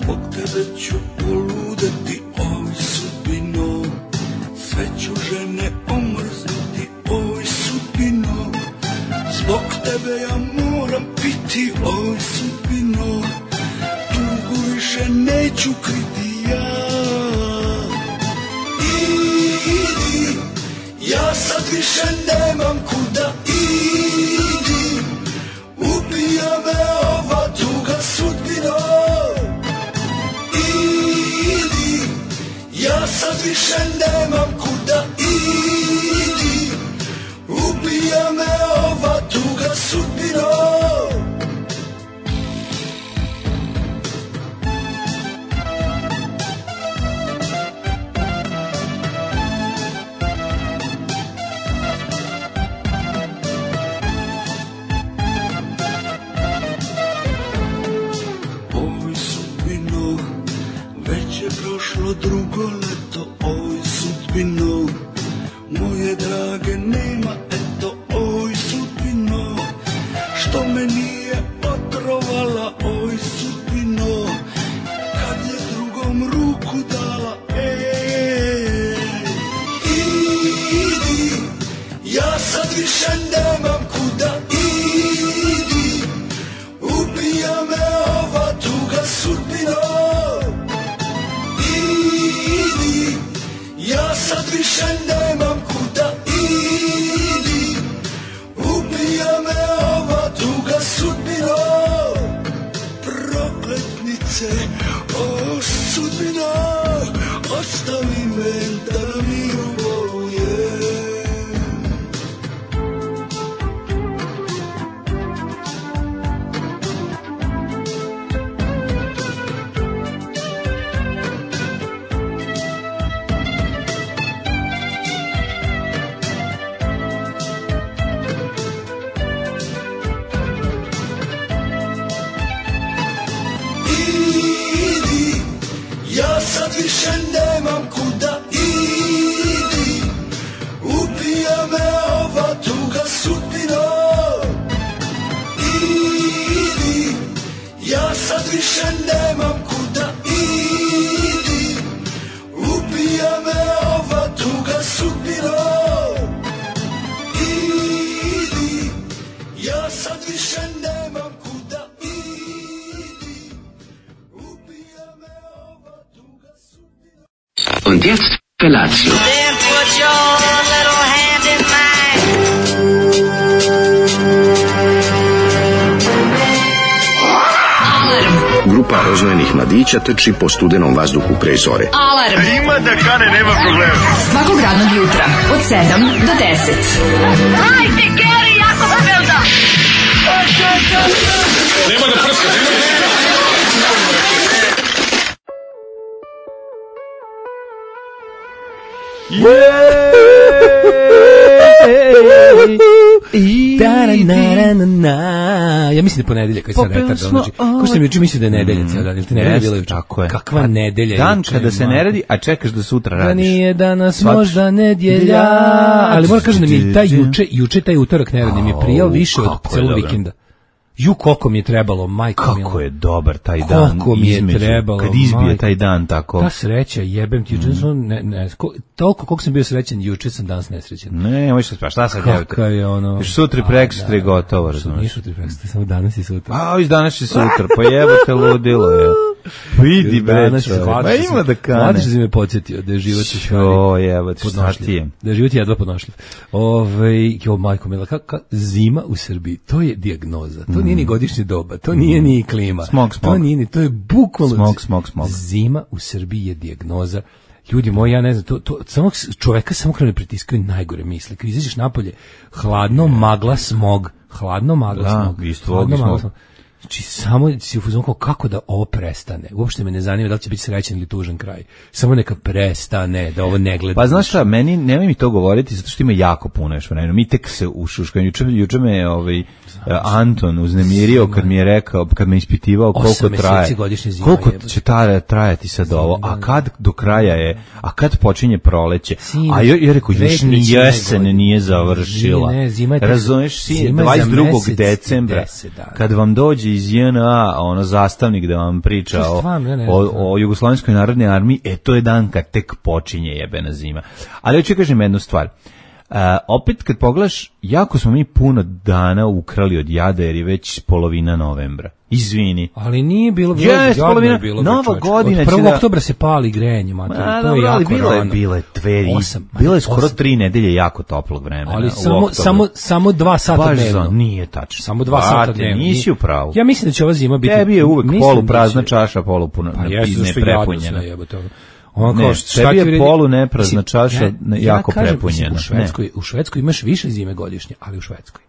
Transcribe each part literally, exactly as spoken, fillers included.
zbog tebe ću poludeti, oj sudbino, sve ću žene omrznuti, oj sudbino, zbog tebe ja moram piti, oj sudbino, tugu više neću kriti ja. Idi, ja sad više nemam kuda, idi, ubija me ova tuga sudbino. Idi, ja sad više nemam kuda, idi, ubija me ova tuga sudbino. Drugo leto, oj sudbino, moje drage nema, eto, oj sudbino, što me nije otrovala, oj sudbino, kad je drugom ruku dala, ej, idi, ja sad više nemam kuda, idi, ubija me ova tuga sudbino. Ja sad više nemam kuda, idi, ubija me ova tuga sudbino. Prokletnice, o sudbino, ostavi me da na miru bolujem. Ja sad više nemam kuda, idi, ubija me ova tuga sudbino. Idi, ja sad više nemam kuda, idi, ubija me ova tuga sudbino. Idi, ja sad više nemam kuda, idi, ubija me ova tuga sudbino. Und jetzt Felatio. Then put your little hand in mine. Grupa roznojenih mladića trči po studenom vazduhu pre zore. Alarm! Ima da kane, nema problema. Svakog radnog jutra, od sedam do deset. Hajde, Geri, jako se velda! Nema da prska, nema da prska! Ja mislim da je ponedeljak koji sad retar donođi. Ko što mi juče mislio da je nedelja cijel dan, ili ti nedelja bila juče? Tako je. Kakva nedelja? Dan kada se ne radi, a čekaš da sutra radiš. Da nije danas možda nedjelja. Ali moram kažem da mi je taj juče, juče taj utorak neradni mi je prijao više od celog vikenda. Ju, koliko mi je trebalo, majko kako milo. je dobar taj dan. Koliko mi je između, trebalo, kad izbije majko. taj dan tako. Ta sreća, jebem ti, juče sam, ne, ne, ko, toliko koliko sam bio srećan, juče sam danas nesrećan. Ne, možeš pa šta sad jebate? Kakav je ono... Još sutra i prekosutra je gotovo, razumiješ? Nije sutra i prekosutra, samo danas i sutra. A, iz danas i sutra, pa jebote ludilo je. Vidi bre, pa ima da kane. Mladić si me podsjetio da je život u stvari o, jebote, šta ti je? Da je život jedva podnošljiv. Ove, jo, majko mila, kako zima u Srbiji, to je dijagnoza, to nije ni godišnje doba, to nije ni klima, smog, smog. to nije ni, to je bukvalno smog, smog, smog. Zima u Srbiji je dijagnoza. Ljudi moji, ja ne znam, to, to samo čoveka samo krene pritiskaju najgore misli. Kad izađeš napolje, hladno, magla, smog, hladno, magla, da, smog, isto, hladno, smog. magla, smog. Znači, samo si u fazonu kao kako da ovo prestane. Uopšte me ne zanima da li će biti srećan ili tužan kraj. Samo neka prestane, da ovo ne gleda. Pa znaš šta, meni, nemoj mi to govoriti, zato što ima jako puno još vremena. Mi tek se ušuškaju. Juče, juče me ovaj, Anton uznemirio kad mi je rekao, kad me ispitivao koliko traje. Koliko će ta, trajati sad ovo, a kad do kraja je, a kad počinje proleće. A ja, ja rekao, još ni jesen nije završila. Razumeš, dvadeset drugog decembra, kad vam dođe iz J N A, ono zastavnik da vam priča o, o, o Jugoslovenskoj narodnoj armiji, e to je dan kad tek počinje jebena zima. Ali hoću kažem jednu stvar. Uh, opet kad pogledaš, jako smo mi puno dana ukrali od jada jer je već polovina novembra. Izvini. Ali nije bilo, bilo yes, polovina, bilo nova godina. Od prvog oktobra se pali grenje, mater, to je jako bilo rano. Je, bilo je dve, osam, bilo je skoro osam. tri nedelje jako toplog vremena. Ali samo, samo, samo dva sata Baš dnevno. Za, nije tačno. Samo dva Bate, sata dnevno. Nisi u pravu. Ja mislim da će ova zima biti... Tebi je uvek polu prazna će... čaša, polu puna, pa ne prepunjena. On ne, tebi je polu neprazna čaša ja, jako ja kažem, prepunjena. U Švedskoj, u Švedskoj imaš više zime godišnje, ali u Švedskoj.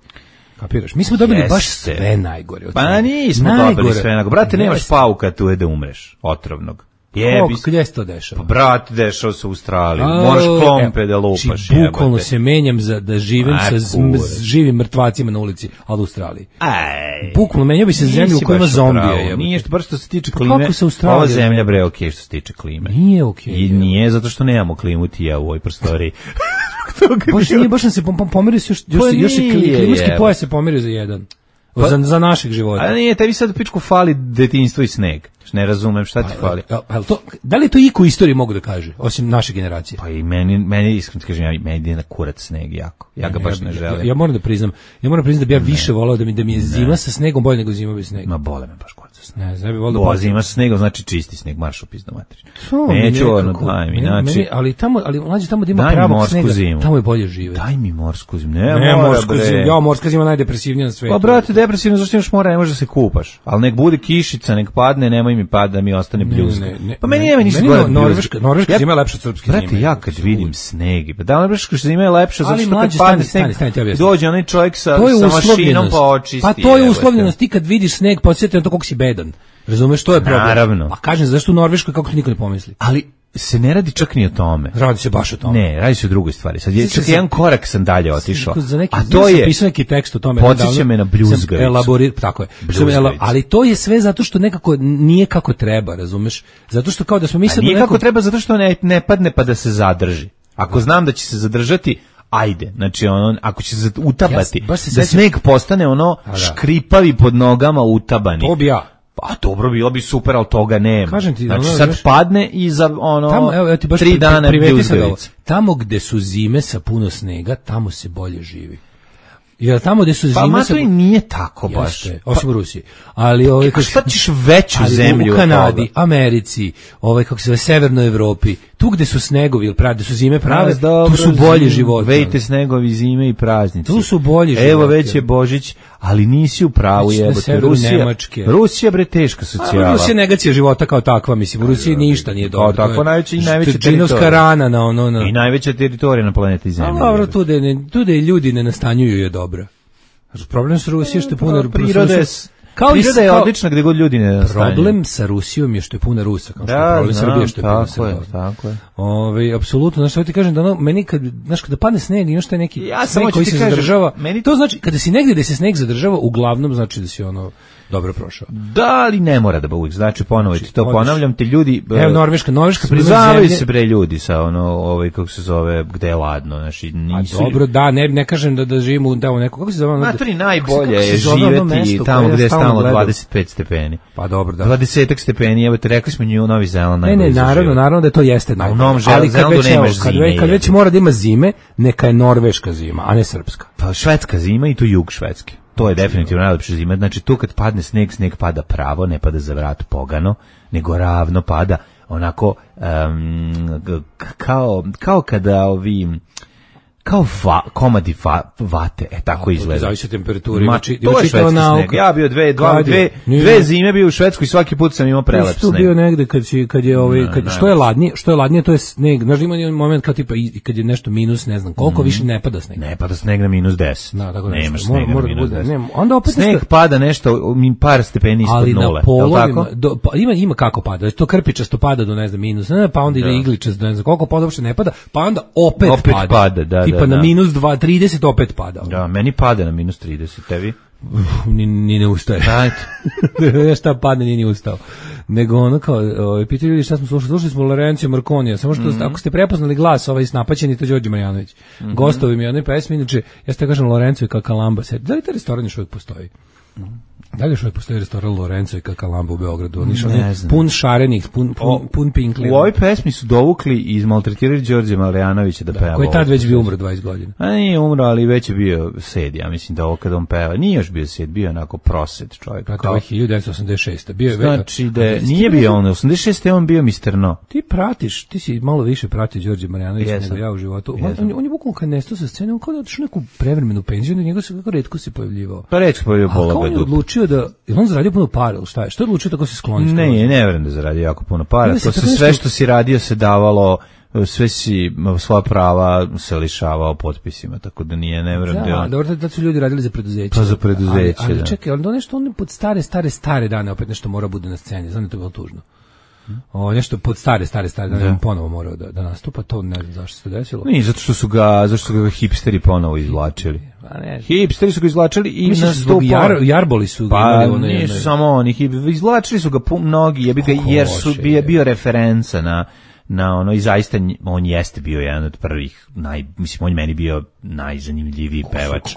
Kapiraš? Mi smo dobili Jeste. baš sve najgore. Od pa nismo najgore. dobili sve najgore. Brate, nemaš Jeste. pauka tu da umreš, otrovnog. Jebi. Gdje se to dešava? Pa brate, dešava se u Australiji. Moraš klompe da lupaš. Či bukvalno se menjam za da živim Aj, sa z, z, živim mrtvacima na ulici, ali u Australiji. Aj. Bukvalno menjao bi se zemlju u kojoj ima zombija. Nije što, bar što se tiče klime, ova zemlja bre okej što se tiče klime. Nije okej. I nije zato što nemamo klimu ti ja u ovoj prostoriji. Baš nije, baš nam se pomerio se još, još, još se klimatski pojas se pomerio za jedan. Pa, za, za našeg života. A nije, tebi sad pičku fali detinjstvo i sneg. Ne razumem šta ti fali. A, a, a to, da li to iko u istoriji mogu da kaže, osim naše generacije? Pa i meni, meni iskreno kažem, ja, meni ide na kurac sneg jako. Ja ga ne, baš ne, ne želim. Ja, ja moram da priznam, ja moram da priznam da bi ja ne. više volao da mi, da mi je zima ne. sa snegom bolje nego zima bez snega. Ma bole me baš kurac sa snegom. Ne, znam bi volao da zima sa snegom znači čisti sneg, marš u pizdu materiju. Neću ono, daj mi, znači. Ali tamo, ali mlađe tamo da ima pravog snega, zimu. tamo je bolje žive. Daj mi morsku zimu. Ne, ne morsku zimu. Ja, morska zima najdepresivnija na svetu. Pa brate, depresivno zašto imaš mora, ne možeš da se kupaš. Al nek bude kišica, nek padne, nemoj mi pada da mi ostane bljuzga. Ne, ne, pa meni nema ništa gore. Norveška, Norveška zima je lepša od srpske zime. Brate, ja kad vidim sneg, pa da Norveška zima je lepša zato što kad padne sneg, dođe onaj čovjek sa sa mašinom pa očisti. Pa to je uslovljenost, ti kad vidiš sneg, podsjeti na to kako si bedan. Razumeš, to je problem. Naravno. A kažem, zašto u Norveškoj kako to niko ne pomisli? Ali se ne radi čak ni o tome. Radi se baš o tome. Ne, radi se o drugoj stvari. Sad je čak jedan korak sam dalje otišao. Neki, a to je pisao neki tekst o tome. Podsjeća me na bljuzgavicu. Elaborir, tako je. Ali to je sve zato što nekako nije kako treba, razumeš? Zato što kao da smo mislili nije kako treba zato što ne, ne padne pa da se zadrži. Ako znam da će se zadržati, ajde, znači ono, ako će se utabati, ja, se da sneg postane ono da. škripavi pod nogama utabani. To bi ja. Pa dobro, bilo bi super, ali toga nema. Kažem ti, znači ono, sad znaš, padne i za ono tamo, evo, ti baš tri pri, dana bljuzgavica. Tamo gde su zime sa puno snega, tamo se bolje živi. Jer tamo gde su pa, zime sa... Pa i nije tako baš. Jeste, osim u Rusiji. Ali ovaj kako šta ćeš veću ali zemlju u Kanadi, Americi, ovaj kako se zove Severnoj Evropi, tu gde su snegovi, prave, gde su zime prave, dobro, tu su bolji životi. Vejte snegovi, zime i praznici. Tu su bolji životi. Evo već je Božić, ali nisi u pravu, jebote. Rusija, Nemačke. Rusija bre teška socijala. A, Rusija je negacija života kao takva, mislim, u Rusiji ništa nije dobro. Kao tako najveća i najveća teritorija. Rana na ono na. I najveća teritorija na planeti Zemlji. A dobro, tu da ne, tu da ljudi ne nastanjuju je dobro. Problem sa Rusijom što je puno prirode. Kao priroda je odlična gde god ljudi ne nastanjuju. Problem sa Rusijom je što je puna Rusa, kao što je problem Srbije što je puna Srbija. Tako je. Ovaj apsolutno, znači što ti kažem da ono meni kad znaš kada padne sneg i još taj neki ja sneg koji se kažem, zadržava. Meni to znači kada si negdje da se sneg zadržava, uglavnom znači da si ono dobro prošao. Da, ali ne mora da uvijek. Znači ponovo ti to ponavljam, ti ljudi evo Norveška, Norveška primjer se bre ljudi sa ono ovaj kako se zove gde je ladno, znači nisu. A dobro, da, ne ne kažem da da živimo u tamo neko kako se zove ono. Matri najbolje je živeti tamo gde je stalno dvadeset pet stepeni. Pa dobro, da. dvadeset stepeni, evo te rekli smo New Novi Zeland najbolje. Ne, ne, naravno, naravno da to jeste najbolje. Ali kad već nemaš zime, kad već mora da ima zime, neka je norveška zima, a ne srpska. Pa švedska zima i to jug Švedske. To je definitivno najlepša zima. Znači tu kad padne sneg, sneg pada pravo, ne pada za vrat pogano, nego ravno pada onako um, kao, kao kada ovi kao va, komadi va, vate, e tako a, izgleda. Zavisi od temperaturi. Znači, to je švedski sneg. Ja bio dve, dva, dve, dve zime bio u Švedskoj i svaki put sam imao prelep sneg. Tu bio negde kad, si, kad je, ovaj, kad, što je ladnije, što je ladnije, to je sneg. Znaš, ima jedan moment kad, tipa, kad je nešto minus, ne znam, koliko mm. više ne pada sneg. Ne pada sneg na minus deset. Da, tako nemaš nešto. snega mora, na minus deset. Ne, onda opet sneg nešto... pada nešto, par stepeni ispod ali nule. Ali na polovima, do, pa, ima, ima kako pada. To krpičasto pada do, ne znam, minus, ne, pa onda ide igličast do, ne znam, koliko pada uopšte ne pada, pa onda opet, opet pada. pada da, tipa da, na da. minus dva trideset opet pada. Da, meni pada na minus trideset, tebi? Ni, ni ne ustaje. Ajde. Šta padne, ni ne ustao. Nego ono kao, ovaj, pitaju ljudi šta smo slušali, slušali smo Lorenzo Marconija, samo što, mm -hmm. ako ste prepoznali glas, ovaj snapaćeni, to Đorđe Marjanović. Mm -hmm. Gostovi mi jednoj pesmi, inače, ja ste kažem Lorenzo i Kakalamba, da li taj restoran još uvijek postoji? Da li još uvijek postoji restoran Lorenzo i Kakalamba u Beogradu? On išao pun šarenih, pun, pun, pun pinkli. U ovoj pesmi su dovukli i izmaltretirali Đorđe Malijanovića da, da peva. Koji tad već bio umro dvadeset godina. A nije umro, ali već je bio sed, ja mislim da ovo kad on peva. Nije još bio sed, bio onako prosed čovjek. Pa to je hiljadu devetsto osamdeset šeste. Bio je znači da je, nije bio on, osamdeset šeste on bio mister No. Ti pratiš, ti si malo više pratio Đorđe Malijanovića nego ja u životu. On, on, on je bukvalno kad nestao sa scene, on kao da otišao neku prevremenu penziju, njega se kako retko se pojavljivao. Pa retko pojavljivao pola on je odlučio da, je on zaradio puno para, ili šta je? Što je odlučio tako se skloni? Ne, ne, ne verujem da zaradio jako puno para. To se sve što si radio se davalo, sve si svoja prava se lišavao potpisima, tako da nije, ne verujem da je on. Da, dobro, da su ljudi radili za preduzeće. Pa za preduzeće, ali, ali da. Čekaj, ali nešto on pod stare, stare, stare dane opet nešto mora bude na sceni, znam da to je bilo tužno. O, nešto pod stare, stare, stare dane on ponovo morao da, da nastupa, to ne znam zašto se to desilo. Nije, zato što su ga, zašto su ga hipsteri ponovo izvlačili. Pa ne. Hipsteri su ga izvlačili i nastupali. Jar, jarboli su ga pa, imali ono. Pa nisu samo oni, izvlačili su ga mnogi, jebi ga, jer su bio, bio referenca na na ono i zaista on jeste bio jedan od prvih naj mislim on meni bio najzanimljiviji pevač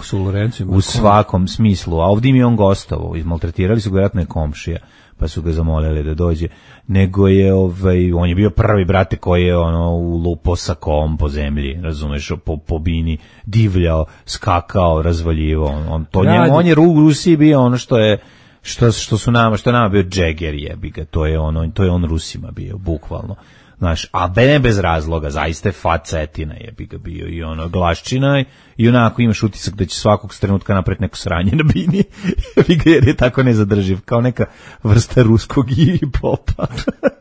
u svakom smislu, a ovdje mi je on gostovao, izmaltretirali su ga vjerojatno je komšija pa su ga zamolili da dođe, nego je ovaj on je bio prvi brate koji je ono lupo sa kom po zemlji, razumeš, po po bini divljao, skakao, razvaljivao, on, on to njemu, on je u Rusiji bio ono što je što što su nama, što nama bio Jagger, jebi ga, to je ono, to je on Rusima bio bukvalno. Znaš, a ne bez razloga, zaista je facetina je bi ga bio i ono glaščina i onako imaš utisak da će svakog trenutka napraviti neko sranje na bini jer je tako nezadrživ, kao neka vrsta ruskog hip-hopa.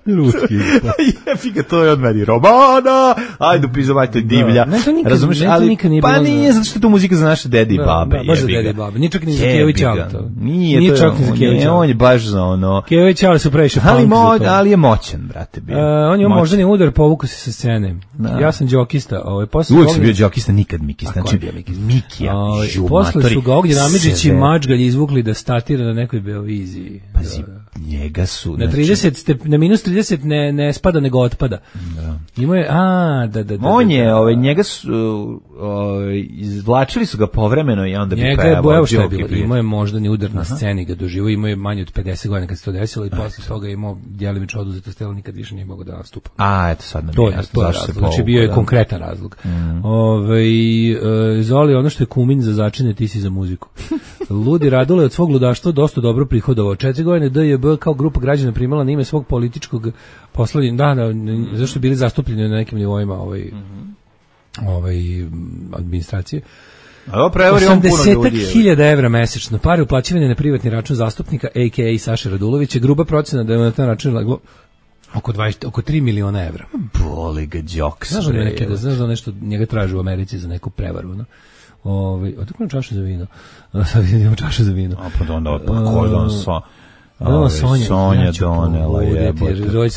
Ruski hip-hop. Jebi ga, to je od meni Romana, ajde upizovajte divlja. Ne, to nikad, razumeš, ne, to ali, nikad nije pa bilo nije, zato što je to muzika za naše dede i babe. Da, baš za dede i babe, nije čak ni za Kević Alto. Nije, nije to čak ni za Kević Alto. On je baš za ono... Kević Alto su previše punk ali, mo, za to. ali je moćan, brate, bio. Uh, on je moždani udar, povukao se sa scene. Da. Ja sam džokista. Ovaj, uvijek si bio džokista, nikad Mikista. Znači, Mikija, ovaj, posle su ga Ognjen Amidžić i Mačgalj izvukli da statira na nekoj Beoviziji. Pazi, njega su... Na, trideset step, na minus trideset ne, ne spada, nego otpada. Da. Ima je, a, da, da, da. On je, da, ovaj, njega su, ovaj, izvlačili su ga povremeno i onda bi njega pevao. Njega je, evo šta je bilo, imao je moždani udar na sceni, ga doživo, imao je manje od pedeset godina kad se to desilo i posle toga je imao djelimično oduzeto stelo, nikad više nije mogo da nastupa. A, eto sad nam to je, to je razlog, znači bio je konkretan razlog. Mm. Ove, e, Zoli, ono što je kumin za začine, ti si za muziku. Ludi Radule od svog ludaštva dosta dobro prihodovao. Četiri godine D J B kao grupa građana primala na ime svog političkog poslovljenja, da, da, zašto bili zastupljeni na nekim nivoima ovaj, mm-hmm. ovaj, administracije. osamdeset hiljada evra mesečno, pare uplaćivanje na privatni račun zastupnika, a k a. Saše Radulovića, gruba procena da je na taj račun leglo oko dvadeset, oko tri miliona evra. Boli ga džoks. Znaš da neke, da znaš da nešto njega traži u Americi za neku prevaru, no? Ovaj, otakle čašu za vino. Sad idemo čašu za vino. A pa onda pa ko je on sa Ove, Sonja, Sonja donela jebote.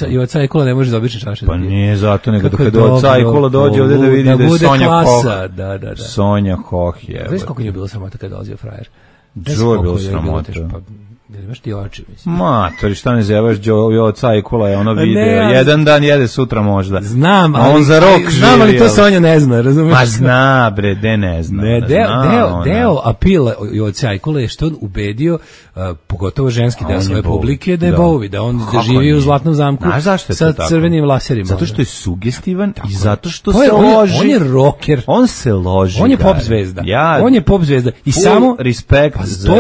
I od Cajkola ne može dobiti čaše. Pa nije zato, nego kad od Cajkola dođe ovdje da vidi da je Sonja Hoh. Da, da, da. Sonja Hoh je. Znaš kako je bilo sramota kad dolazio frajer? Džo je bilo sramota. Jel imaš ti oči, mislim? Matori, šta ne zevaš, Joe Cajkola je ono video. Ne, jedan dan jede, sutra možda. Znam, ali, on za rok živi. Znam, ali to Sonja ne zna, razumiješ? Ma zna, bre, de ne zna. Ne, deo, zna, deo, deo apila od Cajkola je što on ubedio, uh, pogotovo ženski deo svoje publike, da je bovi, da on da živi u Zlatnom zamku sa crvenim laserima. Zato što je sugestivan i zato što se loži. On je rocker. On se loži. On je pop zvezda. On je pop zvezda. I samo respekt za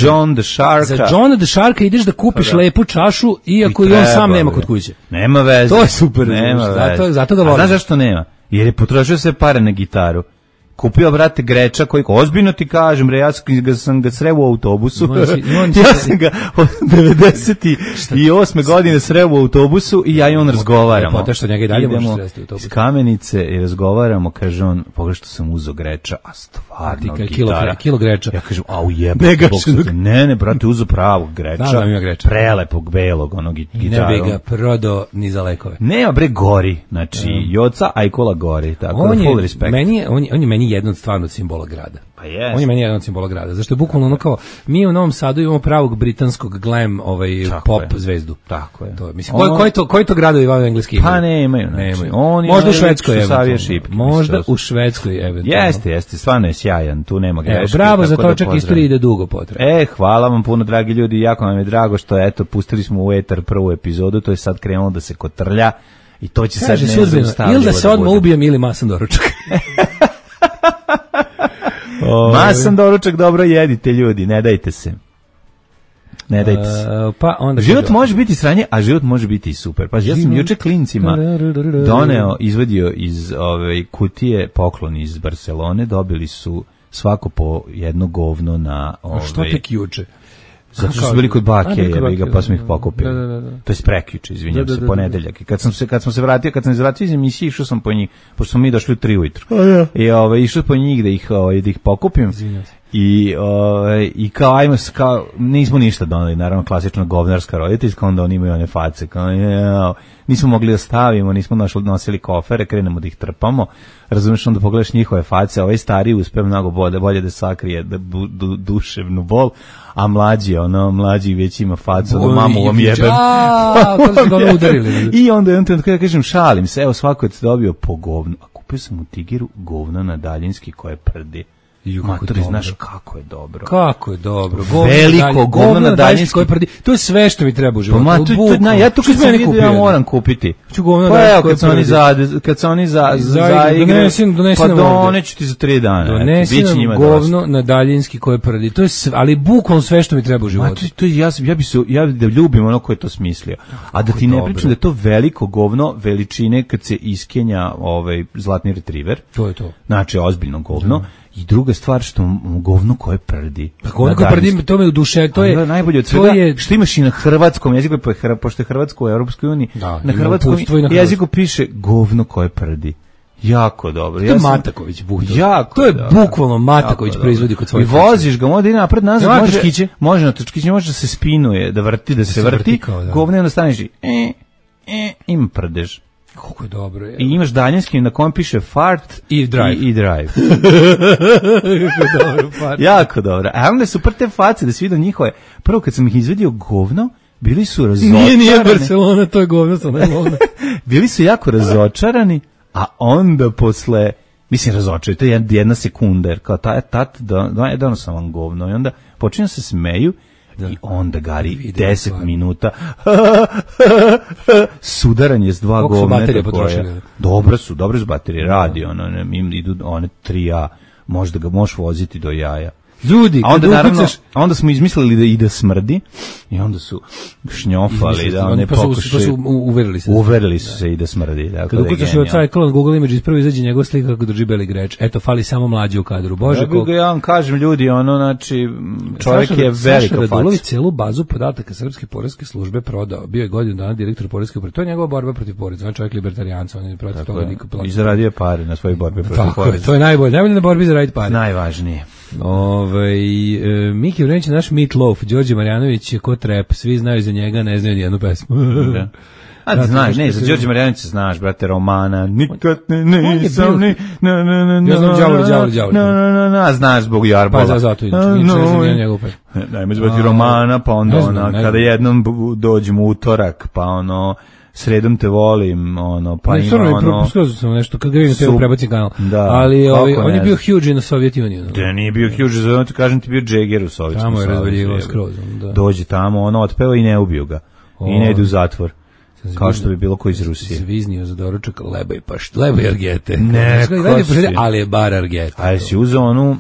John the Sharka. Johna the Sharka ideš da kupiš pa da. lepu čašu, iako i, i on sam nema kod kuće. Nema veze. To je super. Nema veze. Zato, zato ga volim. A znaš zašto nema? Jer je potrošio sve pare na gitaru. Kupio, brate, Greča koji, ozbiljno ti kažem, re, ja sam ga sreo u autobusu. Moći, ja sam ga od devedeset osme godine sreo u autobusu i ja i on razgovaramo. Potom što njega i dalje idemo možeš sresti u autobusu. Iz Kamenice i razgovaramo, kaže on, pogledaj što sam uzo Greča, a stvarno gitara. Kilo, kilo Greča. Ja kažem, au jebe. Ne, ne, brate, uzo pravog Greča. Da, da, ima Greča. Prelepog, belog, onog gitaru. I ne bi ga prodao ni za lekove. Ne, bre, gori. Znači, Joca Ajkola gori. Tako on da, full je, respect. Meni je, on, on je meni meni jedan od stvarno simbola grada. Pa yes. On je meni jedan od simbola grada. Zašto je bukvalno ono kao, mi u Novom Sadu imamo pravog britanskog glam ovaj, pop je. zvezdu. Tako je. To, mislim, koji, koji, to, koji to gradovi van engleski imaju? Pa ne imaju. Znači. Nemaju. On možda u Švedskoj eventualno. Šipke, možda u Švedskoj eventualno. Jeste, jeste, stvarno je sjajan, tu nema greške. Bravo za to, čak istorija ide dugo potreba. E, hvala vam puno, dragi ljudi, jako nam je drago što, eto, pustili smo u etar prvu epizodu, to je sad krenulo da se kotrlja i to će kaže, sad nezaustavljivo. Ili da se odmah ubijem ili masan doručak. Masan doručak, dobro jedite, ljudi, ne dajte se. Ne dajte se. Uh, pa onda život kaže, može biti sranje, a život može biti i super. Pa ja sam juče klincima doneo, izvadio iz ove kutije poklon iz Barcelone, dobili su svako po jedno govno na ove. A što tek juče? Zato što su bili kod bake, jebi ga, pa smo ih pokupili. Da, da, da. To je prekjuče, izvinjam da, da, se, ponedeljak. I kad sam se kad sam se vratio, kad sam se vratio iz emisije, išao sam po njih, pošto smo mi došli u tri ujutru. Oh, ja. I ovaj išao po njih da ih ovaj da ih pokupim. Izvinjam se. I ovaj i kao ajmo kao nismo ništa doneli, naravno klasična govnarska roditeljska, onda oni imaju one face kao ja, nismo mogli da stavimo, nismo našli nosili kofere, krenemo da ih trpamo. Razumeš, onda pogledaš njihove face, ovaj stari uspe mnogo bolje, bolje da sakrije da du, du, duševnu bol, a mlađi, ono, mlađi već ima facu, da mamu vam jebem. A, to su ga udarili. I onda, onda, kada kažem, šalim se, evo, svako je dobio po govnu, a kupio sam u Tigiru govno na daljinski koje prdi. Matori, znaš kako je dobro. Kako je dobro. Govno veliko govno na daljinski koje prdi. To je sve što mi treba u životu. Pa, to, to, na, ja to kad sam vidio, ja moram kupiti. Pa evo, kad se oni za, kad se oni za, za, za igre, donesim, donesim pa doneću ti za tri dana. Donesi nam govno na daljinski koje prdi. To je sve, ali bukvalno sve što mi treba u životu. Ma, to, to, ja, ja bi se, ja da ljubim ono ko je to smislio. A da ti ne pričam da je to veliko govno veličine kad se iskenja ovaj zlatni retriver. To je to. Znači, ozbiljno govno. I druga stvar što govno koje prdi. Pa govno koje prdi, to me u duše, to je najbolje od svega. Je, što imaš i na hrvatskom jeziku, pošto je hrvatsko u Europskoj uniji, da, na hrvatskom na jeziku piše govno koje prdi. Jako dobro. To je ja sam, Mataković buhto. Jako. To je dobro. Bukvalno Mataković proizvodi kod svojih. I voziš ga, onda ide napred nazad, može točkiće, može na točkiće, može da se spinuje, da vrti, da, da se, se vrti. vrti kao, da. Govno onda staneš i e, e, im prdež. Kako je dobro. Je. I imaš daljinski na kojem piše fart i drive. I, i drive. dobro, fart. Jako dobro. A onda su prte face da se vidio njihove. Prvo kad sam ih izvedio govno, bili su razočarani. Nije, nije Barcelona, to je govno, sam ne govno. Bili su jako razočarani, a onda posle, mislim razočarani, to je jedna sekunda, jer kao taj tat, da, da, sam vam govno. I onda počinju se smeju, da. I onda gari deset minuta sudaranje s dva govneta koje dobre su, dobre su baterije, radi ono, im idu one tri A, možda ga možeš voziti do jaja. Ljudi, a onda naravno, a onda smo izmislili da ide smrdi i onda su šnjofali da one pokušaju. Pa su uverili se. Uverili su se i da smrdi. Dakle, kad ukucaš od Cyclone Google Images, prvo izađe njegov slika kako drži beli greč. Eto, fali samo mlađi u kadru. Bože, koliko... Ja vam kažem, ljudi, ono, znači, čovjek Saša, je velika faca. Saša Radulović celu bazu podataka Srpske poreske službe prodao. Bio je godinu dana direktor poreske uprave. To je njegova borba protiv poreza. On je čovjek libertarijanca, on je protiv toga niko plaća. I zaradio pare na svojoj borbi protiv poreza. To je najbolje. Najbolje na borbi zaraditi pare. Najvažnije. Ove, e, Miki Vrenić je naš Meatloaf, Đorđe Marjanović je ko trep, svi znaju za njega, ne znaju nijednu pesmu. Da. A da, znaš, ne, za Đorđe Marjanović znaš, brate, Romana, nikad ne nisam ni, na, na, na, na, ja znam Đavoli, Đavoli, Đavoli. Na, na, na, na, znaš zbog Jarbola. Pa zato, inače, ne znam njegovu pesmu. Najme zvati Romana, pa onda ona, kada jednom dođemo utorak, pa ono, sredom te volim, ono, pa ne, ima ono... Ne, propustio sam nešto, kad ga vidim te prebacim kanal. Da, ali ovaj, on je bio huge na Sovijet Union. Da, nije bio huge, zato ti kažem ti bio Jagger u Sovjetskom Savezu. Tamo je razvaljivao skroz. Da. Dođe tamo, ono, otpeva i ne ubiju ga. O, i ne idu u zatvor. Zviznio, kao što bi bilo ko iz Rusije. Zviznio za doručak leba i pašt, leba i argete. Ne, ne ali je bar argete. A jesi uzeo onu...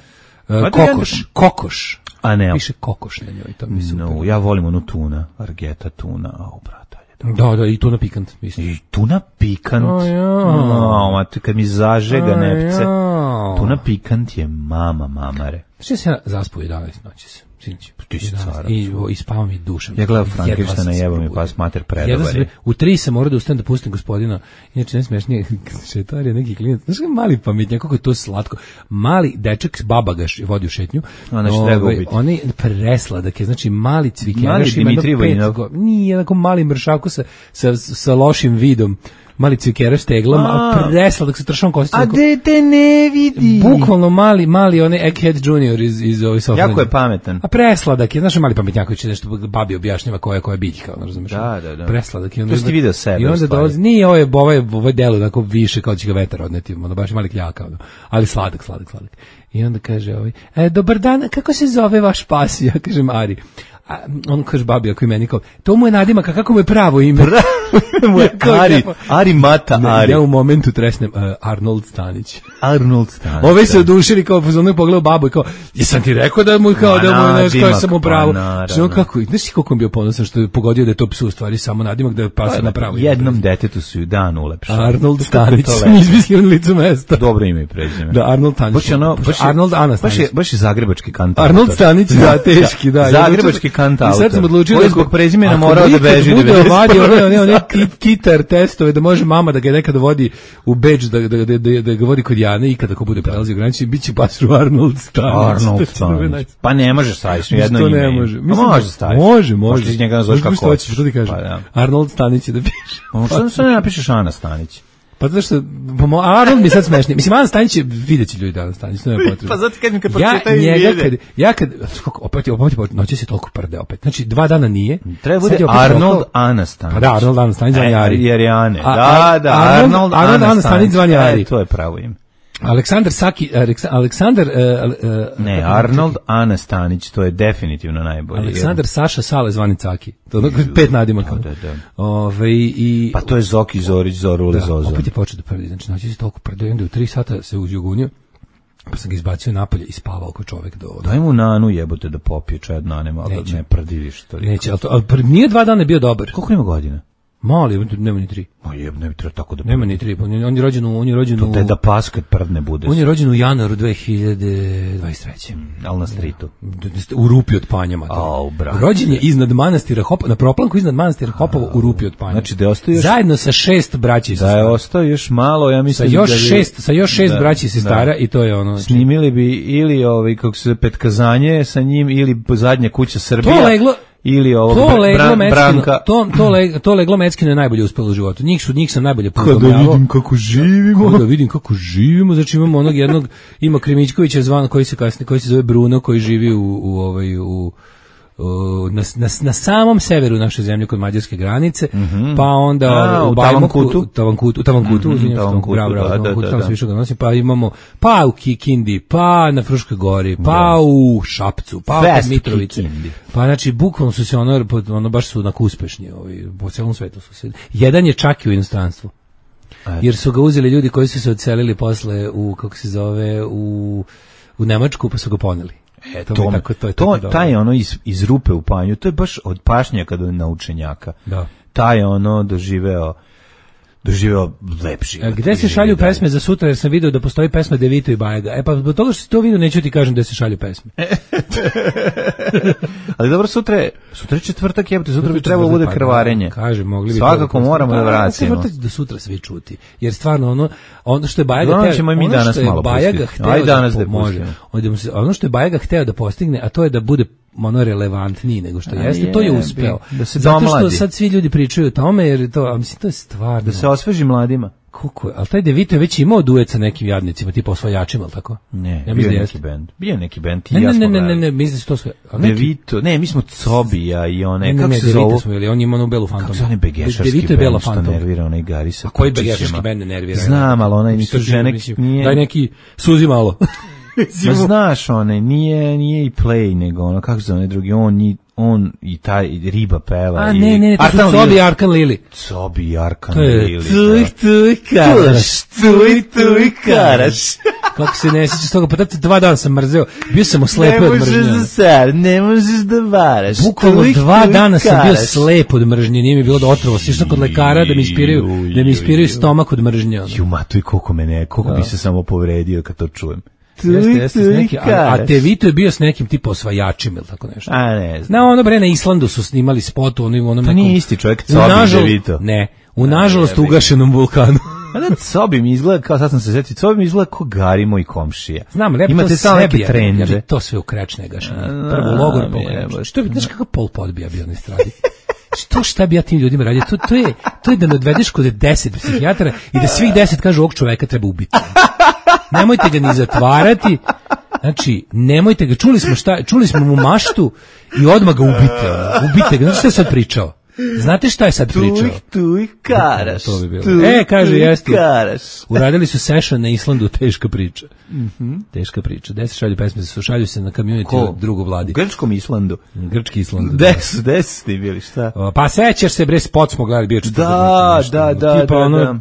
Uh, kokoš, kokoš. A ne. Piše kokoš na njoj, to mi super. No, ja volim onu tuna, argeta tuna, a brate. Da, da, i tuna pikant, mislim. I tuna pikant. Oh, ja. No, kad mi zažega oh, nepce. Ja. Tuna pikant je mama, mamare. Znači se ja zaspao jedanaest noći se. Sinoć. Ti si cara. I, i spavao mi dušom. Ja gledam Frankensteina, jebo mi pas mater predobar je. U tri sam morao da ustanem da pustim gospodina. Inače, najsmešnije, šetar je neki klinac. Znaš kako mali pametnjak, kako je to slatko. Mali dečak, baba ga vodi u šetnju. Ona što treba ubiti. On je presladak je, znači mali cvikeraš. Mali Dimitrijevo Inov. Nije, jednako mali mršaku sa, sa, sa lošim vidom. mali cvikeraš teglama, a presladak se tršom kosti. A dete ne vidi. Bukvalno mali, mali onaj Egghead Junior iz, iz ovih sofranja. Jako je pametan. A presladak je, znaš, mali pametnjaković nešto babi objašnjava koja je koja biljka, ono razumeš. Da, da, da. Presladak je. To si ti video sebe. I onda dolazi, nije ovo je, ovo je, ovo je delo onako više kao će ga vetar odneti, ono baš mali kljaka, ono. Ali sladak, sladak, sladak. I onda kaže ovaj, e, dobar dan, kako se zove vaš pas? Ja kažem Ari. A on kaže babi, ako i meni kao, to mu je nadimak, a kako mu je pravo ime? Pravo ime Ari, Ari Mata ne, Ari. Ja u momentu tresnem, uh, Arnold Stanić. Arnold Stanić. Ove se odušili kao pozorno pogledao babu i kao, jesam ti rekao da mu kao, da mu je nešto kao sam u pravu. Što on kako, znaš ti koliko on bio ponosan što je pogodio da je to psu u stvari samo nadimak da je pasa na pravo ime. Jednom detetu su ju dan ulepšali. Arnold Stanić, sam izmislio na licu mesta. Dobro ime i prezime. Da, Arnold Stanić. Baš je ono, baš je, Arnold Ana Stanić. Baš je, baš je zagrebački kantautor. Arnold Stanić, da, teški, da. Zagrebački kantautor. I sad sam odlučio da zbog prezimena morao da beži da bude vadio one one one kitar testove da može mama da ga nekada vodi u Beč da da da da, da ga vodi kod Jane i kada ko bude prelazio granicu biće baš Arnold Stanić. Arnold Stanić. Pa ne možeš staviti jedno ime. Ne može. Mislim, može staviti. Može, može. Možeš njega nazvati kako hoćeš. Što ti kažeš? Arnold Stanić da piše. On što što ne napišeš Ana Stanić? Pa zato što, Arnold mi sad smešnije. Mislim, Ana Stanić je, vidjet će ljudi Ana Stanić, ne je potrebno. Pa zato kad mi kad ja njega, kad, ja kad, opet, opet, opet, noće se toliko prde opet. Znači, dva dana nije. Treba bude Arnold Ana Stanić. Pa da, Arnold Ana Stanić zvanje Ari. Jer je Ane. Da, da, Arnold Ana Stanić zvanje Ari. To je pravo ime. Aleksandar Saki, Aleksandar... Uh, uh, ne, Arnold Ana Stanić, to je definitivno najbolje. Aleksandar Saša Sale zvani Caki. To je pet nadimaka. Da, da. Ove, i, pa to je Zoki Zorić, Zorule da, Zozo. Opet je počeo da prdi, znači noći se toliko prdi, onda u tri sata se uzjugunio, pa sam ga izbacio napolje i spavao ko čovek do... Daj mu nanu jebote da popije čaj nane, malo da ne prdi više toliko. Neće, ali, to, ali nije dva dana bio dobar. Koliko ima godina? Mali, nema ni tri. Ma jeb, ne bi trebao tako da... Nema ni tri, on je, on je rođen u... On je rođen to te da pas kad prdne bude. On je rođen u januaru dve hiljade dvadeset treće. Mm, ali na stritu. U rupi od Panjama. Au, brate. Rođen je iznad manastira Hopovo, na proplanku iznad manastira Hopovo u rupi od Panjama. Znači da je ostao još... Zajedno sa šest braći i sestara. Da je ostao još malo, ja mislim... Sa još da bi... šest, sa još šest da, braći i sestara da. I to je ono... Znači... Snimili bi ili ovaj, kako se petkazanje sa njim, ili zadnja kuća Srbija. To leglo... Ili ovo to leglo bran, Meckino, branka. To, to, leg, to leglo Meckino je najbolje uspelo u životu. Njih su njih sam najbolje podobljavao. Kada vidim kako živimo. Kada vidim kako živimo. Znači imamo onog jednog, ima Krimićkovića zvan koji se kasnije, koji se zove Bruno, koji živi u, u ovaj, u Na, na, na samom severu naše zemlje kod mađarske granice, mm -hmm. pa onda A, u Tavankutu, Tavankutu, Tavankutu, mm -hmm, Tavankutu, bravo, bravo, da, Tavankutu, da, tamo da. se više ga nosi, pa imamo pa u Kikindi, pa na Fruškoj gori, pa da. U Šapcu, pa u Mitrovici. Pa znači bukvalno su se ono, ono baš su onako uspešni, ovaj, po celom svetu su se. Jedan je čak i u inostranstvu. Jer su ga uzeli ljudi koji su se odselili posle u, kako se zove, u, u Nemačku, pa su ga poneli. E, to, to, tako, to, je to taj ono iz, iz rupe u panju, to je baš od pašnjaka do naučenjaka. Da. Taj ono doživeo doživeo lepši. A gde se šalju dalje. Pesme za sutra, jer sam video da postoji pesma Devito i Bajaga. E pa zbog toga što si to video, neću ti kažem gde se šalju pesme. Ali dobro, sutra je, sutra je četvrtak, jebote, sutra bi trebalo bude krvarenje. Pa, kaže, mogli bi. Svakako to, moramo da vratimo. Četvrtak da sutra svi čuti. Jer stvarno ono, ono što je Bajaga ono ćemo i mi danas malo pustiti. Aj danas da može. Ono što je Bajaga hteo da postigne, a to je da bude ono relevantniji nego što a jeste, je, to je uspeo. Da se zato što sad svi ljudi pričaju o tome, jer to, a mislim, to je stvarno. Da se osveži mladima. Kako je? Ali taj Devito je već imao duet sa nekim jadnicima, tipa osvajačima, ali tako? Ne, ja bio je neki bend. Bio neki bend, ti ne, ja smo ne, ne, ne, ne, mislim da su to sve... Devito, ne, mi smo Cobija i one, ne, ne, kako ne, se zovu? Smo ili on ima onu belu fantom. Kako se one begešarski Devito je bela bend, što fantom. nervira onaj Gari sa a koji begešarski bend ne nervira? Znam, ali onaj nisu žene, nije... Daj neki suzi malo. Ma znaš, onaj, nije, nije i Play, nego ono, kako se zove drugi, on i on i taj riba peva. A i, ne, ne, ne, to su Cobi i Arkan Lili. Cobi i Arkan Lili. Tuj, tuj, karaš. Tuj, tuj, karaš. Kako se ne sjećaš toga, pa tada dva dana sam mrzeo, bio sam oslepo od mržnje. Ne možeš da sad, ne možeš da varaš. Bukvalno dva dana sam bio slep od mržnje, nije mi bilo da otrovo, sišao kod lekara da mi ispiraju, da mi ispiraju stomak od mržnje. Ju, matuj, koliko mene, koliko bi se samo povredio kad to čujem. Jeste, jeste s neki, a, a Devito je bio s nekim tipa osvajačima ili tako nešto. A ne znam. Na ono bre, na Islandu su snimali spot u onom nekom... Pa nije isti čovjek, Cobi Devito. Ne, u nažalost ugašenom vulkanu. A da, Cobi mi izgleda, kao sad sam se sjetio, Cobi mi izgleda kao Gari moj komšija. Znam, lepo imate samo neke trendže. Ja to sve u krečne gašanje. Prvo logor, što bi, znaš kakav Pol Pot bi ja bio na estradi? Što šta bi ja tim ljudima radio? To, to, je, to je da ne odvedeš kod deset psihijatara i da svih deset kažu ovog čoveka treba ubiti. Nemojte ga ni zatvarati. Znači, nemojte ga, čuli smo šta, čuli smo mu maštu i odmah ga ubite. Ono, ubite ga, znači šta je sad pričao? Znate šta je sad pričao? Tuj, tuj, karaš. To bi bilo. Tuj, e, kaže, jeste. Karaš. Uradili su session na Islandu, teška priča. Mm-hmm. Teška priča. Gde se šalju pesme? Šalju se na community od drugu vladi. U grčkom Islandu. Grčki Islandu. Gde su, gde su ti bili, šta? O, pa sećaš se, bre, spot smo gledali, bio četvrtak. Da, da, da, tipa da, ono, da.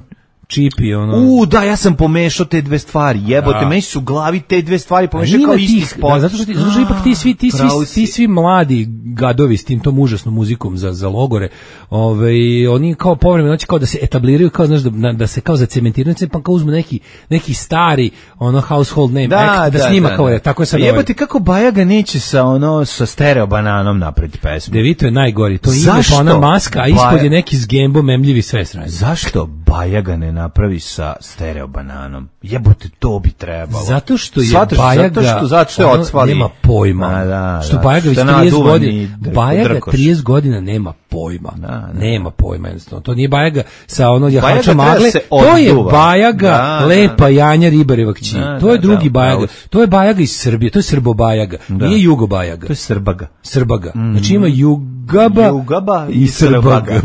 Čipi, ono. U, da, ja sam pomešao te dve stvari. Jebote, Da. meni su u glavi te dve stvari pomešao Ima kao isti tih, spot. da, zato što ti, zato što ipak ti svi ti svi Pravo si. ti svi mladi gadovi s tim tom užasnom muzikom za za logore, ovaj oni kao povremeno hoće kao da se etabliraju, kao znaš da, da se kao zacementiraju, pa kao uzmu neki neki stari ono household name Da, act, da, da, snima da, kao da. je, tako je sad. Pa jebote, kako Bajaga neće sa ono sa stereo bananom napraviti pesmu. Devito je najgori, to ide Zašto? pa ona maska, a ispod Baja- je neki zgembo memljivi sve strane. Zašto Bajaga ne napravi sa stereo bananom? Jebote, to bi trebalo. Zato što je Shvataš, Bajaga, zato što, zato što je ono, odsvali. nema pojma. A, da, što da, Bajaga već što trideset naduvan godina, i dr- Bajaga drkoš. trideset godina nema pojma. Da, da. Nema pojma jednostavno. To nije Bajaga sa ono jahača Bajaga treba magle, se to je odduva. Bajaga Da, lepa Janja Ribareva kći. Da, To je da, drugi da, Bajaga. pravo. To je Bajaga iz Srbije, to je Srbo Bajaga. Da. Nije Jugo Bajaga. To je Srbaga. Srbaga. Znači ima Jugaba, Jugaba i i Srbaga.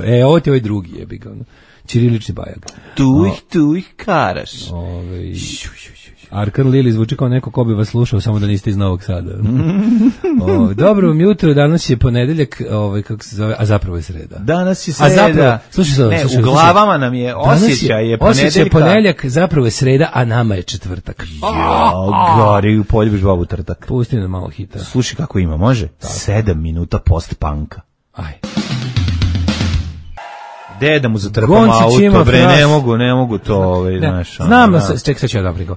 E, ovo ti je ovaj drugi jebi ga. ono. Ćirilični Bajaga. Tu ih, tu ih karaš. Ovaj Arkan Lili zvuči kao neko ko bi vas slušao, samo da niste iz Novog Sada. o, dobro vam jutro, danas je ponedeljak, ovaj, kako se zove, a zapravo je sreda. Danas je A sreda. zapravo, slušaj sad, ne, slušaj, u glavama nam je danas osjećaj je osjećaj ponedeljka. ponedeljak, zapravo je sreda, a nama je četvrtak. Jo, gori, poljubiš babu trtak. Pusti nam malo hita. Slušaj kako ima, može? Sedam minuta post-punka. Aj. Gde da mu zatrpam Goncić ima auto, bre, fras. ne mogu, ne mogu to, ovaj, Ne, znaš. ono, znam, da. da. ček, sad ću ja da priko.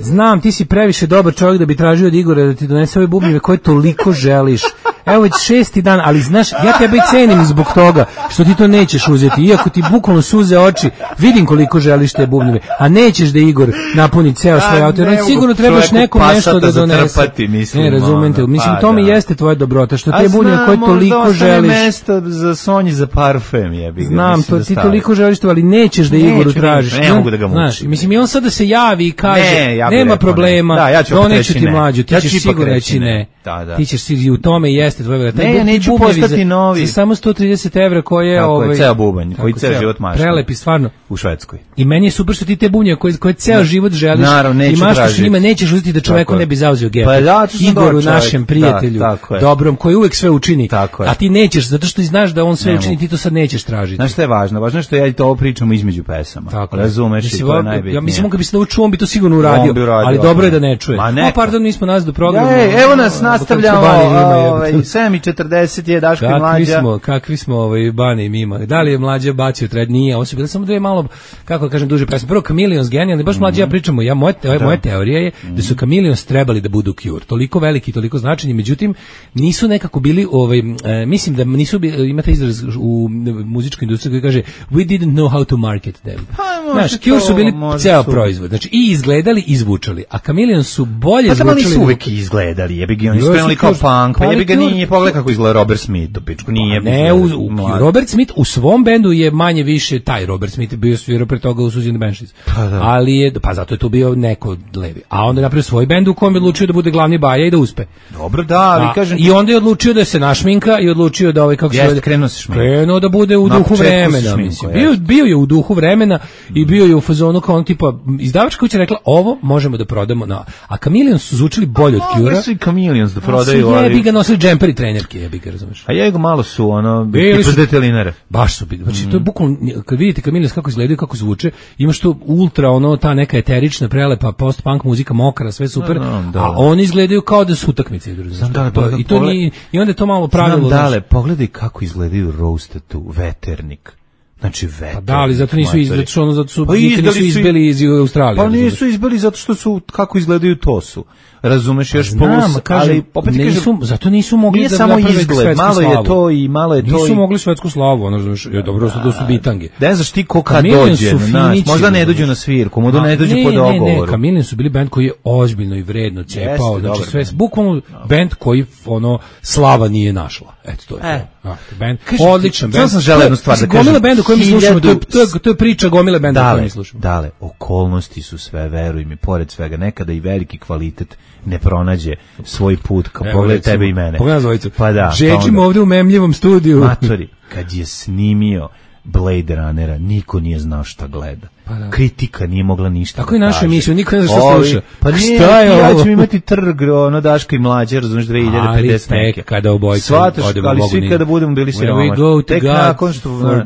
Znam, ti si previše dobar čovjek da bi tražio od Igora da ti donese ove bubnjeve koje toliko želiš. Evo već šesti dan, ali znaš, ja tebe cenim zbog toga što ti to nećeš uzeti. Iako ti bukvalno suze oči, vidim koliko želiš te bubnjeve, a nećeš da Igor napuni ceo svoj A, auto. Jer ne on mogu sigurno trebaš čoveku nekom nešto da Passata donese. zatrpati, mislim, Ne, razumete, ono, mislim, pa to mi da. jeste tvoja dobrota, što A te bubnjeve koje znam, toliko možda ostane želiš. mesto za Sonji za parfem, jebi ga. Znam, mislim to da ti stavi. toliko želiš to, ali nećeš da Neću, Igoru ne, tražiš. ne I on- mogu da ga mučim. Znaš, mislim, i on sad da se javi i kaže, Ne, ja bih nema rekao problema, ne. Da, ja ću opet doneću reći ti ne. mlađu, ti Ja ćeš ću ipak sigurno reći reći ne. ne. Da, da. Ti ćeš sigurno, i u tome jeste tvoj velika. Ne, ja neću postati novi. Za samo sto trideset evra koje Tako je, ovaj, ceo bubanj, koji tako, ceo ceo, život mašta. Prelepi, stvarno. U Švedskoj. I meni je super što ti te bunje koje, koje ceo život želiš Naravno, neću i maštaš tražiti. njima, nećeš uzeti da čoveku Tako je. ne bi zauzeo gep. Pa da, što sam Igoru, dobar čovjek. našem prijatelju, Da, tako je. dobrom, koji uvek sve učini. Tako je. A ti nećeš, zato što ti znaš da on sve Ne učini, mogu. ti to sad nećeš tražiti. Znaš šta je važno? Važno je što ja i to ovo pričamo između pesama. Tako je. Razumeš i Mislim, to je ja- najbitnije. Ja mislim, on kad bi se naučio, on bi to sigurno uradio, On bi uradio, ali dobro je da odmah. ne čuje. Ma O, neka. pardon, mi smo nas do programa. Ej, evo nas Ono, nastavljamo, kako smo Bani Mima, jebote. ovaj, sedam i četrdeset je Daško i Kakvi Mlađa. smo, kakvi smo ovaj Bani i Mima. Da li je Mlađa bacio tred? Nije, ovo su bile samo dve malo, kako da kažem, duže pesme. Prvo Chameleons genijalni, baš Mlađa ja pričamo, ja moja te, moja teorija je da su Chameleons trebali da budu Cure. Toliko veliki, toliko značajni, međutim nisu nekako bili ovaj e, mislim da nisu bi, imate izraz u muzičkoj industriji koji kaže we didn't know how to market them. Pa, može Znaš, Cure to, su bili može ceo su. proizvod. Znači i izgledali i zvučali, a Chameleons su bolje Pa tamo zvučali. nisu nego- uvek izgledali, jebi ga, oni su Jesu, krenuli kao Cure- punk, pa pa jebi ga Cure- nije, pogledaj kako izgleda Robert Smith, u pičku, nije. Ne, u, u, Robert Smith u svom bendu je manje više taj Robert Smith je bio svirao pre toga u Suzy and the Banshees. Pa da. Ali je, pa zato je tu bio neko levi. A onda je napravio svoj bend u kojem je odlučio da bude glavni baja i da uspe. Dobro, da, ali A, kažem... I onda je odlučio da se našminka i odlučio da ovaj kako se Jeste, zove- krenuo se šminka. Krenuo da bude u Na duhu početku se vremena, šminkao, mislim. jeste. Bio, bio je u duhu vremena i bio je u fazonu kao on tipa izdavačka kuća rekla ovo možemo da prodamo na. A Chameleons su zvučili bolje od Cure. Mogli su i Chameleons da Prodaju, prodaju, jebi ali... ga nosili džemperi trenerke, jebi ga, razumeš? A ja ga malo su, ono, Bili tipa su- detelinare. Baš su bili. Znači, to je bukvalno, kad vidite Chameleons kako izgledaju, kako zvuče, imaš to ultra, ono, ta neka eterična, prelepa, post-punk muzika, mokra, sve super, Da, da, da. a oni izgledaju kao da su utakmice. idu, razumeš? Znam da, To- da, I to pogled- nije, i onda je to malo pravilo. Znam znaš. dale, pogledaj kako izgledaju Roastatu, veternik. Znači veternik. Pa da, ali zato nisu matori. izbili, zato što ono, zato su, Pa nikad izdali nisu su i- izbili iz Australije. Pa razumeš? nisu izbili zato što su, kako izgledaju to su. Razumeš, još Znam, plus, kažem, ali opet ti nisu, kažem, zato nisu mogli nije da samo naprave izgled, svetsku malo je slavu. to i malo je to Nisu i... mogli svetsku slavu, ono, znaš, je dobro što to su bitange. Ne znaš ti ko kad Chameleons dođe, su znaš, finići, možda ne razumeš. dođu na svirku, možda Ma, ne dođu po Ne, dogovoru. ne, Chameleons su bili bend koji je ozbiljno i vredno cepao, Jeste, znači dobar sve, bend. bukvalno bend koji ono slava nije našla. Eto to je E, to. Band, odličan band. Ja sam želeo jednu stvar da kažem. Gomila benda koju mi slušamo, to je, to je, to je priča gomila benda koju mi slušamo. Dale, okolnosti su sve, veruj mi, pored svega, nekada i veliki kvalitet ne pronađe svoj put, kao pogled tebe i mene. Pogledaj zvojicu. Pa da. Žeđimo ovde u memljivom studiju. Matori, kad je snimio Blade Runnera, niko nije znao šta gleda. Pa da. Kritika nije mogla ništa. Tako i naša emisija, niko ne zna šta sluša. Pa nije, šta je ja ću imati trg, ono Daška i mlađe, razumiješ, dve hiljade pedeset neke. Kada obojci odemo ali svi kada budemo bili siromašni. Tek nakon što...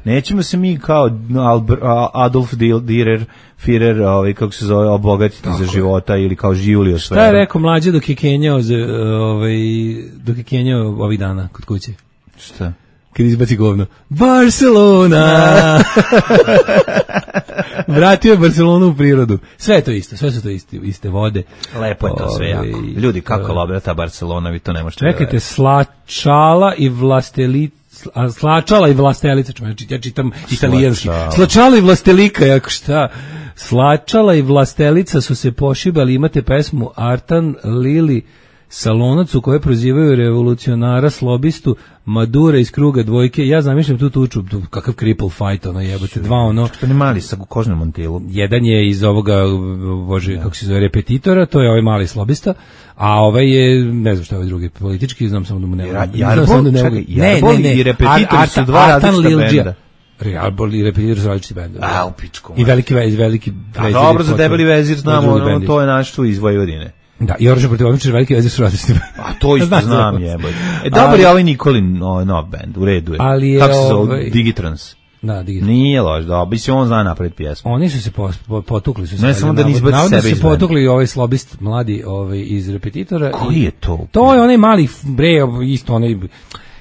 Nećemo se mi kao Adolf Dürer, Führer, ovaj, kako se zove, obogatiti za života ili kao Julius. Šta je rekao mlađe dok je kenjao, ovaj, dok je kenjao ovih dana kod kuće? Šta? Kad izbaci govno. Barcelona! Vratio je Barcelonu u prirodu. Sve je to isto, sve su to iste, iste vode. Lepo je to sve jako. Ljudi, kako lobira ta Barcelona, vi to ne možete. Čekajte, Slačala i Vlastelica, Slačala i Vlastelica, ja čitam italijanski. Slačala i Vlastelika, jako šta? Slačala i Vlastelica su se pošibali, imate pesmu Artan Lili Salonac u kojoj prozivaju revolucionara slobistu Madura iz kruga dvojke. Ja zamišljam tu tuču, kakav cripple fight, ono jebate, dva ono. Što ne mali sa kožnom mantilu. Jedan je iz ovoga, bože, ja. kako se zove, repetitora, to je ovaj mali slobista, a ovaj je, ne znam šta je ovaj drugi politički, znam samo da mu ne mogu. Jarbol, čekaj, Jarbol i repetitor su dva različita benda. Jarbol i repetitor su različiti benda. A, u pičku. I veliki vezir, veliki vezir. A dobro, za debeli vezir znamo, ono, to je naš tu iz Vojvodine. Da, i Oružje protiv omičara, veliki vezir su različiti. A to isto znam, jeboj. E, dobar je ovaj Nikolin nov band, u redu je. Ali je kako se zove? Digitrans. Da, Digitrans. Nije loš, da, bi se on zna napraviti pjesmu. Oni su se potukli. Su se ne samo da ne izbaci sebe iz benda. su se potukli ovaj slobist mladi ovaj, iz repetitora. Koji je to? To je onaj mali, bre, isto onaj...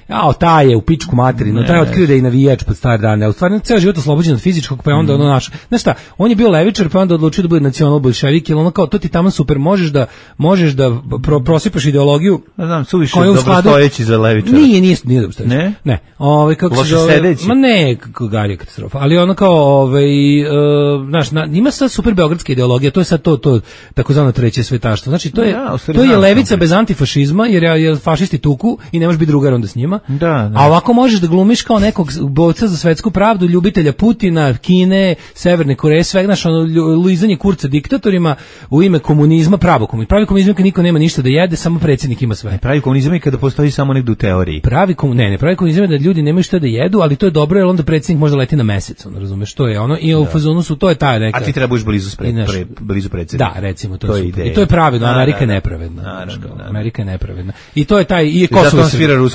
Jao, taj je u pičku materinu, taj je otkrio da je navijač pod stare dane, a u stvari ceo život oslobođen od fizičkog, pa je onda mm. ono naš, znaš šta, on je bio levičar, pa je onda odlučio da bude nacional bolševik, jer ono kao, to ti tamo super, možeš da, možeš da pro, prosipaš ideologiju, ne znam, suviše dobrostojeći za levičara. Nije, nije, nije dobrostojeći. Ne? Ne. Ove, kako loše se zove, sedeći? Ma ne, garija katastrofa, ali ono kao, ovaj, uh, znaš, na, ima sad super beogradska ideologija, to je sad to, to, takozvano treće svetaštvo, znači to je, ja, to je levica bez antifašizma, jer je fašisti tuku i ne može biti drugar onda s njima. Da, da. A ovako možeš da glumiš kao nekog borca za svetsku pravdu, ljubitelja Putina, Kine, Severne Koreje, sveg naš ono lizanje kurca diktatorima u ime komunizma, pravo komunizma. Pravi komunizam kad niko nema ništa da jede, samo predsjednik ima sve. Ne, pravi komunizam je kada postoji samo negdje u teoriji. Pravi komu, ne, ne, pravi komunizam je da ljudi nemaju šta da jedu, ali to je dobro jer onda predsjednik može leti na mesec, on razumeš, to je ono i u fazonu su to je taj neka. A ti trebaš blizu spred, pre, blizu predsjednika. Da, recimo to, to je super. I to je pravedno, Amerika je nepravedna. Amerika je nepravedna. I to je taj i Kosovo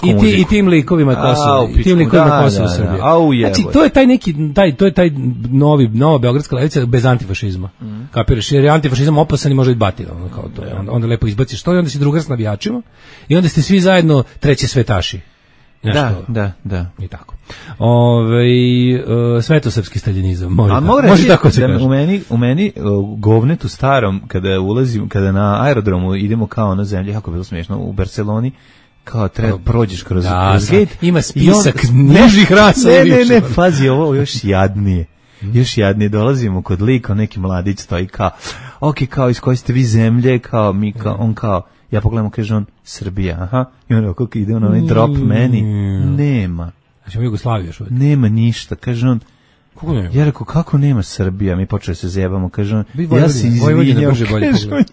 i ti i tim likovima Kosovo. I tim likovima Kosova Srbije. Znači, to je taj neki, taj, to je taj novi, nova beogradska levica bez antifašizma. Mm. Kapiraš, jer je antifašizam opasan i može biti batina, ono kao to je. Onda, onda lepo izbaciš to i onda si drugar s navijačima i onda ste svi zajedno treći svetaši. Nešto, da, da, da. I tako. Ove, uh, svetosrpski staljinizam. Može, A tako, može, može tako se da, kaže. U meni, u meni uh, govnetu starom, kada ulazim, kada na aerodromu idemo kao na zemlji, kako je bilo smiješno, u Barceloni, kao treba prođeš kroz, da, kroz gate. Ima spisak nižih rasa. Ne, ne, ne, pazi, ovo još jadnije. Još jadnije dolazimo kod lika, neki mladić stoji kao, ok, kao iz koje ste vi zemlje, kao mi, kao, on kao, ja pogledamo, kaže on, Srbija, aha, i on kako ide on onaj drop meni, nema. Znači, u Jugoslaviji još uvijek. Nema ništa, kaže on, kako nema? Ja rekao, kako nema Srbija, mi počeli se zajebamo, kaže on, ja se izvinjavam,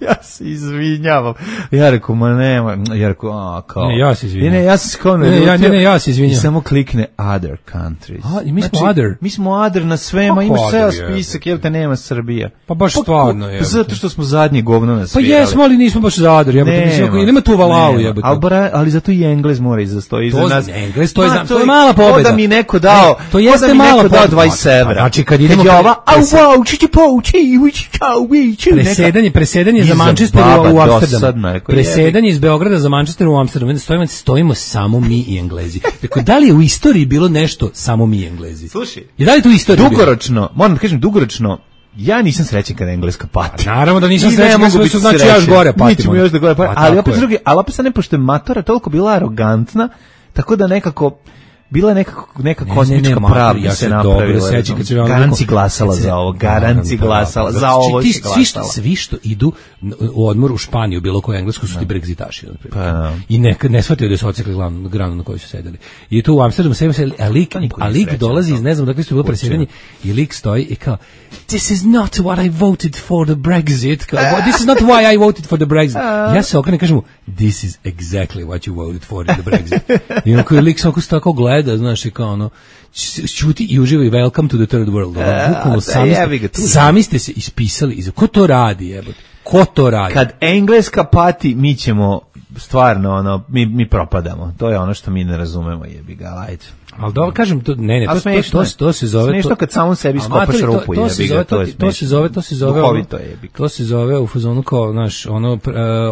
ja se izvinjavam, ja rekao, ma nema, ja rekao, a, kao, ne, ja se izvinjavam, ne, ne, ja se kao, ne, ne, ne, ne, ja se izvinjavam, i samo klikne other countries, a, i mi smo znači, other, mi smo other na svema, pa, imaš ceo spisak, jel te nema Srbija, pa baš pa, stvarno, je, zato što smo zadnje govno na svijet, pa jesmo, ali nismo baš za other, jebote, mislim, ili ima tu valalu, jebote, ali, ali zato i Englez mora izastoji iza nas, Englez, to je, to je mala pobjeda, da mi neko dao, to jeste mala pobjeda, dvadeset evra, znači kad idemo ova, au wow, čiči pouči, uči kao uči. Presedanje, presedanje za Manchester u Amsterdamu. Presedanje iz Beograda za Manchester u Amsterdamu. Stojimo, stojimo samo mi i Englezi. Dakle, da li je u istoriji bilo nešto samo mi i Englezi? Slušaj, i da li tu istorija dugoročno, bilo? Moram da kažem dugoročno, ja nisam srećan kada Engleska pati. A naravno da nisam srećan, ne što znači ja još gore patimo. Mi ćemo još da gore patimo. Ali opet drugi, ali opet sad ne pošto je matora toliko bila arogantna, tako da nekako bila neka neka kozmička ne, ne, ne, pravda ja se napravila. Sećam kad se Garanci glasala za ovo, Garanci glasala za ovo, ti svi što svi što idu u odmor u Španiju, bilo koju englesku su ti Brexitaši, na primjer. Pa, I neka ne shvataju da su odsekli glavnu granu na kojoj su sedeli. I tu u Amsterdamu se a lik, a lik dolazi iz ne znam dakle su bilo predsjedanje i lik stoji i kao this is not what I voted for the Brexit. Kao, this is not why I voted for the Brexit. Ja se okrenem i kažem mu this is exactly what you voted for in the Brexit. I on koji lik se oko tako gleda, znaš, i kao ono, čuti i uživa i welcome to the third world. Ono, bukvalno sami, sami ste se ispisali. Iz, ko to radi, jebote? Ko to radi? Kad Engleska pati, mi ćemo stvarno, ono, mi, mi propadamo. To je ono što mi ne razumemo, jebi ga, ajde. Ali dobro, kažem, to, ne, ne, to, to, to, to se zove... Smešno kad samom sebi skopaš rupu, to, to jebi ga, to je smešno. To se zove, to se zove... Duhovito jebi ga. To se zove u fazonu kao, znaš, ono, uh,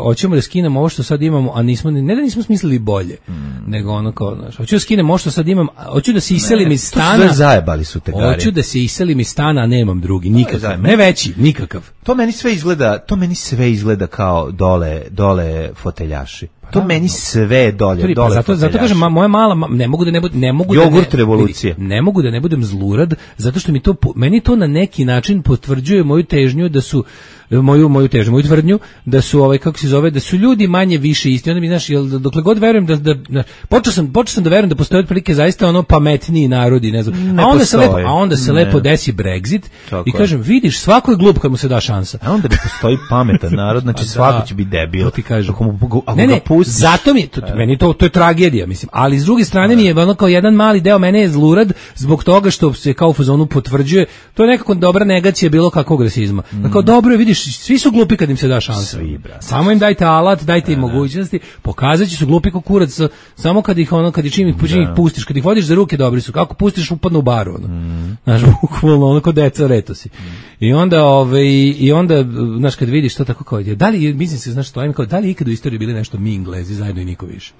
hoćemo da skinemo ovo što sad imamo, a nismo, ne da nismo smislili bolje, mm. nego ono kao, znaš, hoću da skinem ovo što sad imam, hoću da se iselim iz stana... To su zajebali su te gari. Hoću da se iselim iz stana, a nemam drugi, nikakav, ne veći, nikakav. To meni sve izgleda, to meni sve izgleda kao dole, dole foteljaši. To meni sve dolje, Turi, dole. Pa zato, zato kažem, moja mala, ne mogu da ne budem, ne mogu Jogurt da ne, revolucije. Ne mogu da ne budem zlurad, zato što mi to, meni to na neki način potvrđuje moju težnju da su, moju moju težnju, moju tvrdnju da su ovaj kako se zove, da su ljudi manje više isti. Onda mi znaš, jel dokle god verujem da da, da počeo sam počeo sam da verujem da postoje otprilike zaista ono pametniji narodi, ne znam. Ne a onda postoji. se lepo, a onda se ne. lepo desi Brexit tako i kažem, vidiš, svako je glup kad mu se da šansa. A onda ne postoji pametan narod, znači da, svako će biti debil. Ti kažem. Ako mu, ako ne, ne, ga pustiš, zato mi to, meni to to je tragedija, mislim. Ali s druge strane mi je ono kao jedan mali deo mene je zlurad zbog toga što se kao u fazonu potvrđuje. To je nekako dobra negacija bilo kakvog rasizma. Mm. Dakle, dobro je, vidiš, svi su glupi kad im se da šansa. Svi, samo im dajte alat, dajte im mogućnosti, pokazaće su glupi kao kurac, samo kad ih ono kad ih čim ih pustiš, kad ih vodiš za ruke, dobri su. Kako pustiš upadnu u baru, ono. Mm. Znaš, bukvalno ono kao deca retosi. Mm. I onda ovaj i onda znaš kad vidiš to tako kao, da li mislim se znaš što im kao da li ikad u istoriji bili nešto mi Englezi zajedno i niko više.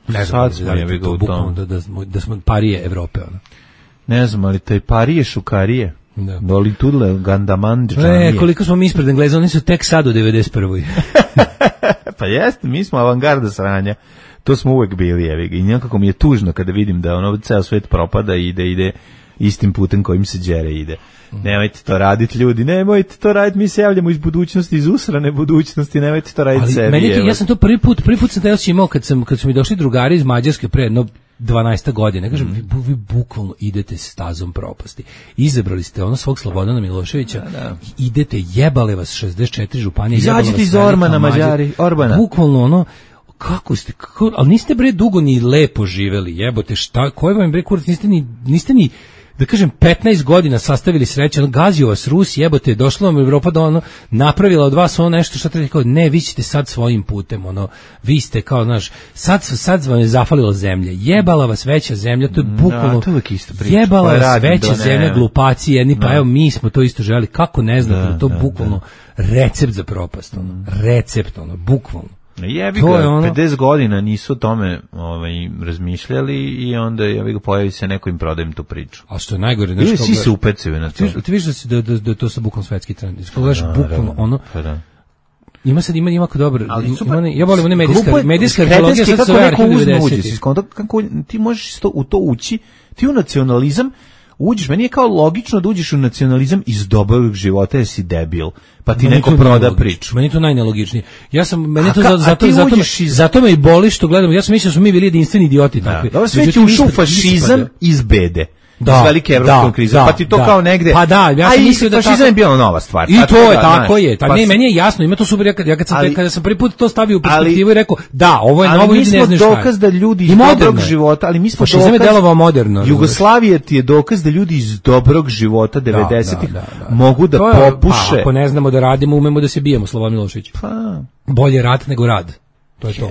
Ne znam, sad smo da, je to, bukvalno, da, da, smo, da smo parije Evrope, ono. Ne znam, ali taj parije šukarije. Da. Doli tudle gandaman džanije. E, koliko smo mi ispred Engleza, oni su tek sad u devedeset prvoj Pa jeste, mi smo avangarda sranja. To smo uvek bili, evi ga. I nekako mi je tužno kada vidim da ono ceo svet propada i da ide istim putem kojim se đere ide. Nemojte to raditi, ljudi, nemojte to raditi, mi se javljamo iz budućnosti, iz usrane budućnosti, nemojte to raditi sebi. Meni je, ja sam to prvi put, prvi put sam taj osjećaj imao kad, sam, kad su mi došli drugari iz Mađarske pre jedno dvanaest godine, kažem, mm. vi, vi bukvalno idete stazom propasti. Izabrali ste ono svog Slobodana Miloševića, da, da. idete, jebale vas šezdeset četiri županije. Izađite iz Ormana, Mađari, Orbana. Bukvalno ono, kako ste, kako, ali niste bre dugo ni lepo živeli, jebote, šta, koji vam bre kurac, niste ni, niste ni, da kažem, petnaest godina sastavili sreće, ono, gazio vas Rus, jebote, došla vam Evropa da ono, napravila od vas ono nešto što treba, kao, ne, vi ćete sad svojim putem, ono, vi ste kao, znaš, sad, sad vam je zafalila zemlja, jebala vas veća zemlja, to je bukvalno, da, to je jebala vas veća zemlja, glupaci jedni, pa evo, mi smo to isto želi, kako ne znam, da, to je bukvalno da. recept za propast, ono, recept, ono, bukvalno. Jebi ga, ono... pedeset godina nisu o tome ovaj, razmišljali i onda jebi ga, pojavi se neko im prodajem tu priču. A što je najgore, znači svi se upecaju na to. Ti, ti vidiš da, si, da, da, da to sa bukvalno svetski trend. Iskogledaš bukvalno ono. Da. Ima sad ima ima kao dobro. Ima, ja volim one medijska medijska arheologija sad se arhiv devedesetih. Kako ti možeš to u to ući, ti u nacionalizam uđeš, meni je kao logično da uđeš u nacionalizam iz dobrog života, jer si debil, pa ti meni neko proda priču. Meni to najnelogičnije. Ja sam, meni to zato, zato, zato, me, iz... zato me i boli što gledam, ja sam mislio da smo mi bili jedinstveni idioti. Da. Takvi. Dobro, sve ti ušao fašizam iz bede. Da, iz velike evropske krize, da, pa ti to da. kao negde. Pa da, ja sam mislio da fašizam tako... je bila nova stvar. I to je, da, tako je. Ta, pa ne, meni je jasno, ima to super, ja kad, ja kad sam, ali, kada sam prvi put to stavio u perspektivu i rekao, da, ovo je novo, ljudi ne znaju šta je. Ali mi smo dokaz da ljudi iz dobrog života, ali mi smo dokaz... Fašizam je delovao moderno. Jugoslavija ti je dokaz da ljudi iz dobrog života devedesetih mogu da popuše. Pa, ako ne znamo da radimo, umemo da se bijemo, Slobodan Milošević. Pa. Bolje rat nego rad. To je to.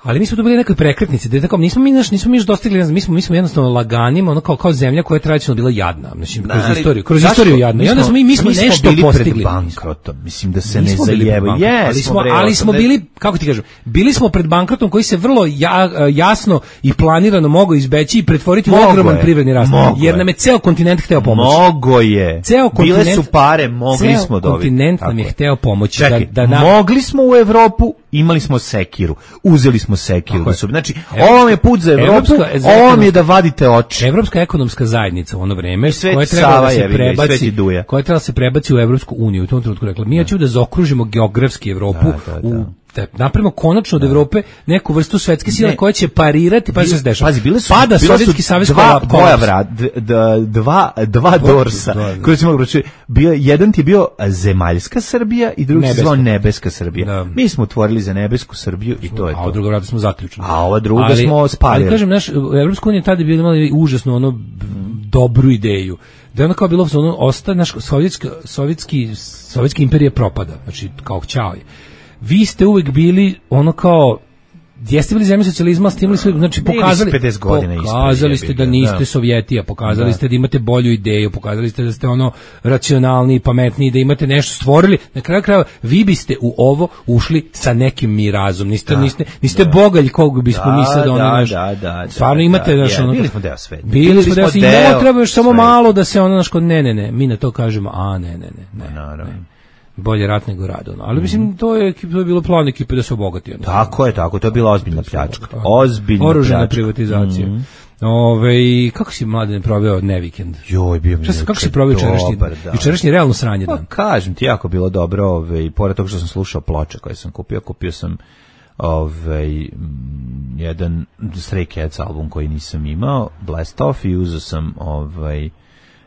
Ali mi smo tu bili nekoj prekretnici, da tako nismo mi naš nismo mi još dostigli, ne znam, mi smo mi smo jednostavno laganimo, ono kao kao zemlja koja je tradicionalno bila jadna, znači kroz ali, istoriju, kroz zašto? istoriju jadna. I onda smo mi mi smo mi nešto bili postigli pred bankrotom. Mislim da se ne zajebaju. Yes, ali smo ali smo bili, kako ti kažem, bili smo pred bankrotom koji se vrlo ja, jasno i planirano mogao izbeći i pretvoriti u ogroman privredni rast. Jer nam je ceo kontinent hteo pomoći. Mogo je. Ceo kontinent, bile su pare, mogli smo dobiti. Kontinent nam je hteo pomoći. Čekaj, da, da nam... mogli smo u Evropu imali smo sekiru, uzeli smo sekiru. Da su, znači, ovo vam je put za Evropu, ovo vam je da vadite oči. Evropska ekonomska zajednica u ono vreme, koja treba da se prebaci, koja treba da se prebaci u Evropsku uniju, u tom trenutku rekla, mi hoćemo da zaokružimo geografski Evropu da, da, da. u da napravimo konačno od Evrope neku vrstu svetske sile koja će parirati, pa se dešava. Pazi, bile su, pada Sovjetski savez, dva boja vrat, dva dva dorsa, koji se mogu reći, bio jedan ti je bio zemaljska Srbija i drugi se zvao nebeska Srbija. Da. Mi smo otvorili za nebesku Srbiju i to je to. A drugo vrata smo zaključili. A ova druga ali, smo spalili. Ali kažem, naš Evropska unija tada je bila imala užasno ono dobru ideju. Da je ono kao bilo ono osta naš sovjetski sovjetski sovjetski imperija propada, znači kao ćao je. Vi ste uvek bili ono kao jeste bili zemlja socijalizma, stimuli su, znači pokazali pedeset godina pokazali ste da niste da. Sovjetija, pokazali da. Ste da imate bolju ideju, pokazali ste da ste ono racionalni, pametniji, da imate nešto stvorili. Na kraju krajeva vi biste u ovo ušli sa nekim mirazom. Niste da. niste niste da. Bogalj kog bismo da, mislili da ono da, naš. Da, da, stvarno da, imate da, naš ja, ono. Bili smo deo sveta. Bili smo deo sveta. I treba još samo malo da se ono naš kod ne ne ne, mi na to kažemo, a ne ne ne. Ne, naravno. Bolje rat nego rad, ono. Ali mislim to je, to je bilo plan ekipe da se obogati. Ono. Tako je, tako, to je bila ozbiljna pljačka. Ozbiljna oružana pljačka. Privatizacija. Mm-hmm. Ove, kako si mlade proveo ne vikend? Joj, bio mi. Kako si proveo jučerašnji? Jučerašnji realno sranje dan. Pa kažem ti, jako bilo dobro, ove, i pored toga što sam slušao ploče koje sam kupio, kupio sam ovaj jedan Stray Cats album koji nisam imao, Blast Off, i uzeo sam ovaj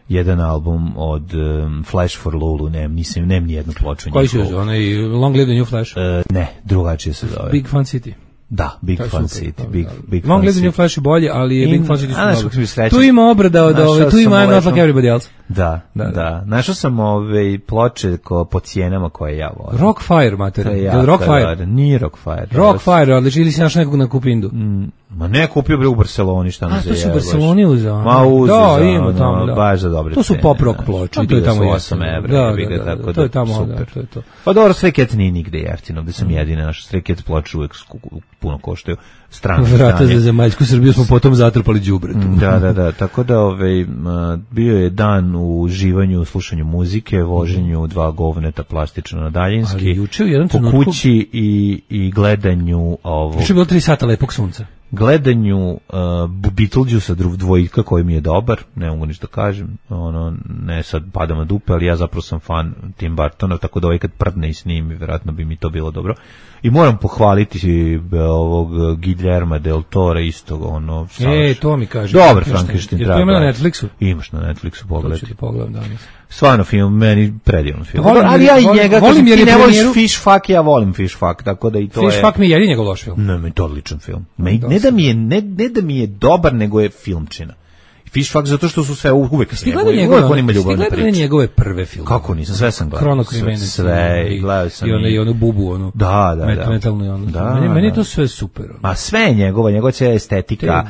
jedan album od um, Flash for Lulu, nem, nisam, nem nijednu ploču. Koji su onaj Long Live the New Flash? Uh, ne, drugačije se zove. Big Fun City. Da, Big Fun City. Super, Big, big Long Fun Live the New Flash je bolje, ali je In, Big Fun City su dobro. Tu ima obrada od ove, tu ima I'm Not Like Everybody Else. Da, da, da. da. Našao sam ove ploče ko, po cijenama koje ja volim. Rockfire, mater. Ja, Rockfire? Da, nije Rockfire. Rockfire, odlično, ili si našao nekog na Kupindu? Mm. Ma ne, kupio bre u Barceloni, šta ne zajebaš. A, to su u Barceloni uzao. Ma uzao, da, ima tamo, da. Baš za dobre to su pop rock ploče, i to je tamo osam evra, da, da, da, da, to je tamo, super. Da, to je to. Pa dobro, Stray Cats nije nigde jeftino, gde sam jedine, naše Stray Cats ploče uvek puno koštaju. Strane vrata za zemaljsku Srbiju smo potom zatrpali đubretom. Da, da, da, tako da ovaj, bio je dan u uživanju, u slušanju muzike, voženju dva govneta plastično na daljinski, ali juče u jednom po trenutku kući i, i gledanju ovo. Juče je bilo tri sata lepog sunca. Gledanju uh, Beetlejuice dvojka koji mi je dobar, ne mogu ništa kažem, ono, ne sad padam na dupe, ali ja zapravo sam fan Tim Burtona, tako da ovaj kad prdne i snimi, vjerojatno bi mi to bilo dobro. I moram pohvaliti ovog Guillerma del Tora istog, ono, e, to mi kaže. Dobar Frankenstein. Jer to ima na Netflixu? Imaš na Netflixu, pogledaj. To ću ti pogledam danas. Stvarno film, meni predivan film. Volim, ali ja i volim, njega, volim jer ti ne voliš premijeru... Fish Fuck, ja volim Fish Fuck, tako da i to Fish je... Fish Fuck mi je jedin njegov loš film. Ne, me to odličan film. Me, ne, da mi je, ne, ne da mi je dobar, nego je filmčina. Fish Fuck zato što su sve uvek s njegove, uvek on ima ljubavne priče. Stigledali njegove prve filme. Kako nisam, sve sam gledao. Kronokrime. Sve, i gledao sam. I ono, i ono bubu, ono. Da, da, da. Metalno i ono. Da, meni, meni je da. to sve super. Ono. Ma sve je njegova, njegova cijela estetika,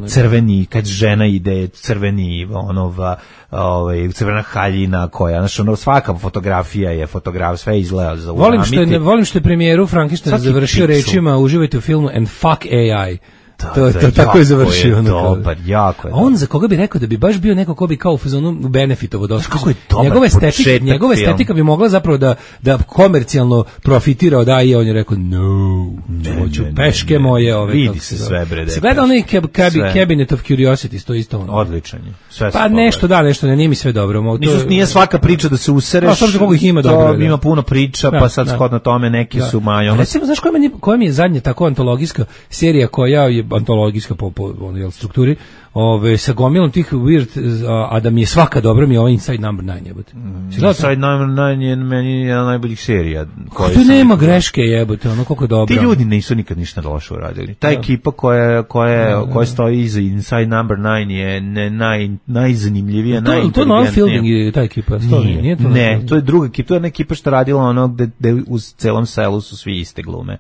crveni, kad žena ide, crveni, onova, ovaj, crvena haljina koja, znači, ono, svaka fotografija je fotograf, sve izgleda za uramiti. Volim što je, volim što je premijeru Frankenstein završio rečima, uživajte u filmu and fuck A I. Da, to, da, to tako je završio. Je dobar, jako je. On dobar. Za koga bi rekao da bi baš bio neko ko bi kao u fazonu benefitovo dosta. Kako je dobar njegova estetika, njegova estetika bi mogla zapravo da da komercijalno profitira od A I, on je rekao no, ne, hoću ne, peške ne, ne, moje ove. Vidi se sve bre. Se gleda onaj cab, cab, Cabinet of Curiosity, to isto ono. Odličan je. Sve pa nešto da, nešto ne, nije mi sve dobro. Mo, to Nisu, nije svaka priča da se usereš. A sad koliko ih ima dobro. Ima puno priča, da, pa sad da. Shodno tome neki da. Su majo. Recimo, znaš koja mi koja mi je zadnja tako antologijska serija koja je antologijska po, po ono, strukturi, ove, sa gomilom tih weird, a, a da mi je svaka dobra, mi je ovaj Inside Number nine jebote. Mm, Inside Number nine je meni jedna najboljih serija. Kako to nema greške jebote, ono koliko je dobro. Ti ljudi nisu nikad ništa loše uradili. Ta da. Ekipa koja, koja, da, da. koja stoji iza Inside Number nine je ne, naj, najzanimljivija, to, najinteligentnija. To je Noel Fielding je ta ekipa. Nije, nije to ne, to je druga ekipa. To je jedna ekipa što radila ono gde, gde u celom selu su svi iste glume.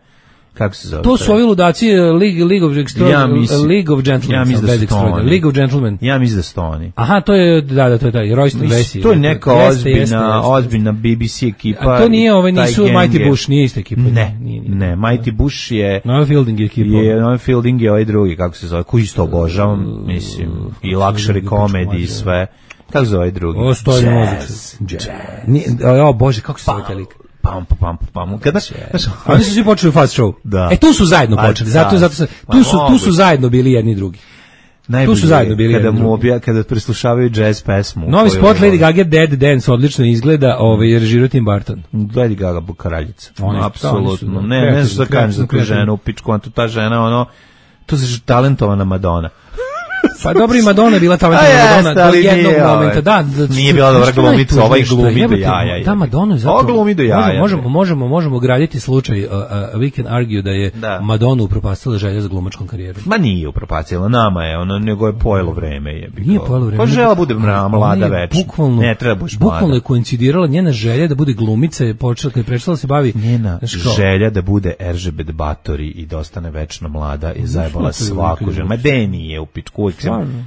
Kako se zove? To su ovi ludaci League, League of Extraordinary, ja League of Gentlemen. Ja mislim da su to oni. League of Gentlemen. Ja mislim da su to oni. Aha, to je, da, da, to je taj, Royston Vesey. To je neka ozbiljna, jeste, jeste, ozbiljna B B C ekipa. A to nije, ove nisu Mighty Bush, nije ista ekipa. Ne, nije, nije, ne, Mighty Bush je... Noel Fielding je ekipa. Je, Noel Fielding je ovaj drugi, kako se zove, koji isto obožavam, mislim, i luxury comedy i sve. Kako se zove ovaj drugi? O, stoji muzički. O, Bože, kako se zove taj lik? pam pam pam. Kada znaš, oni su svi počeli fast show. Da. E tu su zajedno počeli. Zato zato su, tu su tu su zajedno bili jedni i drugi. Tu su zajedno bili kada mu obja, kada preslušavaju jazz pesmu. Novi spot Lady Gaga Dead Dance odlično izgleda, ovaj je režirao Tim Burton. Lady Gaga kraljica. Apsolutno. Ne, ne znam šta kažem za tu ženu, pičku, on tu ta žena, ono, to je talentovana Madonna. Pa dobro, i Madonna je bila talentovana Madonna do jednog momenta, da. Nije bila dobra glumica, ovaj glumi do jaja. Da, Madonna je zato. Ovo glumi do jaja. Možemo, možemo, možemo graditi slučaj, uh, uh, we can argue da je da. Madonna upropastila želja za glumačkom karijerom. Ma nije upropastila, nama je, ono, nego je pojelo vreme. Je nije pojelo vreme. Pa žela bude mlada već. Bukvalno, ne treba buš mlada. Bukvalno je koincidirala njena želja da bude glumica, je počela, kad je prešla da se bavi. Njena želja da bude Eržebet Batori i da ostane večno mlada je zajebala svaku ženu. Ma de nije u pičku.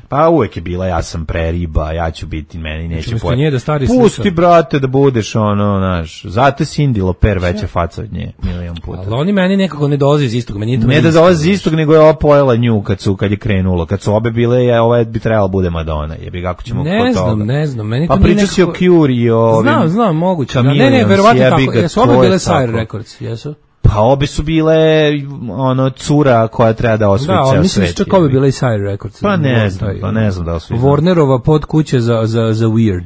Pa uvek je bila, ja sam pre riba, ja ću biti, meni neće pojeti. Da pusti, brate, da budeš ono, znaš, zato je Cindy Lauper veća faca od nje, milion puta. Ali oni meni nekako ne dolaze iz istog. Meni ne da dolaze iz istog, nego je ova pojela nju kad, su, kad je krenulo. Kad su obe bile, je, ova bi trebala bude Madonna. Jebi, kako ćemo ne kod znam, toga. Ne znam, meni to pa priča si o Cure i o ovim... Znam, znam, moguće. Da, ne, ne, verovatno tako. Jesu obe bile Sire Records, jesu? Pa obe su bile ono cura koja treba da osvoji ceo svet. Da, mislim čak obe bile i Sire Records. Pa ne znam, pa ne znam da osvoji. Warnerova pod kuće za, za, za Weird.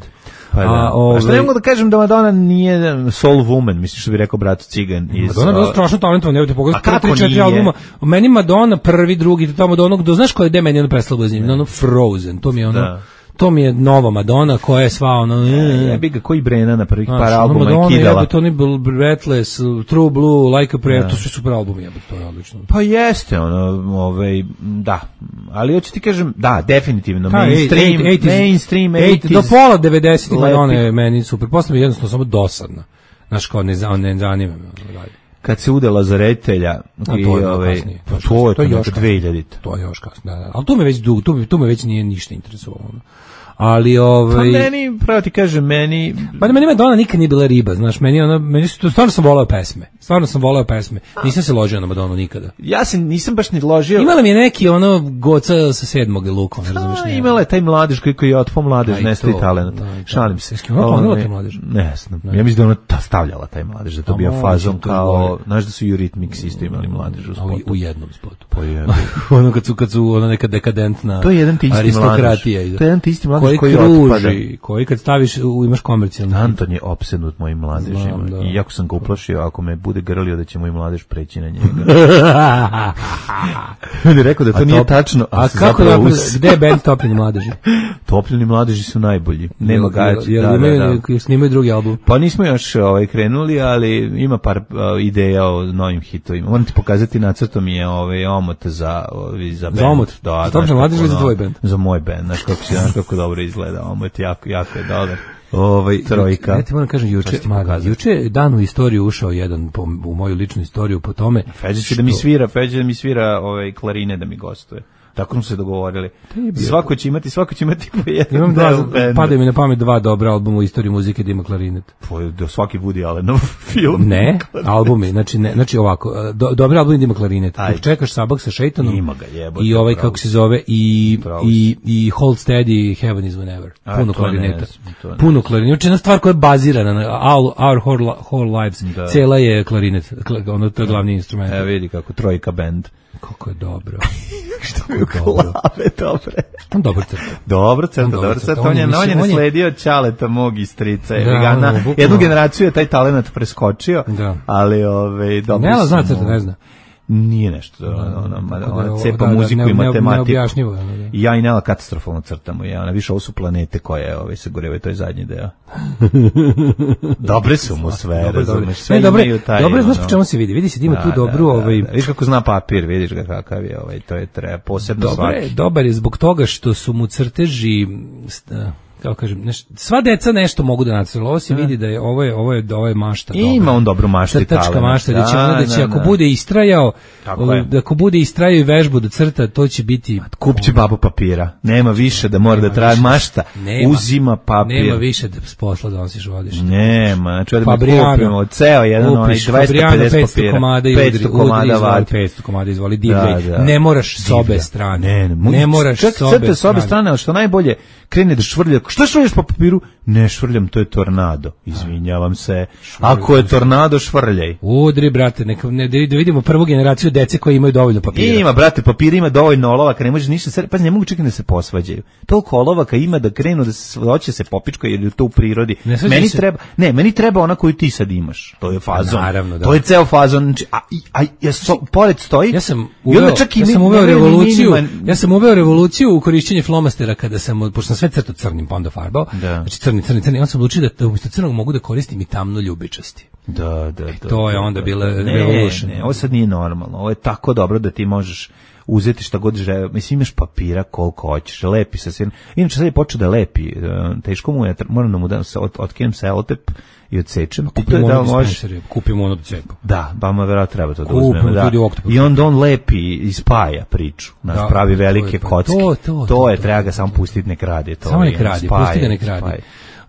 Pa da. A, ove... A što ne mogu da kažem da Madonna nije soul woman, mislim što bi rekao brat Cigan. Iz, Madonna je bila strašno talentovana, evo te pogledaj, prvi četiri albuma. Meni Madonna prvi, drugi, tamo do onog, do, znaš ko je de meni ono prestalo bez njim, ono Frozen, to mi je ono... Da. To mi je nova Madonna koja je sva ono... Ja bih ga koji Brena na prvih par albuma je kidala. To ni Breathless, True Blue, Like a Prayer, to su super albumi, ja bih to je odlično. Pa jeste, ono, ovaj, da. Ali hoću ti kažem, da, definitivno, mainstream, mainstream, osamdesetih. Do pola devedesetih Madonna je meni super. Posle mi jednostavno samo dosadna. Znaš, kao ne zanima me. Kad se udala za reditelja i ovaj to je to još dvehiljadite. To je još kasnije. Da, da. Al tu me već dugo, tu, tu me već nije ništa interesovalo. Ali ovaj pa meni pravo ti kažem meni pa da meni Madonna nikad nije bila riba, znaš, meni ona meni su stvarno sam voleo pesme. Stvarno sam voleo pesme. Nisam se ložio na Madonu nikada. Ja se nisam baš ni ložio. Imala mi je neki ono goca sa sedmog lukom, ne razumeš ne. Imala je taj mladež koji je otpo mladež, nestali talent. Šalim se. Ona taj mladež. Ne znam. Ja mislim da ona ta stavljala taj mladež, da to bio fazon kao, znaš da su Eurythmics isto imali mladež u spotu. U jednom spotu. Pa je. Ono kad su kad su ona neka dekadentna. To je jedan isti aristokratija. To je jedan isti mladež koji otpada. Koji kad staviš, u, imaš komercijalno. Anton je opsednut mojim mladežima. Da. I jako sam ga uplašio, ako me bude grlio da će moj mladež preći na njega. On je rekao da to a nije top, tačno. A, a kako je, gde je band Topljeni mladeži? Topljeni mladeži su najbolji. Nema gaći. Jel, jel, da, da, da. Snimaju drugi album? Pa nismo još ovaj, krenuli, ali ima par uh, ideja o novim hitovima. Moram ti pokazati, nacrtom je ovaj, omot za, ovaj, za band. Za omot? Da, za Topljeni mladeži ili za tvoj band? Za moj band. Znaš kako, si, znaš kako dobro izgleda. Omot jako, jako je dobar. Ovaj trojka. Ja ti moram kažem juče, juče dan u istoriju ušao jedan po, u moju ličnu istoriju po tome. Feđa će da mi svira, Feđa da mi svira ovaj klarine da mi gostuje. Tako smo se dogovorili. Svako će imati, svako će imati po jedan. Imam dva, padaju mi na pamet dva dobra albuma u istoriji muzike da ima klarinet. Po, do svaki Woody Allenov film. Ne, albumi, znači ne, znači ovako, do, dobri albumi da ima klarinet. Dok čekaš Sabak sa šejtanom. Ima ga, jebote. I ovaj kako se zove i i i Hold Steady, Heaven is Whenever. Puno klarineta. Puno klarineta. Znači jedna stvar koja je bazirana na Our, our whole, whole Lives. Da. Cela je klarinet, ono to je glavni instrument. Evo vidi kako trojka band. Kako je dobro. Što je glave, dobre. On dobro crta. Dobro crta, dobro crta. On je, on je nasledio Ćaleta mog i strica. Da, na, ono, jednu generaciju je taj talent preskočio, da. Ali ove, dobro ne, zna crta, ne zna. Nije nešto, ona, ona, ona cepa da, muziku ne, i matematiku. Ne I ja i Nela katastrofalno crtamo. Ja, ona više ovo su planete koje ove, se gorevaju, to je zadnji deo. Dobre su mu sve, razumeš, sve ne, dobre, imaju taj... Dobre, znaš po čemu se vidi, vidi se da ima da, tu dobru... Da, ovaj... da, da. Vidiš kako zna papir, vidiš ga kakav je, ovaj, to je treba posebno dobre, svaki. Dobar je zbog toga što su mu crteži... Kao kažem, neš, sva deca nešto mogu da nacrte. Ovo se vidi da je ovo je ovo je ovo je mašta dobra. Ima on dobru maštu i talent. Crtačka mašta, da će da, da će da, ako da. bude istrajao, da ako bude istrajao i vežbu da crta, to će biti kupće babu papira. Nema više da mora da traži mašta. Nema, uzima papir. Nema više da s posla donosiš vodiš. Nema, znači da kupimo ceo jedan onaj dvesta pedeset papira. petsto komada vadi. petsto komada izvoli divljaj. Ne moraš s obe strane. Ne, ne moraš s obe strane, al što najbolje krene da švrlja. Što švrljaš po papiru? Ne švrljam, to je tornado. Izvinjavam se. Ako je tornado, švrljaj. Udri, brate, neka, ne, da vidimo prvu generaciju dece koji imaju dovoljno papira. Ima, brate, papira ima dovoljno olovaka, ne možeš ništa, pa ne mogu čekati da se posvađaju. Toliko olovaka ima da krenu da se hoće se popičkaju, jer je to u prirodi. Meni se... treba, ne, meni treba ona koju ti sad imaš. To je fazon. Naravno, da. To je ceo fazon. A, a, a so, pored stoji. Ja sam uveo, čak i ja sam uveo revoluciju. Ja sam uveo revoluciju u korišćenju flomastera kada sam, pošto sam sve crtao crnim pa onda farbao. Da. Znači crni, crni, crni. On sam odlučio da umjesto crnog mogu da koristim i tamno ljubičasti. Da, da, e, da. To je da, onda da, bila ne, revolution. Ne, ovo sad nije normalno. Ovo je tako dobro da ti možeš uzeti šta god žele. Mislim, imaš papira koliko hoćeš, lepi se sve. Inače sad je počeo da lepi. Teško mu je, moram da mu da od, otkinem selotep i odsečem. Kupimo ono da može... Kupimo ono do cepa. Da, ba ma verovatno treba to da uzmemo. Da. I onda on lepi i spaja priču. Naš da, pravi velike to kocke. To, to, to, to je, to, treba ga samo pustiti nek radi. To samo nek radi, pusti ga nek radi.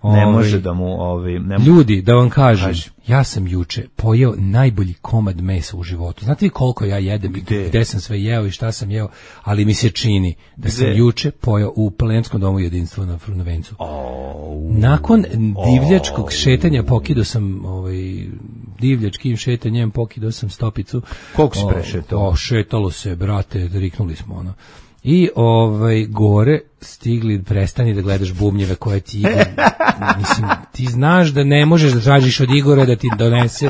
Ne Ove, može da mu ovi ne ljudi da vam kažem, kaži. Ja sam juče pojeo najbolji komad mesa u životu. Znate vi koliko ja jedem i gde sam sve jeo i šta sam jeo, ali mi se čini da gde? Sam juče pojeo u Plenskom domu jedinstva na Frunovencu. Oh, nakon divljačkog oh, šetanja pokidao sam ovaj divljačkim šetanjem pokidao sam stopicu. Koliko si prešetao? O, šetalo se, brate, riknuli smo ono. I ovaj gore stigli, prestani da gledaš bubnjeve koje ti Igor, mislim, ti znaš da ne možeš da tražiš od Igora da ti donese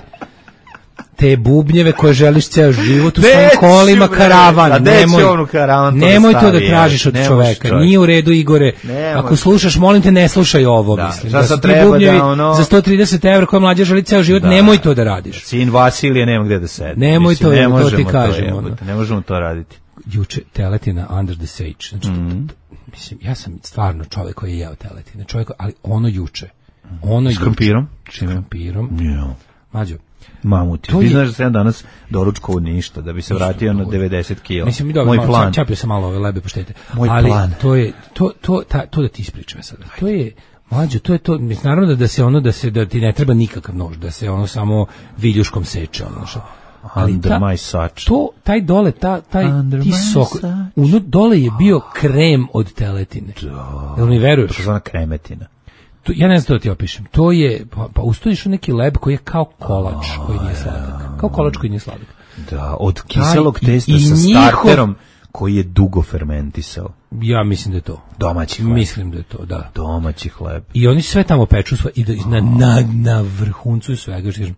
te bubnjeve koje želiš ceo život u svojim kolima karavan. Nemoj, karavan nemoj to da tražiš od čoveka. Nije u redu, Igore. Nemoj. Ako slušaš, molim te, ne slušaj ovo. Da, mislim. Da, da su ti bubnjevi da ono... za sto trideset evra koje mlađa želi ceo život, da, nemoj to da radiš. Sin Vasilije nema gde da sedi. Nemoj mislim, to, ne to ti kažem. To, ono. Ne možemo to raditi. Juče teletina Under the Sage. Znači, mm-hmm. mislim, ja sam stvarno čovjek koji je jeo teletine. Čovjek, ali ono juče. Ono s krompirom? S krompirom. Yeah. Mađo. Mamuti. Ti znaš da sam danas doručkovao ništa, da bi se vratio na devedeset kila. Mislim, mi dobro, moj malo, plan. Čapio sam malo ove lebe poštete. Moj ali plan. to je, to, to, ta, to da ti ispričam sada. To je, Mlađo, to je to, mislim, naravno da, da se ono, da se, da ti ne treba nikakav nož, da se ono samo viljuškom seče, ono što. Ali Under ta, my sač. To, taj dole, ta, taj, Under ti sok, uno, dole je bio krem od teletine. Da. Jel mi veruješ? To je kremetina. To, ja ne znam da ti opišem. To je, pa, pa ustojiš u neki leb koji je kao kolač, koji nije sladak. Kao kolač koji nije sladak. Da, od kiselog testa sa starterom koji je dugo fermentisao. Ja mislim da je to. Domaći hleb. Mislim da je to, da. Domaći hleb. I oni sve tamo peču sve, i da, na, na, na vrhuncu svega, što kažem,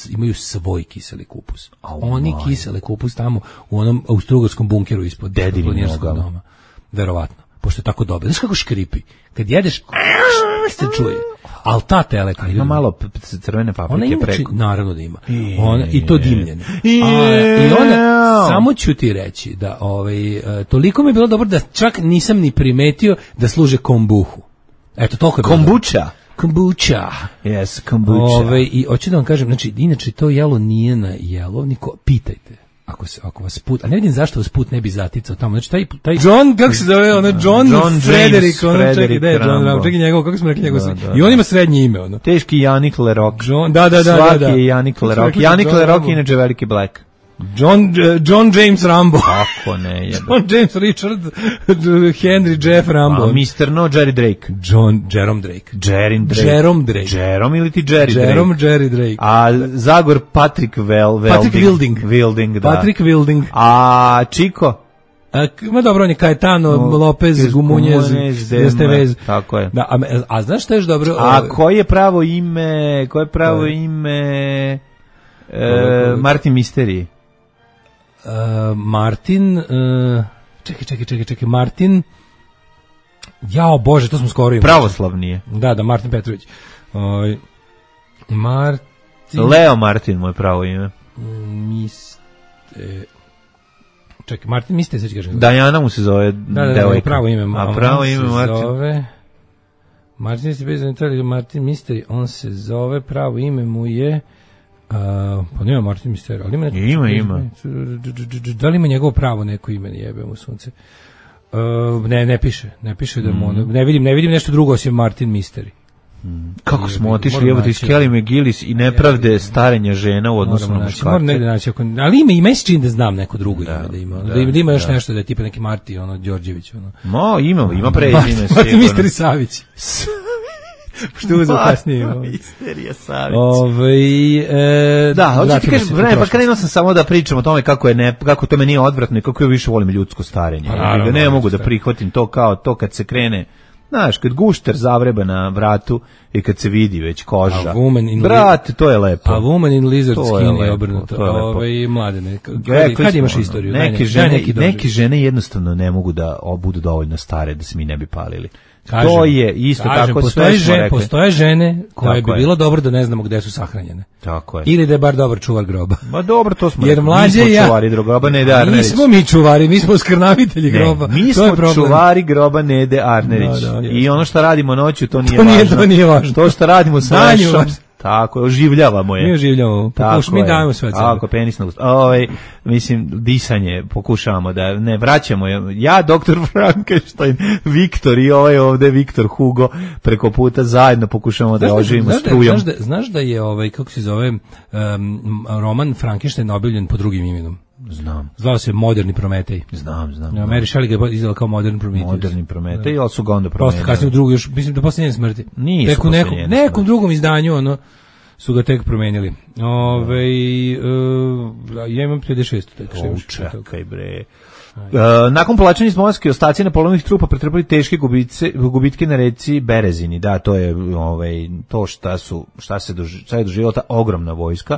imaju svoj kiseli kupus. A oni moj. Kisele kupus tamo u onom austrugarskom bunkeru ispod planinarskog doma. Verovatno. Pošto je tako dobro. Znaš kako škripi? Kad jedeš, se čuje. Ali ta teletina ima malo crvene paprike preko. Naravno da ima. Ona, i to dimljene. A, I onda, samo ću ti reći da ovaj, toliko mi je bilo dobro da čak nisam ni primetio da služe kombuhu. Eto, toliko je bilo. Kombuča? Kombuča. Yes, kombuča. Ove, I hoću da vam kažem, znači, inače to jelo nije na jelovniku, pitajte. Ako se ako vas put, a ne vidim zašto vas put ne bi zaticao tamo. Znači taj taj John, kako se zove, ono John, John Frederick, on čekaj, da je John Rambo. Čekaj njegov, kako smo rekli njegov. Da, da, I on ima srednje ime, ono. Teški Janik Lerock. John, da, da, da, Svaki da. je Janik Lerock. Janik Lerock inače veliki Black. John uh, John James Rambo. Kako ne je. John James Richard Henry Jeff Rambo. A mister No Jerry Drake. John Jerome Drake. Jerry Drake. Jerome Drake. Jerome ili ti Jerry Drake. Jerome Jerry Drake. A Zagor Patrick Vel, Velding. Patrick Wilding. Wilding, da. Patrick Wilding. A Chico? A, ma dobro, on je Caetano, no, Lopez, Gumunjez, Estevez. Tako je. Da, a, a znaš što je još dobro? A koje je pravo ime, koje je pravo ime e, Martin Misteri? Uh, Martin, uh, čekaj, čekaj, čekaj, čekaj, Martin, jao Bože, to smo skoro imali. Pravoslavnije. Da, da, Martin Petrović. Uh, Martin... Leo Martin, moj pravo ime. Miste... Čekaj, Martin Miste, sve ću kažem. Dajana mu se zove da, da, devojka. Da, pravo ime. A pravo ime Martin. Zove... Martin Miste, bez Italije, Martin Misteri, on se zove, pravo ime mu je... Uh, pa nema Martin Misteri, ali ima neko... Ima, ima. Da li ima njegovo pravo neko ime, jebe mu sunce? Uh, ne, ne piše, ne piše da mu... Mm. Ne vidim, ne vidim nešto drugo osim Martin Misteri. Kako smo otišli, evo ti iz Kelly McGillis i nepravde starenja žena u odnosu na muškarce. Moram negde naći, ali ima i meni čini da znam neko drugo ime da ima. Da, da, da ima još da. nešto da je tipa neki Marti, ono, Đorđević, ono. Mo, ima, ima prezime sigurno. Marti Misteri Savić. Što uzeo kasnije. Misterija Savić. Ove, e, da, hoću ti kažem, vreme, pa krenuo sam samo da pričam o tome kako je ne, kako to meni nije odvratno i kako ja više volim ljudsko starenje. Ja ne mogu da prihvatim to kao to kad se krene. Znaš, kad gušter zavreba na vratu i kad se vidi već koža. Brate, to je lepo. A woman in lizard skin je obrnuto. Ove, mladene, kad, kad imaš istoriju? Neke, ne, žene, neke žene jednostavno ne mogu da budu dovoljno stare da se mi ne bi palili. Kažem, to je isto kažem, tako sve smo žene, rekli. Postoje žene koje tako bi je. bilo dobro da ne znamo gde su sahranjene. Tako je. Ili da je bar dobar čuvar groba. Ma dobro, to smo Jer rekli. Mlađe mi smo ja, čuvari groba Nede Arnerić. Nismo mi čuvari, mi smo skrnavitelji ne, groba. Mi smo čuvari groba Nede Arnerić. Da, da, I ono što radimo noću, to nije to nije, važno. To nije važno. To što radimo sa Lešom. Tako, oživljavamo je. Mi oživljavamo, pokuš, mi dajemo sve od sebe. Tako, penis na usta. Ovaj, mislim, disanje pokušavamo da ne vraćamo. Ja, doktor Frankenstein, Viktor i ovaj ovde Viktor Hugo preko puta zajedno pokušavamo da oživimo strujom. Znaš da, znaš da je, ovaj, kako se zove, um, roman Frankenstein objavljen pod drugim imenom? Znam. Zvao se Moderni Prometej. Znam, znam. Ja, Mary Shelley ga je izdala kao Moderni Prometej. Moderni Prometej, ali su ga onda promenili. Posle kasnije u drugu, još, mislim da posle njene smrti. Nisu tek u nekom, nekom drugom izdanju, ono, su ga tek promenili. Ove, uh, ja imam pedeset šest. Tek, čekaj bre. Uh, nakon povlačenja iz Moskve ostaci napolovnih trupa pretrpeli teške gubice, gubitke na reci Berezini. Da, to je ovaj, to šta, su, šta, se doži, šta je doživjela ta ogromna vojska.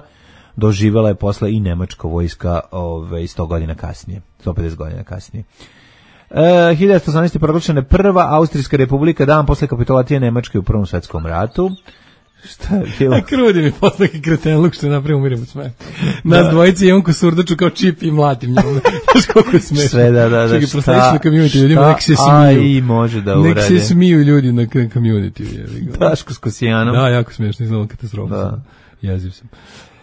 Doživjela je posle i nemačka vojska ove, sto godina kasnije, sto pedeset godina kasnije. E, hiljadu devetsto osamnaeste. proglašena prva Austrijska republika dan posle kapitulacije Nemačke u Prvom svetskom ratu. Šta je bilo? Krudi mi posle kretenluk što je napravio umirim od smeha. Nas dvojice i on ko surdaču kao čip i mlatim njom. Znaš koliko je smešno. Sve, da, da, da. Čekaj, prosledeći na community ljudima, nek se smiju. Aj, može da urade. Nek se smiju ljudi na community. Daško s Kosijanom. Da, jako smešno, iznalo katastrofa. Da. Jeziv sam.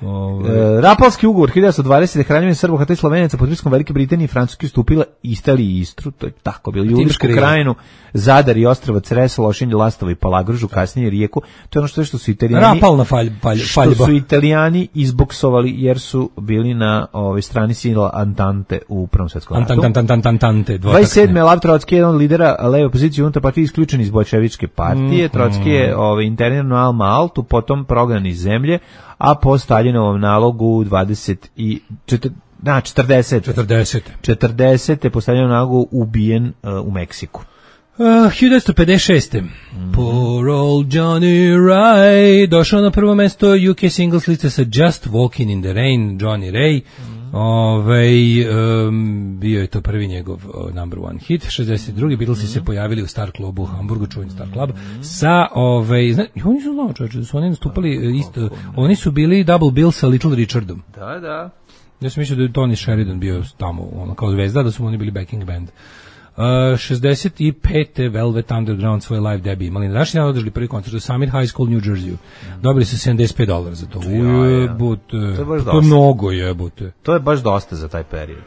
Ove. E, Rapalski ugovor hiljadu devetsto dvadesete. Kraljevina Srba, Hrvata i Slovenaca pod pritiskom Velike Britanije i Francuske ustupila Italiji i Istru, to je tako bilo, Julijsku krajinu, Zadar i ostrva Cresa, Lošinj, Lastovo i Palagružu, kasnije Rijeku. To je ono što je što su Italijani Rapalna falj, falj, što su Italijani izboksovali jer su bili na ovoj strani sila Antante u Prvom svetskom ratu. Antante, dvadeset sedme. Lav Trotski, jedan od lidera leve opozicije unutar partije, isključen iz bolševičke partije. Mm, Trotski je ovaj, internirano na Alma Altu, potom prognan iz zemlje, a po Staljinovom nalogu dvadeset i četrdeset na četrdeset četrdeset četrdeset po Staljinovom nalogu ubijen uh, u Meksiku. Uh, hiljadu devetsto pedeset šeste. Mm. Poor old Johnny Ray došao na prvo mesto U K singles liste sa Just Walking in the Rain, Johnny Ray. Mm. Ove, um, bio je to prvi njegov uh, number one hit. šezdeset druge. Beatlesi mm. se pojavili u Star Clubu u Hamburgu, čuveni Star Club, mm. sa, ove, zna, oni su znao čovječe, da su oni nastupali isto, oni su bili double bill sa Little Richardom. Da, da. Ja sam mislio da je Tony Sheridan bio tamo, ono, kao zvezda, da su oni bili backing band. Uh, šezdeset pete. Velvet Underground svoj live debut imali. Na današnji dan održali prvi koncert u Summit High School, New Jersey. Dobili su sedamdeset pet dolara za to. Ujebute. To je, to je mnogo jebute. To je baš dosta za taj period.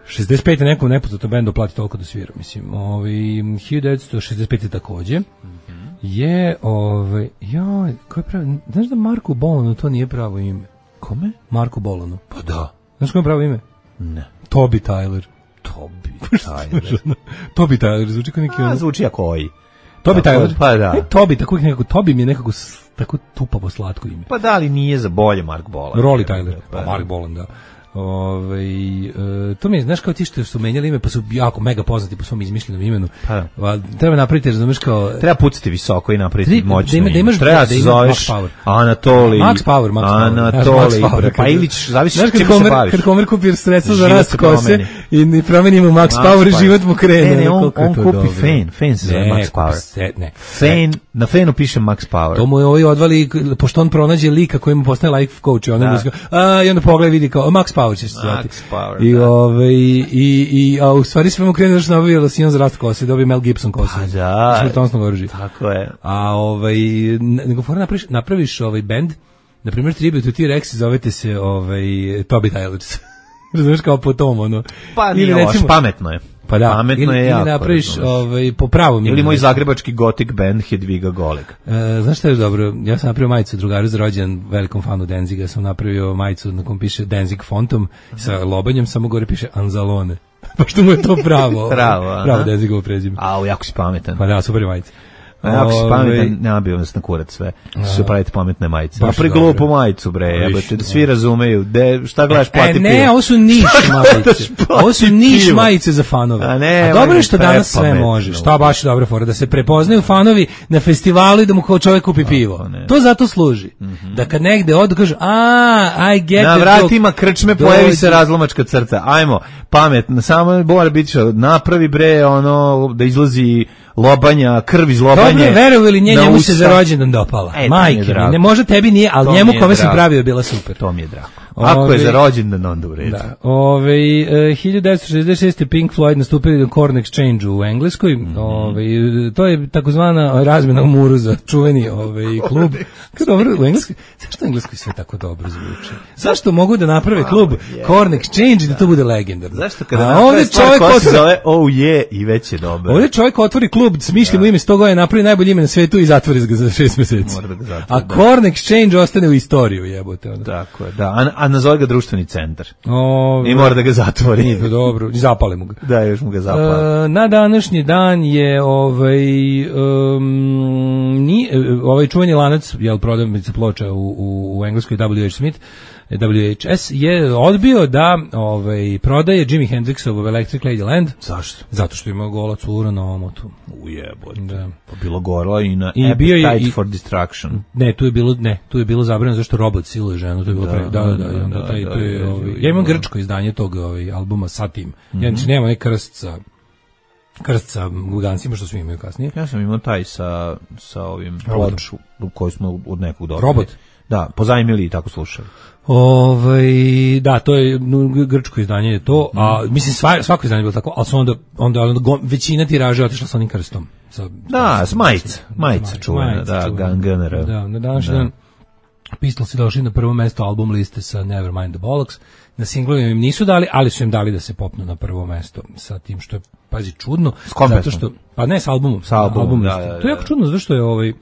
šezdeset pete. nekom nepoznatom bendu plati toliko da svira. Mislim, ovaj, hiljadu devetsto šezdeset pete. takođe. Mm-hmm. Je, ovaj, joj, ko je pravi, znaš da Marku Bolanu to nije pravo ime? Kome? Marku Bolanu. Pa da. Znaš ko je pravo ime? Ne. Toby Tyler. Toby Tyler. Toby Tyler, zvuči kao neki... A, zvuči jako koji. Toby Tyler? Pa da. E, Toby, tako nekako, Toby mi je nekako tako tupavo slatko ime. Pa da, ali nije za bolje Mark Bolan. Rolly Tyler, pa Mark Bolan, da. Ove, e, to mi je, znaš kao ti što su menjali ime, pa su jako mega poznati po svom izmišljenom imenu. Pa. Va, treba napraviti, razumeš kao... Treba pucati visoko i napraviti moćno ime. Da imaš treba se zoveš Anatoli. Max Power, Max Power. Anatoli, Power, pa Ilić, zavisi što čim se baviš. Kad Homer kupi sredstvo za rast kose i promenimo Max, Max Power i život mu krene. Ne, ne, on, on kupi Fan, Fan se zove Max Power. Ne, Fan, na Fanu piše Max Power. To mu je ovaj odvali, pošto on pronađe lika koji mu postaje life coach, on a i onda pogleda vidi kao Max Power će se zvati. Power, I ove i i a u stvari sve mu krene da što nabavio losion za rast kose, dobio Mel Gibson kosu. Pa da. Smrtonosno oružje. Tako je. A ovaj nego fora napraviš napraviš ovaj bend, na primjer Tribute to T-Rex, zovete se ovaj Toby Tylers. Razumeš kao po tom ono. Pa ili recimo pametno je. Pa da, pametno ili, je ili jako. napraviš ovaj, po pravom. Ili moj zagrebački gotik band Hedviga Goleg. E, znaš šta je dobro? Ja sam napravio majicu drugaru za rođendan, velikom fanu Denziga, sam napravio majicu na kom piše Denzig fontom sa lobanjem, samo gore piše Anzalone. Pošto mu je to pravo. pravo, pravo Denzigovo prezime. A, jako si pametan. Pa da, super je majica. A jako si pametan, nabio nas na kurac sve. Što pravite pametne majice. Pa preglupu majicu, bre, jebote, da svi razumeju. De, šta gledaš, plati pivo. E, ne, ovo su niš majice. Ovo su niš majice za fanove. A, ne, A dobro je što danas sve može. Šta baš je dobra fora, da se prepoznaju fanovi na festivalu i da mu kao čovjek kupi pivo. To zato služi. Da kad negde odu kažu, a, I get na vratima krčme pojavi se razlomačka crta. Ajmo, pametno, samo mora biti što napravi, bre, ono, da izlazi lobanja, krv iz lobanje. Dobro, verovali li nje, njemu se za rođendan dopala. E, Majke, ne može tebi nije, ali to njemu kome sam pravio je bila super. To mi je drago. Ako ove, je za rođendan, onda u redu. Da. Ove, uh, hiljadu devetsto šezdeset šeste. Pink Floyd nastupili na Corn Exchange u Engleskoj. Mm -hmm. Ove, to je takozvana razmjena u muru za čuveni ove, klub. Kako dobro, u Engleskoj, zašto u Engleskoj sve tako dobro zvuči? Zašto mogu da naprave klub oh, yeah. Corn Exchange i da to bude legendarno? Zašto kada naprave stvar koja se zove oh yeah i već je dobro. Ovdje čovjek otvori klub, smišljamo ime sto godina, napravi najbolje ime na svetu i zatvori ga za šest mjeseci. Mora da ga zatvori, a Corn Exchange ostane u istoriju, jebote. Onda. Tako je, da. A, a nazove ga društveni centar. O, I mora da ga zatvori. Nije dobro, i zapale mu ga. Da, još mu ga zapale. E, na današnji dan je ovaj, um, ni, ovaj čuveni lanac, jel, prodavnica ploča u, u, u Engleskoj W H Smith, W H S je odbio da ovaj, prodaje Jimi Hendrixov Electric Ladyland. Zašto? Zato što ima gola cura na omotu. Ujebote. Da. Pa bilo gorla i na I Appetite bio je, i, for Destruction. Ne, tu je bilo, ne, tu je bilo zabranjeno zašto robot siluje ženu, to je bilo da, pre, da, da, da, onda taj, to je, ovaj, ja imam grčko izdanje tog ovaj, albuma sa tim. Mm-hmm. Ja nema neki krst sa krst sa gugancima što svi imaju kasnije. Ja sam imao taj sa, sa ovim ploču koji smo od nekog dobili. Robot? Da, pozajmili i tako slušali. Ovaj, da, to je grčko izdanje je to, a mislim sva, svako izdanje je bilo tako, ali su onda, onda, onda go, većina tiraža otišla sa onim krstom. Sa, da, s majica, majica čuvena, da, Gunner. Da, na današnji dan Pistols došli na prvo mesto album liste sa Nevermind the Bollocks. Na singlovima im nisu dali, ali su im dali da se popnu na prvo mesto sa tim što je, pazi, čudno. Zato što, pa ne, s albumom. Sa albumom, album da, da, da. To je jako čudno, zato što je ovaj,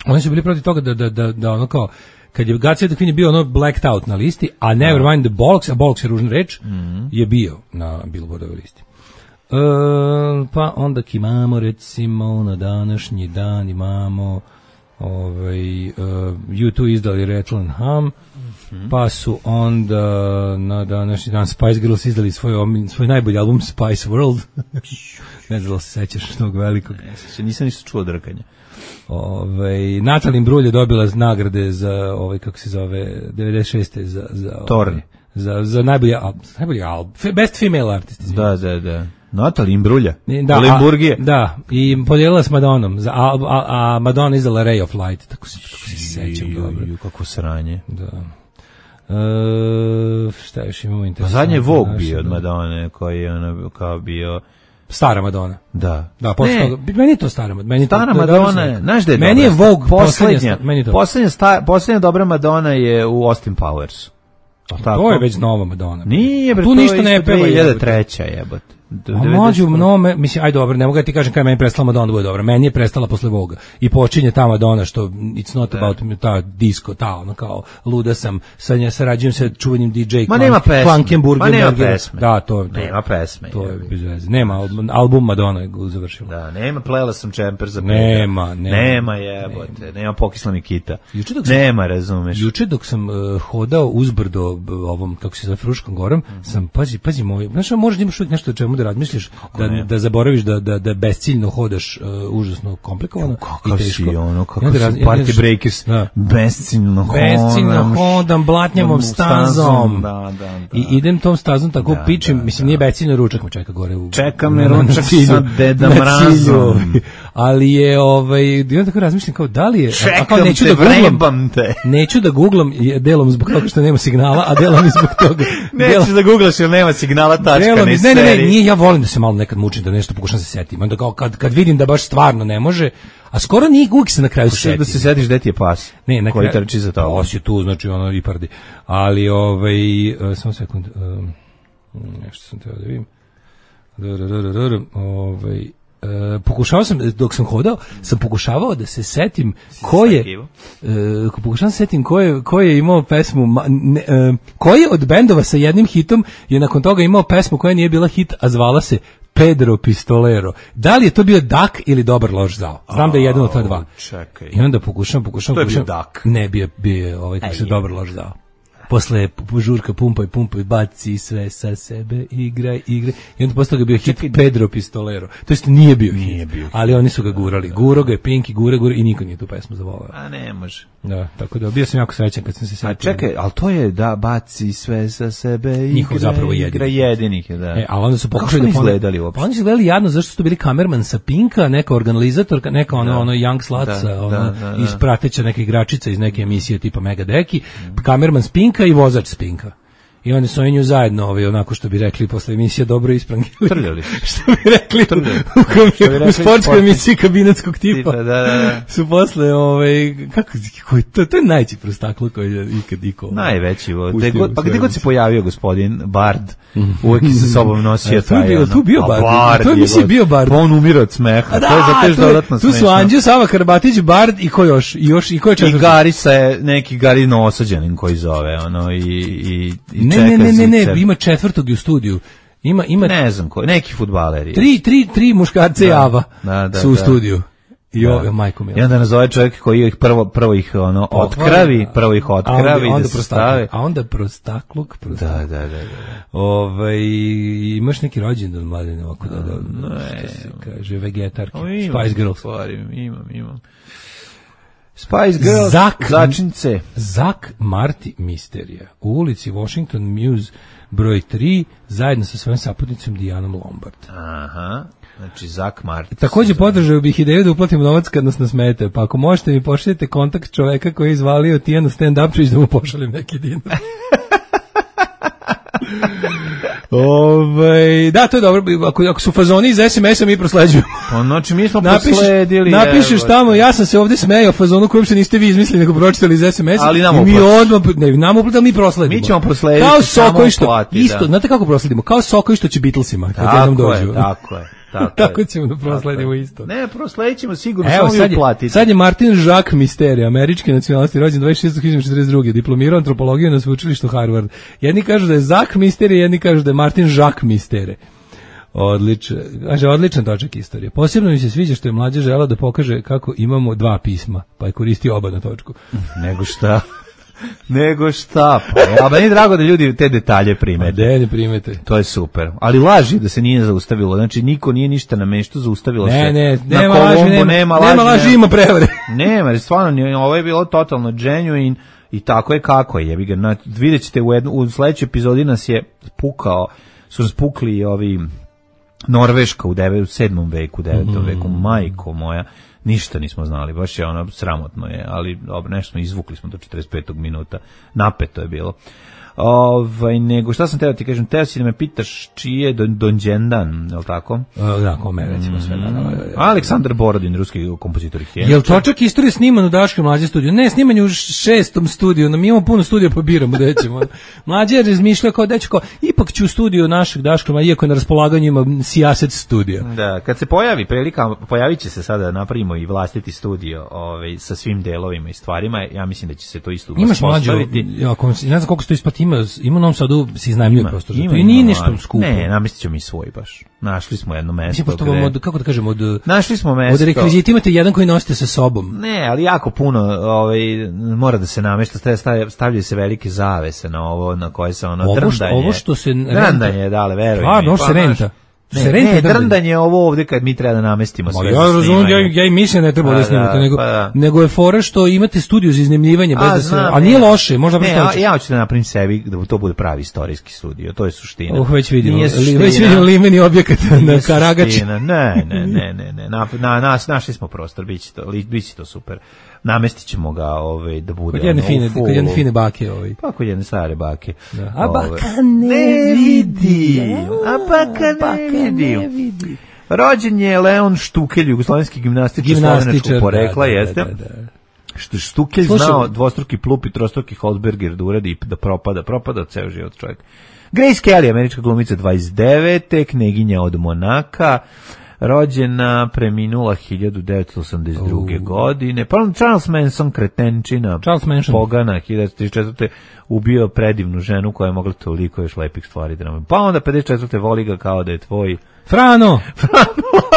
oni su bili protiv toga da, da, da, da ono kao, kad je God Save the Queen je bio ono blacked out na listi, a Nevermind the Bollocks, a Bollocks je ružna reč, mm-hmm. je bio na Billboardovoj listi. E, pa onda imamo recimo na današnji dan imamo ovaj, uh, U dva izdali Rattle and Hum, mm-hmm. pa su onda na današnji dan Spice Girls izdali svoj, svoj najbolji album Spice World. Ne znam da se sećaš tog velikog. Ne, nisam ništa čuo drkanja. Ovaj Natalie Imbruglia je dobila nagrade za ovaj kako se zove devedeset šeste za za ovaj, za za najbolji album, najbolji album, best female artist. Da, da, da. Natalie Imbruglia. Da, Limburgije. Da, i podijelila s Madonom, za a, a, a Madonna izdala Ray of Light, tako se kako se sećam dobro. Ju, kako sranje. Da. E, šta još imamo interesantno? Pa zadnje Vogue bio od Madone, koji je ona kao bio stara Madonna. Da. Da, posle toga, meni je to stara Madonna. Meni stara to, Madonna, znaš da je meni dobra. Je Vogue poslednja, poslednja, sta, poslednja dobra Madonna je u Austin Powers. Tako? To je već nova Madonna. Nije, bre, tu ništa ne peva. dve hiljade treće jebote. A mlađu mnome, mislim, aj dobro, ne mogu da ti kažem kada meni prestala Madonna da bude dobra. Meni je prestala posle Voga. I počinje ta Madonna što it's not da. About me, ta disco, ta ono kao luda sam, sa nja sarađujem sa čuvenim D J Klankenburg. Ma nema pesme. Da, to, to nema pesme. To je bez veze. Nema album Madonna je završila. Da, nema, plela sam čemper za nema, nema, nema jebote, nema, nema pokisla mi kita. Nema, razumeš. Juče dok sam uh, hodao uzbrdo ovom kako se zove Fruškom gorom, mm-hmm. sam pazi, pazi moj, znaš, možeš da imaš uvijek nešto o čemu da razmisliš, da, da zaboraviš da, da, da besciljno hodaš uh, užasno komplikovano kako i teško. Si ono, kako ja, su raz, Party ja, Breakers da. besciljno hodam. Besciljno hodam, blatnjavom stazom. Da, da, da. I idem tom stazom tako da, pičim, da, mislim, da. Nije besciljno, ručak me čeka gore. U, čeka me ručak sa Deda Mrazom. Ali je, ovaj, ja tako razmišljam kao, da li je... Čekam a kao, neću te, da googlam, vrebam te. Neću da googlam, delom zbog toga što nema signala, a delom i zbog toga... Nećeš da googlaš jer nema signala, tačka, delom, ne, ne, ne, ne, nije, ja volim da se malo nekad mučim, da nešto pokušam se setim. Onda kao, kad, kad vidim da baš stvarno ne može, a skoro nije, uvijek se na kraju setim. Da se setiš gde ti je pas, ne, na koji trči za to. Pas je tu, znači ono i pardi. Ali, ovaj, uh, samo sekund, um, nešto sam teo da vidim. Ovaj Uh, pokušavao sam, dok sam hodao, sam pokušavao da se setim ko je, uh, pokušavam se setim ko je, ko je imao pesmu, ne, uh, koji od bendova sa jednim hitom je nakon toga imao pesmu koja nije bila hit, a zvala se Pedro Pistolero. Da li je to bio Dak ili Dobar loš zao? Znam da je jedan od ta dva. Čekaj. I onda pokušavam, pokušavam, to je pokušavam. bio Dak. Ne, bio, bio ovaj, kako se Dobar loš zao. Posle žurka pumpaj, pumpaj, baci sve sa sebe, igraj, igraj. I onda posle toga bio hit Pedro Pistolero. To jest nije bio hit, nije bio hit, ali oni su ga gurali. Guro ga je Pinky, gure, gure i niko nije tu pesmu zavolao. A ne može. Da, tako da bio sam jako srećan kad sam se setio. A čekaj, ali to je da baci sve sa sebe, igraj, njihov zapravo igra jedinih je, da. E, a onda su pokušali da izgledali uopšte. Oni su gledali jadno zašto su to bili kamerman sa Pinka, neka organizatorka, neka ono, da. ono Young Sluts, da, ono, da, da, da. Iz prateća neke igračica iz neke emisije tipa Mega Deki, kamerman s Pinka i vozač s Pinka. I oni su nju zajedno, ovaj, onako što bi rekli posle emisije dobro isprangili. Trljali. Što bi rekli u, u sportskoj emisiji kabinetskog tipa. Da, da, da. Su posle, ovaj, kako, koji, to, to je najveći prostaklo koji je ikad iko. Najveći. God, pa gde god se pojavio gospodin Bard, uvek je sa sobom nosio taj. Tu je bio, tu bio Bard. Bard to je mislim bio Bard. Pa on umire od smeha. Da, to je zato što dodatno smešno. Tu su Anđeo, Sava Karbatić, Bard i ko još? I još i ko je četvrti? I Gari sa neki Gari Noosađanin koji zove, ono, i, i, i Ne, ne, ne, ne, ne, ima četvrtog u studiju. Ima ima ne znam ko, neki fudbaleri. Tri tri tri muškarce da, Java da, da, su u da. studiju. I da. ovoga majko mi. I onda nazove čovjek koji ih prvo prvo ih ono otkravi, prvo ih otkravi onda, da se stave. A onda prostakluk, prostakluk. Da, da, da, da. Ovaj imaš neki rođendan mladine ovako da da. Ne, se kaže vegetarke. Spice Girls. Imam, imam. Spice Girls, Zak, začince. Zak Marti Misterija u ulici Washington Muse broj tri zajedno sa svojom saputnicom Dijanom Lombard. Aha, znači Zak Marti. Takođe podržao bih ideju da uplatimo novac kad nas nasmete, pa ako možete mi pošaljete kontakt čoveka koji je izvalio Tijanu stand-up da mu pošaljem neki dinar. Ove, da, to je dobro. Ako, ako su fazoni iz es em es-a mi prosleđujemo. Pa znači mi smo napišeš, prosledili. Napišeš tamo, ja sam se ovdje smejao fazonu koji uopšte niste vi izmislili, nego pročitali iz es em es-a. Ali nam i mi odmah, ne, nam uplatili, mi prosledimo. Mi ćemo proslediti. Kao Soko što, plati, isto, da. Znate kako prosledimo? Kao Soko što će Beatlesima. Tako je, tako je. Tako, tako ćemo da prosledimo isto. Ne, prosledit ćemo sigurno, evo, samo mi uplatiti. Sad je Martin Jacques Misteri, američki nacionalnosti, rođen dvadeset šestog hiljade četrdeset druge diplomirao antropologiju na sveučilištu Harvard. Jedni kažu da je Zak Misteri, jedni kažu da je Martin Jacques Misteri. Odličan, kaže, odličan točak istorije. Posebno mi se sviđa što je mlađa žela da pokaže kako imamo dva pisma, pa je koristio oba na točku. Nego šta? Nego šta, pa ja, meni je drago da ljudi te detalje primete. A ne primete. To je super. Ali laži da se nije zaustavilo. Znači niko nije ništa na meštu, zaustavilo ne, se. Ne, na nema Kolombo, laži, nema, nema laži, nema laži, ima prevare. Nema, jer stvarno ovo je bilo totalno genuine i tako je kako je. Jebi ga, na, vidjet ćete u, jednu, u sledećoj epizodi nas je pukao, su nas pukli ovi Norveška u devet, sedmom veku, devetom mm. veku, majko moja. Ništa nismo znali, baš je ono sramotno je, ali dobro, nešto smo izvukli smo do četrdeset petog minuta, napeto je bilo. Ovaj, nego šta sam teo ti kažem, teo si da me pitaš čiji je Don, Donđendan, je li tako? Uh, da, kome recimo sve. Da, da, da, da. Aleksandar Borodin, ruski kompozitor. Je li točak istorije sniman u Daškom mlađe studiju? Ne, sniman je u šestom studiju, mi imamo puno studija pa biramo gde ćemo. Mlađe je razmišljao kao dečko, ipak ću u studiju našeg Daška mlađe, iako je na raspolaganju ima sijaset studija. Da, kad se pojavi prilika, pojavit će se sada napravimo i vlastiti studio ovaj, sa svim delovima i stvarima, ja mislim da će se to isto postaviti. Imaš mlađu, ja, ne znam koliko se to isplati, ima, ima u Novom Sadu se iznajmljuje prostor. Ima, i nije ništa skupo. Ne, namestit ćemo i svoj baš. Našli smo jedno mesto. Mislim, gde... od, kako da kažemo, od, našli smo mesto. Od rekvizita imate jedan koji nosite sa sobom. Ne, ali jako puno ovaj, mora da se namešta, stavljaju se velike zavese na ovo, na koje se ono ovo drndanje. Ovo što se renta. Drndanje, dale, veruj mi. Stvarno, ovo se renta. Ne, ne, ne drndanje ovo ovde kad mi treba da namestimo sve. Ja razumem, ja, ja i mislim ne treba pa, da snimate, da, nego, pa, da. nego je fora što imate studiju za iznajmljivanje, bez da se, a nije loše, možda ne, ja, ja hoću da napravim sebi da to bude pravi istorijski studio, to je suština. Oh, već vidimo, li, već vidimo limeni objekat na Karagači. Ne, ne, ne, ne, ne, na, na, nas, našli smo prostor, biće to, biće to super. Namestit ćemo ga ovaj, da bude... Kod jedne fine, kod jedne fine bake. Ovaj. Pa kod jedne stare bake. Da. A baka ne vidi. A baka ne vidi. Rođen je Leon Štukelj, jugoslovenski gimnastičar slovenačkog porekla, da, da, jeste. Da, da, da. Štukelj Slušam. znao dvostruki plup i trostruki Holzberger da uradi i da propada. Propada ceo život čovjek. Grace Kelly, američka glumica dvadeset devete, kneginja od Monaka, rođena, preminula hiljadu devetsto osamdeset druge. Uh. godine. Pa Charles Manson, kretenčina, Charles Manson. pogana, hiljadu devetsto trideset četvrte. ubio predivnu ženu koja je mogla toliko još lepih stvari da nam... Pa onda pedeset četvrte voli ga kao da je tvoj... Frano!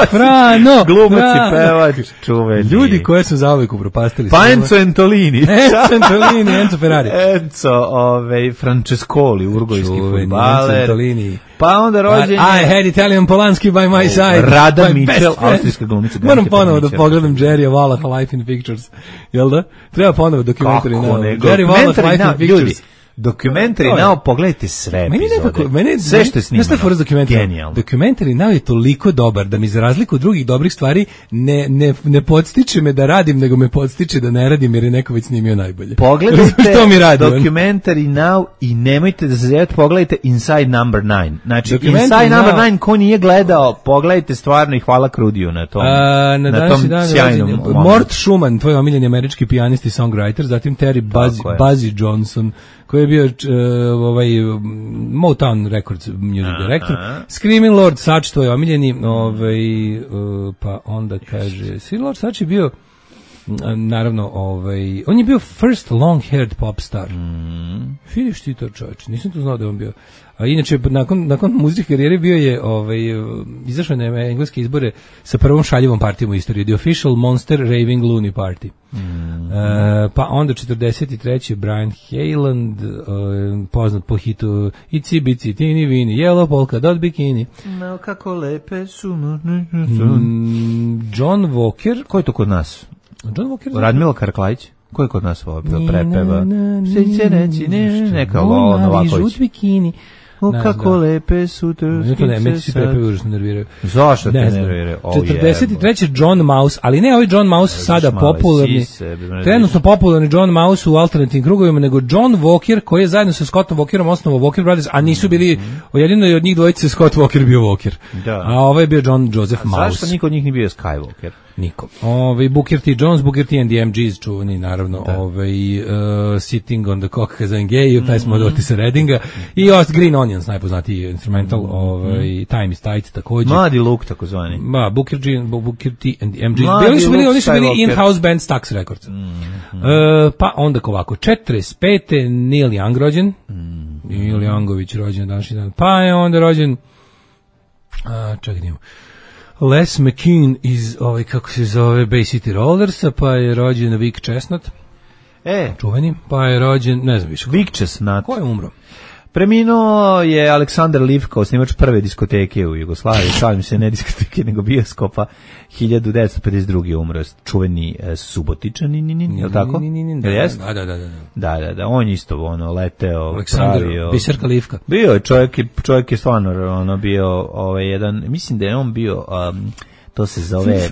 Frano! Glumac i pevač, čuveni. Ljudi koje su zauvek upropastili. Pa Enzo Antolini. Enzo Antolini, Enzo Ferrari. Enzo, ovaj, Francescoli, urgojski fudbaler. Enzo Antolini. Pa onda rođen I had Italian Polanski by my side. Rada Mitchell, austrijska glumica. Moram ponovo da pogledam Jerry Wallach, Life in Pictures. Jel da? Treba ponovo dokumentari. Kako ne? Jerry Wallach, Life in Pictures. Dokumentari Now, pogledajte sve meni epizode. Nekako, meni, sve što je snimano. Genijalno. Dokumentari Now je toliko dobar da mi za razliku od drugih dobrih stvari ne, ne, ne podstiče me da radim, nego me podstiče da ne radim jer je neko već snimio najbolje. Pogledajte što mi radi, dokumentari Now i nemojte da se zajete, pogledajte Inside Number nine. Znači, Inside Number nine, ko nije gledao, pogledajte stvarno i hvala Krudiju na tom, A, na, na tom dan, sjajnom momentu. Mort Schumann, tvoj omiljeni američki pijanist i songwriter, zatim Terry Buzz, Buzzy Johnson, koji je bio uh, ovaj Motown Records music director. Screaming Lord Sutch, to je omiljeni, ovaj, uh, pa onda kaže, Screaming Lord Sutch je bio uh, naravno, ovaj, on je bio first long-haired pop star. Mm. Vidiš ti to, čovječ, nisam to znao da je on bio. A inače, nakon, nakon muzičke karijere bio je, ovaj, izašao na engleske izbore sa prvom šaljivom partijom u istoriji, The Official Monster Raving Loony Party. Mm. E, pa onda četrdeset treće Brian Hayland, e, poznat po hitu Ici bici tini vini, Yellow polka dot bikini. No, kako lepe su. Mm, John Walker. Ko je to kod nas? John Walker. Radmila Karaklajić. Ko je kod nas ovo prepeva? Sve će reći, ne, neka lovno ovako. bikini. O, kako lepe su trskice. Ne, meni se prepeve užasno nerviraju. Zašto te nerviraju? četrdeset treće John Mouse, ali ne ovaj John Mouse sada popularni, trenutno popularni John Mouse u alternativnim krugovima, nego John Walker, koji je zajedno sa Scottom Walkerom osnovao Walker Brothers, a nisu bili, jedino je od njih dvojice Scott Walker bio Walker. A ovaj je bio John Joseph Mouse. Zašto niko od njih nije bio Skywalker? Niko. Ovaj Booker T. Jones, Booker T and the M Gs, čuvani naravno, ovaj uh, Sitting on the Cock Cause I'm Gay, pesma od Otisa Reddinga, i Ost Green Onions, najpoznatiji instrumental, ovaj Time is Tight također. Mladi Luke takozvani. Ma, Booker G, Booker T and the M Gs. Bili su bili, oni su bili in-house band Stax Records. Mm, mm. Uh, pa onda ovako, četrdeset pete Neil Young rođen. Mm. Neil Youngović rođen današnji dan. Pa je onda rođen, a, čekaj, nimo. Les McKean iz, ovaj, kako se zove, Bay City Rollersa, pa je rođen Vic Chestnut, e. čuveni, pa je rođen, ne znam više. Vic Chestnut. Ko je umro? Preminuo je Aleksandar Livka, osnivač prve diskoteke u Jugoslaviji, šalim se, ne diskoteke, nego bioskopa, hiljadu devetsto pedeset druge umro, čuveni e, Subotičanin, je li tako? Da, da, da, da. Da, da, da, on isto ono, leteo, Aleksandar, pravio. Biserka Livka. Bio je, čovjek, čovjek je stvarno ono, bio ovaj, jedan, mislim da je on bio... Um, to se zove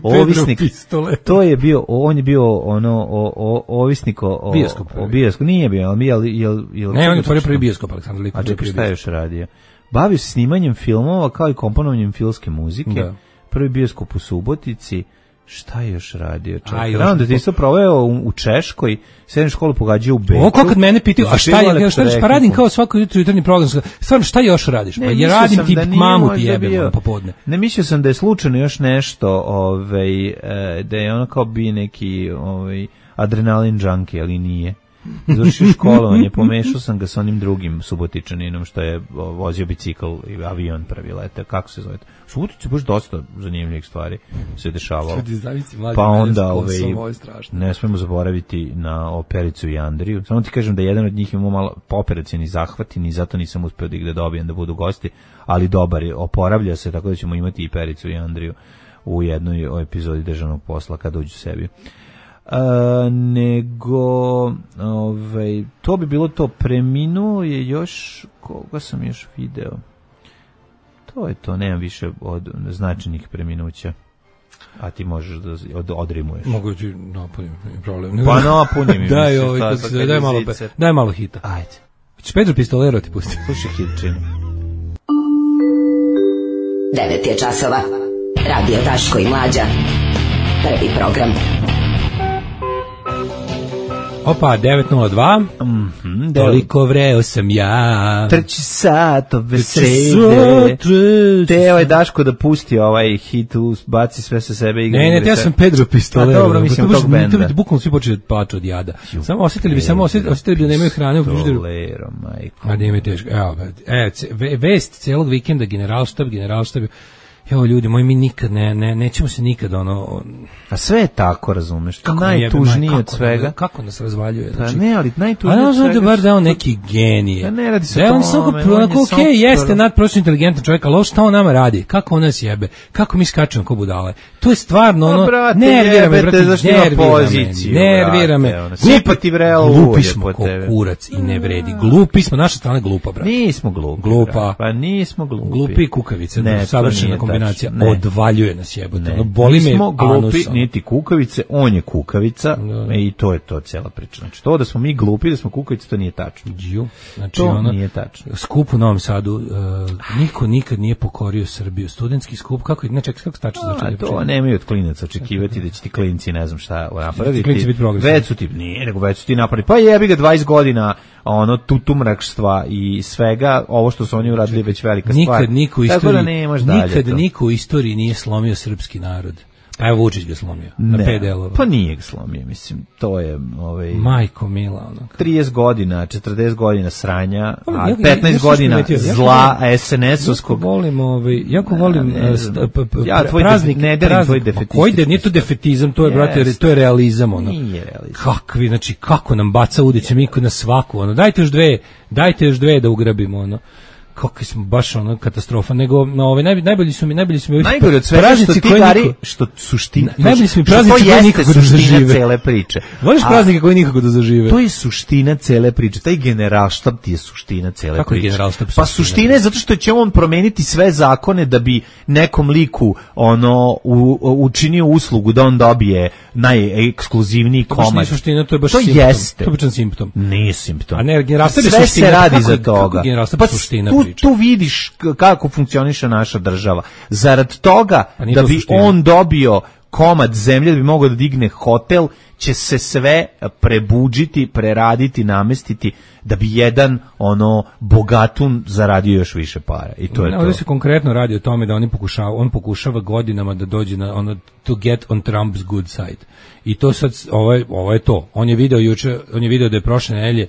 ovisnik. To je bio, on je bio ono o, o, ovisnik o bioskop. O bioskop nije bio, ali jel jel jel ne, on je otvorio prvi bioskop Aleksandar Livka. A čekaj, šta je još radio? Bavio se snimanjem filmova kao i komponovanjem filmske muzike. Da. Prvi bioskop u Subotici. Šta je još radio? Čekaj, onda ti se proveo u, u Češkoj, srednju školu pogađao u Beču. O, kako kad mene pitaju, a šta je, šta je, pa radim kao svako jutro jutarnji program. Stvarno, šta još radiš? Pa ja radim tip mamu ti jebem popodne. Ne, mislio sam da je slučajno još nešto, ovaj, da je ono kao bi neki ovaj, adrenalin junkie, ali nije. Završio školovanje, pomešao sam ga sa onim drugim Subotičaninom što je vozio bicikl i avion prvi lete, kako se zove? U Subotici baš dosta zanimljivih stvari se dešavalo. Pa onda ovaj, ne smemo zaboraviti na Opericu i Andriju. Samo ti kažem da jedan od njih imao malo operacijni zahvati i zato nisam uspeo da ih da dobijem da budu gosti, ali dobar je, oporavlja se, tako da ćemo imati i Pericu i Andriju u jednoj epizodi Državnog posla kada uđu sebi. Uh, nego ovaj, to bi bilo to. Preminuo je još, koga sam još video, to je to, nemam više od značajnih preminuća, a ti možeš da od, odrimuješ. Mogu ti napunim, problem. Pa napunim. Daj, ovaj, kako se, daj, malo, daj malo hita. Ajde. Ćeš Pedro Pistolero ti pusti. Slušaj hitčinu. devet je časova. Radio Daško i Mlađa. Prvi program. Opa, devet nula dva. Mm-hmm, toliko vreo sam ja. Trči satove srede. Teo je Daško da pusti ovaj hit, baci sve sa sebe. Igra ne, ne, ja sam Pedro Pistolero. A dobro, mislim to tog benda. To bi bukvalno svi počeli da plaču od jada. Samo osjetili bi, samo osjetili, osjetili bi da nemaju hrane u frižideru. Pistolero, majko. A nije mi teško. Evo, e, vest celog vikenda, generalštab, generalštab. Evo ljudi moji, mi nikad ne, ne, nećemo se nikad ono... A sve je tako, razumeš, to najtužnije od svega. Ne, kako nas razvaljuje? Znači, pa ne, ali najtužnije od svega... A ne, bar da on neki genije. Pa ne radi se da tome. On samo, onako, okej, okay, jeste nadprosto inteligentan čovjek, ali ovo šta on nama radi? Kako on nas jebe? Kako mi skačemo ko budale? To je stvarno ono... Brate, nervira me, brate, zašto ima poziciju, nervira me. Sipa ti vrelo ulje glupi smo ko kurac i ne vredi. Glupi smo, naša strana glupa, brate. Nismo glupi. Glupa. Pa nismo glupi. Glupi i kukavice, savršena kombinacija. Odvaljuje nas jebote. Ono boli me nismo glupi, anus, niti kukavice, on je kukavica, da. I to je to cijela priča. Znači, to da smo mi glupi, da smo kukavice, to nije tačno. Ju. Znači, to ono, nije tačno. Skup u Novom Sadu, uh, niko nikad nije pokorio Srbiju. Studentski skup, kako, ne čekaj, kako stače za čekaj? To nemaju od klinaca očekivati da će ti klinci, ne znam šta, napraviti. Klinci biti progresivni. Već su ti, nije, nego već su ti napraviti. Pa jebi ga dvadeset godina, ono, tutumrakštva i svega, ovo što su oni uradili već velika stvar. Nikad niko u istoriji, nikad niko u istoriji nije slomio srpski narod. Pa evo Vučić ga slomio, ne, na pet delova. Pa nije ga slomio, mislim, to je... Ovaj, majko mila, ono. trideset godina, četrdeset godina sranja, a petnaest godina zla es en es-ovskog... Jako volim, ovaj, jako volim ja, st, p, p, ja, tvoj praznik, ne delim tvoj defetistički. Koji de, nije to defetizam, to je, yes. brate, to je realizam, ono. Nije realizam. Kakvi, znači, kako nam baca udeće Miko na svaku, ono. Dajte još dve, dajte još dve da ugrabimo, ono. Kako smo baš ono katastrofa, nego na ove naj, najbolji su mi najbolji su mi najgore od svega što ti gari što suština najbolji su mi praznici koji nikako da zažive cele priče. Voliš praznike koji nikako da zažive? To je suština cele priče. Taj generalštab ti je suština cele kako priče. Je pa suština je zato što će on promeniti sve zakone da bi nekom liku ono u, učinio uslugu da on dobije najekskluzivniji komad. To je suština, to je baš to simptom. Jeste. To je baš simptom. Nije simptom. A ne, generalštab je suština. Sve se radi za toga. Pa suština. Tu vidiš kako funkcioniše naša država. Zarad toga pa da bi suština. On dobio komad zemlje, da bi mogao da digne hotel, će se sve prebuđiti, preraditi, namestiti, da bi jedan ono bogatun zaradio još više para. I to je ne, to. Ovdje se konkretno radi o tome da oni pokušava, on pokušava godinama da dođe na ono to get on Trump's good side. I to sad, ovo je, ovo je to. On je video juče, on je video da je prošle nedelje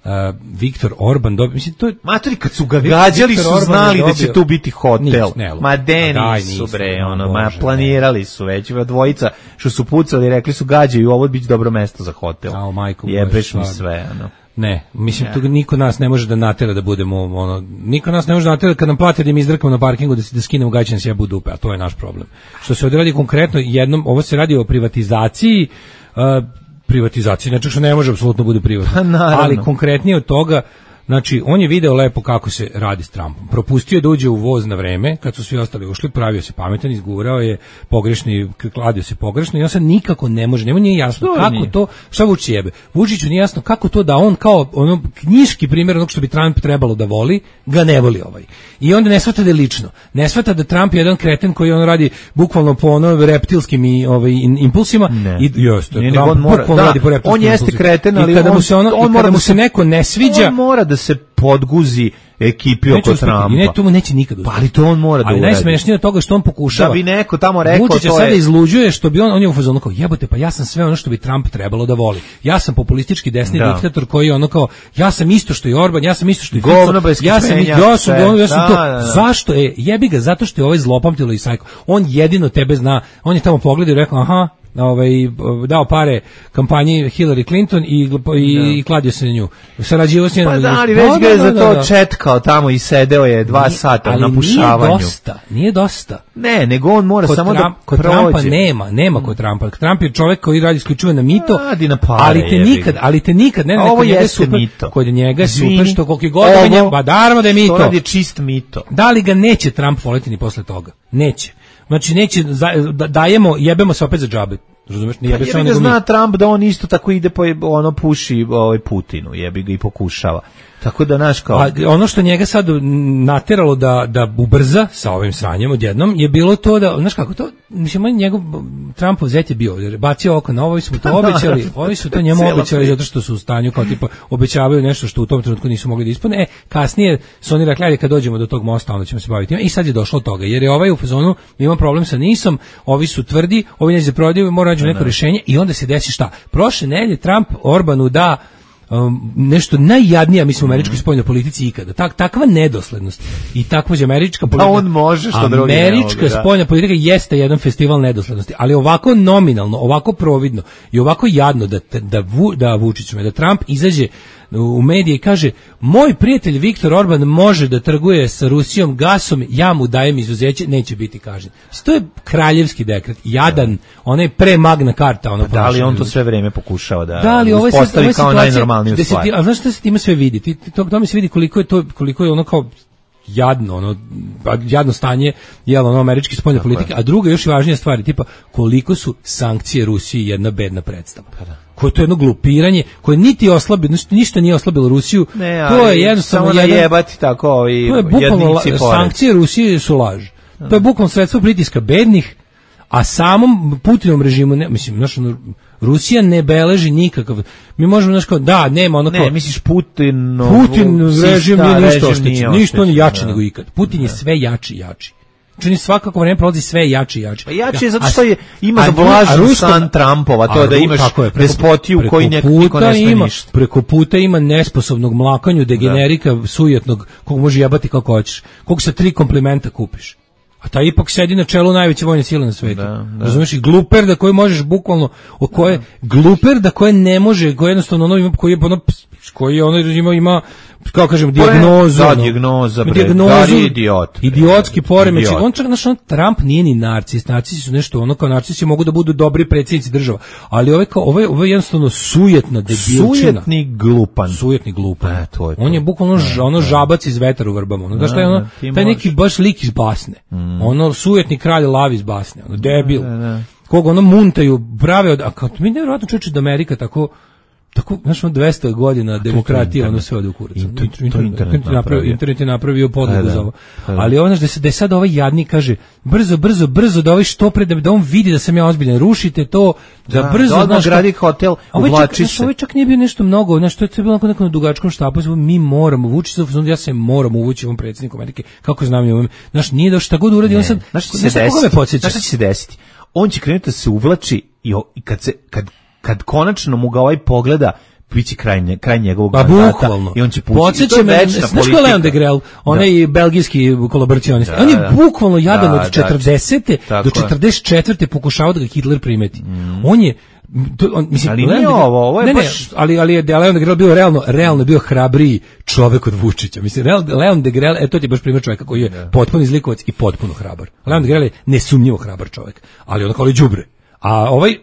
Uh, Viktor Orban dobio, mislim to je materi kad su ga gađali su znali da će tu biti hotel. Nič, ne, ma deni su bre, ono, ma planirali su već dvojica što su pucali, rekli su gađaju, ovo biće dobro mesto za hotel. Ao majku, jebeš mi sve, ono. Ne, mislim, tu niko nas ne može da natera da budemo, ono, niko nas ne može da natera kad nam plate da im izdrkamo na parkingu da se da skinemo gaće na sjebu dupe, a to je naš problem. Što se ovdje radi konkretno jednom, ovo se radi o privatizaciji, uh, privatizaciji, znači što ne može apsolutno bude privatno, ali konkretnije od toga, znači on je video lepo kako se radi s Trumpom, propustio da uđe u voz na vreme, kad su svi ostali ušli, pravio se pametan, izgurao je pogrešni, kladio se pogrešno i on sad nikako ne može, njemu nije jasno to kako nije. To, šta Vučić jebe, Vučiću nije jasno kako to da on kao ono knjiški primjer onog što bi Trump trebalo da voli, ga ne voli ovaj. I onda ne shvata da je lično, ne shvata da Trump je jedan kreten koji on radi bukvalno po ono reptilskim i ovaj impulsima ne. I jeste, nije, Trump on mora, bukvalno da, radi po reptilskim on jeste impulsima. kreten, ali I kada on, mu se ono, on i mora kada da mu se neko ne sviđa, on mora da se podguzi ekipi oko Trumpa. Ne, to mu neće nikad uspjeti. Pa ali to on mora da uradi. Ali najsmešnije od toga što on pokušava. Da bi neko tamo rekao Vučić to je. Vučić sada izluđuje što bi on, on je u fazonu kao jebote, pa ja sam sve ono što bi Trump trebalo da voli. Ja sam populistički desni da. diktator koji ono kao, ja sam isto što i Orban, ja sam isto što i Fico. Ja sam, ja sam, govno, ja sam da, to. Da, da. Zašto je? Jebi ga, zato što je ovaj zlopamtilo i sajko. On jedino tebe zna. On je tamo pogledao i rekao, aha, ovaj dao pare kampanji Hillary Clinton i i, no. i kladio se na nju. Sarađivao s njom. Pa da, ali već ga je za to četkao tamo i sedeo je dva nije, sata na pušavanju. Nije dosta, nije dosta. Ne, nego on mora kod samo Trump, da kod prođe. Trumpa nema, nema kod Trumpa. Trump je čovjek koji radi isključivo na mito, radi na pare, ali te nikad, ali te nikad, ne, ne, ovo je super, mito. Kod njega je Zvini, super što koliko god da njemu, ba naravno da je mito. To radi čist mito. Da li ga neće Trump voliti ni posle toga? Neće. Znači neće, dajemo, jebemo se opet za džabe. Razumeš, nije jebi ga zna Trump da on isto tako ide po ono puši ovaj Putinu, jebi ga i pokušava. Tako da naš kao... A ono što njega sad nateralo da, da ubrza sa ovim sranjem odjednom je bilo to da, znaš kako to, mislim, njegov Trumpov zet je bio, bacio oko na ovo, ovi su to obećali, ovi su to njemu obećali zato što su u stanju kao tipa obećavaju nešto što u tom trenutku nisu mogli da ispune. E, kasnije su oni rekli, kad dođemo do tog mosta, onda ćemo se baviti time. I sad je došlo od toga, jer je ovaj u fazonu, ima problem sa nisom, ovi su tvrdi, ovi neće da prodaju, mora naći neko rješenje i onda se desi šta? Prošle nedelje Trump Orbanu da Um, nešto najjadnija, mislim, u američkoj spoljnoj politici ikada. Tak, takva nedoslednost i takva američka politika. A on može, što drugi ne mogu. Američka spoljna politika jeste jedan festival nedoslednosti, ali ovako nominalno, ovako providno i ovako jadno da, da, da Vučić, da Trump izađe u medije i kaže, moj prijatelj Viktor Orban može da trguje sa Rusijom gasom, ja mu dajem izuzeće, neće biti kažnjen. To je kraljevski dekret, jadan, onaj pre magna carta. Ono da li on to sve vreme pokušava da, da ali ovo uspostavi kao najnormalniju stvar. Ti, a znaš šta se time sve vidi? Ti, to, to mi se vidi koliko je to, koliko je ono kao jadno, ono, jadno stanje jel, ono, američke spoljne politike, a druga još i važnija stvar, tipa koliko su sankcije Rusiji jedna bedna predstava. Koje to je jedno glupiranje, koje niti oslabi, ništa nije oslabilo Rusiju, ne, to je jednostavno samo najebati tako i to je bukvalno, sankcije Rusije su laž. To je bukvalno sredstvo pritiska bednih, a samom Putinom režimu, ne, mislim, znaš, Rusija ne beleži nikakav, mi možemo, znaš, kao, da, nema ono kao... Ne, misliš Putin... Putin režim nije ništa oštećen, ništa on je jači nego ikad. Putin je sve jači i jači. Čini svakako vreme prolazi sve jači i jači. Pa jači je zato što je, ima zablažen san Trumpova, to da imaš despotiju koji niko ne sme ništa. Preko puta ima nesposobnog mlakanju, degenerika, sujetnog, kog može jebati kako hoćeš, kog sa tri komplimenta kupiš. A taj ipak sedi na čelu najveće vojne sile na svetu. Da, da. Razumiješ, i gluper da koji možeš bukvalno, o koje, gluper da koje ne može, koji jednostavno ono ima, koji je ono, koji ono ima, ima kako kažem, dijagnozu. Da, dijagnoza, bre, dijagnozu, idiot. Idiotski poremećaj. On čak, znaš, on, Trump nije ni narcis, narcisi su nešto, ono kao narcisi mogu da budu dobri predsjednici država, ali ovaj kao, ovaj, ovaj jednostavno sujetna debilčina. Sujetni glupan. Sujetni glupan. E, to je to. On je bukvalno ž, ono žabac iz vetar u vrbama. Ono, da šta je ono, taj neki baš lik iz basne. Mm. Ono sujetni kralj lavi iz basne. Ono, debil. Da, da, da. Koga ono muntaju, prave od, a kao, mi nevjerojatno čuči da Amerika tako, tako, znaš, on dvesta godina demokratija, ono sve ode u kurac. Internet, internet, napravio, internet je napravio podlogu za ovo. Ali ono da se da sad ovaj jadnik kaže, brzo, brzo, brzo, da ovaj što pre, da on vidi da sam ja ozbiljan, rušite to, da, da brzo, da znaš, gradi hotel, uvlači se. Ovo čak nije bio nešto mnogo, znaš, to je bilo onako na dugačkom štapu, mi moramo, Vučić, ja se moram uvući ovom predsjedniku Amerike, kako znam je, znaš, nije da šta god uradi, on sad, znaš šta će se desiti? On će krenuti da se uvlači i kad se, kad kad konačno mu ga ovaj pogleda, biće kraj, kraj njegovog mandata i on će pući. Podsjeća me, znaš ko je Leon Degrelle, onaj da. belgijski kolaboracionist. Da, on je da. bukvalno jadan da, od četrdesete da, do četrdeset četvrte pokušao da ga Hitler primeti. Mm. On je to, on, mislim, ali nije ovo, ovo je ne, baš... Ne, ali, ali je Leon Degrelle bio realno, realno bio hrabriji čovek od Vučića. Mislim, Leon Degrelle, eto ti baš primjer čovjeka koji je da. potpuno izlikovac i potpuno hrabar. Leon Degrelle je nesumnjivo hrabar čovjek, ali on kao li đubre. A ovaj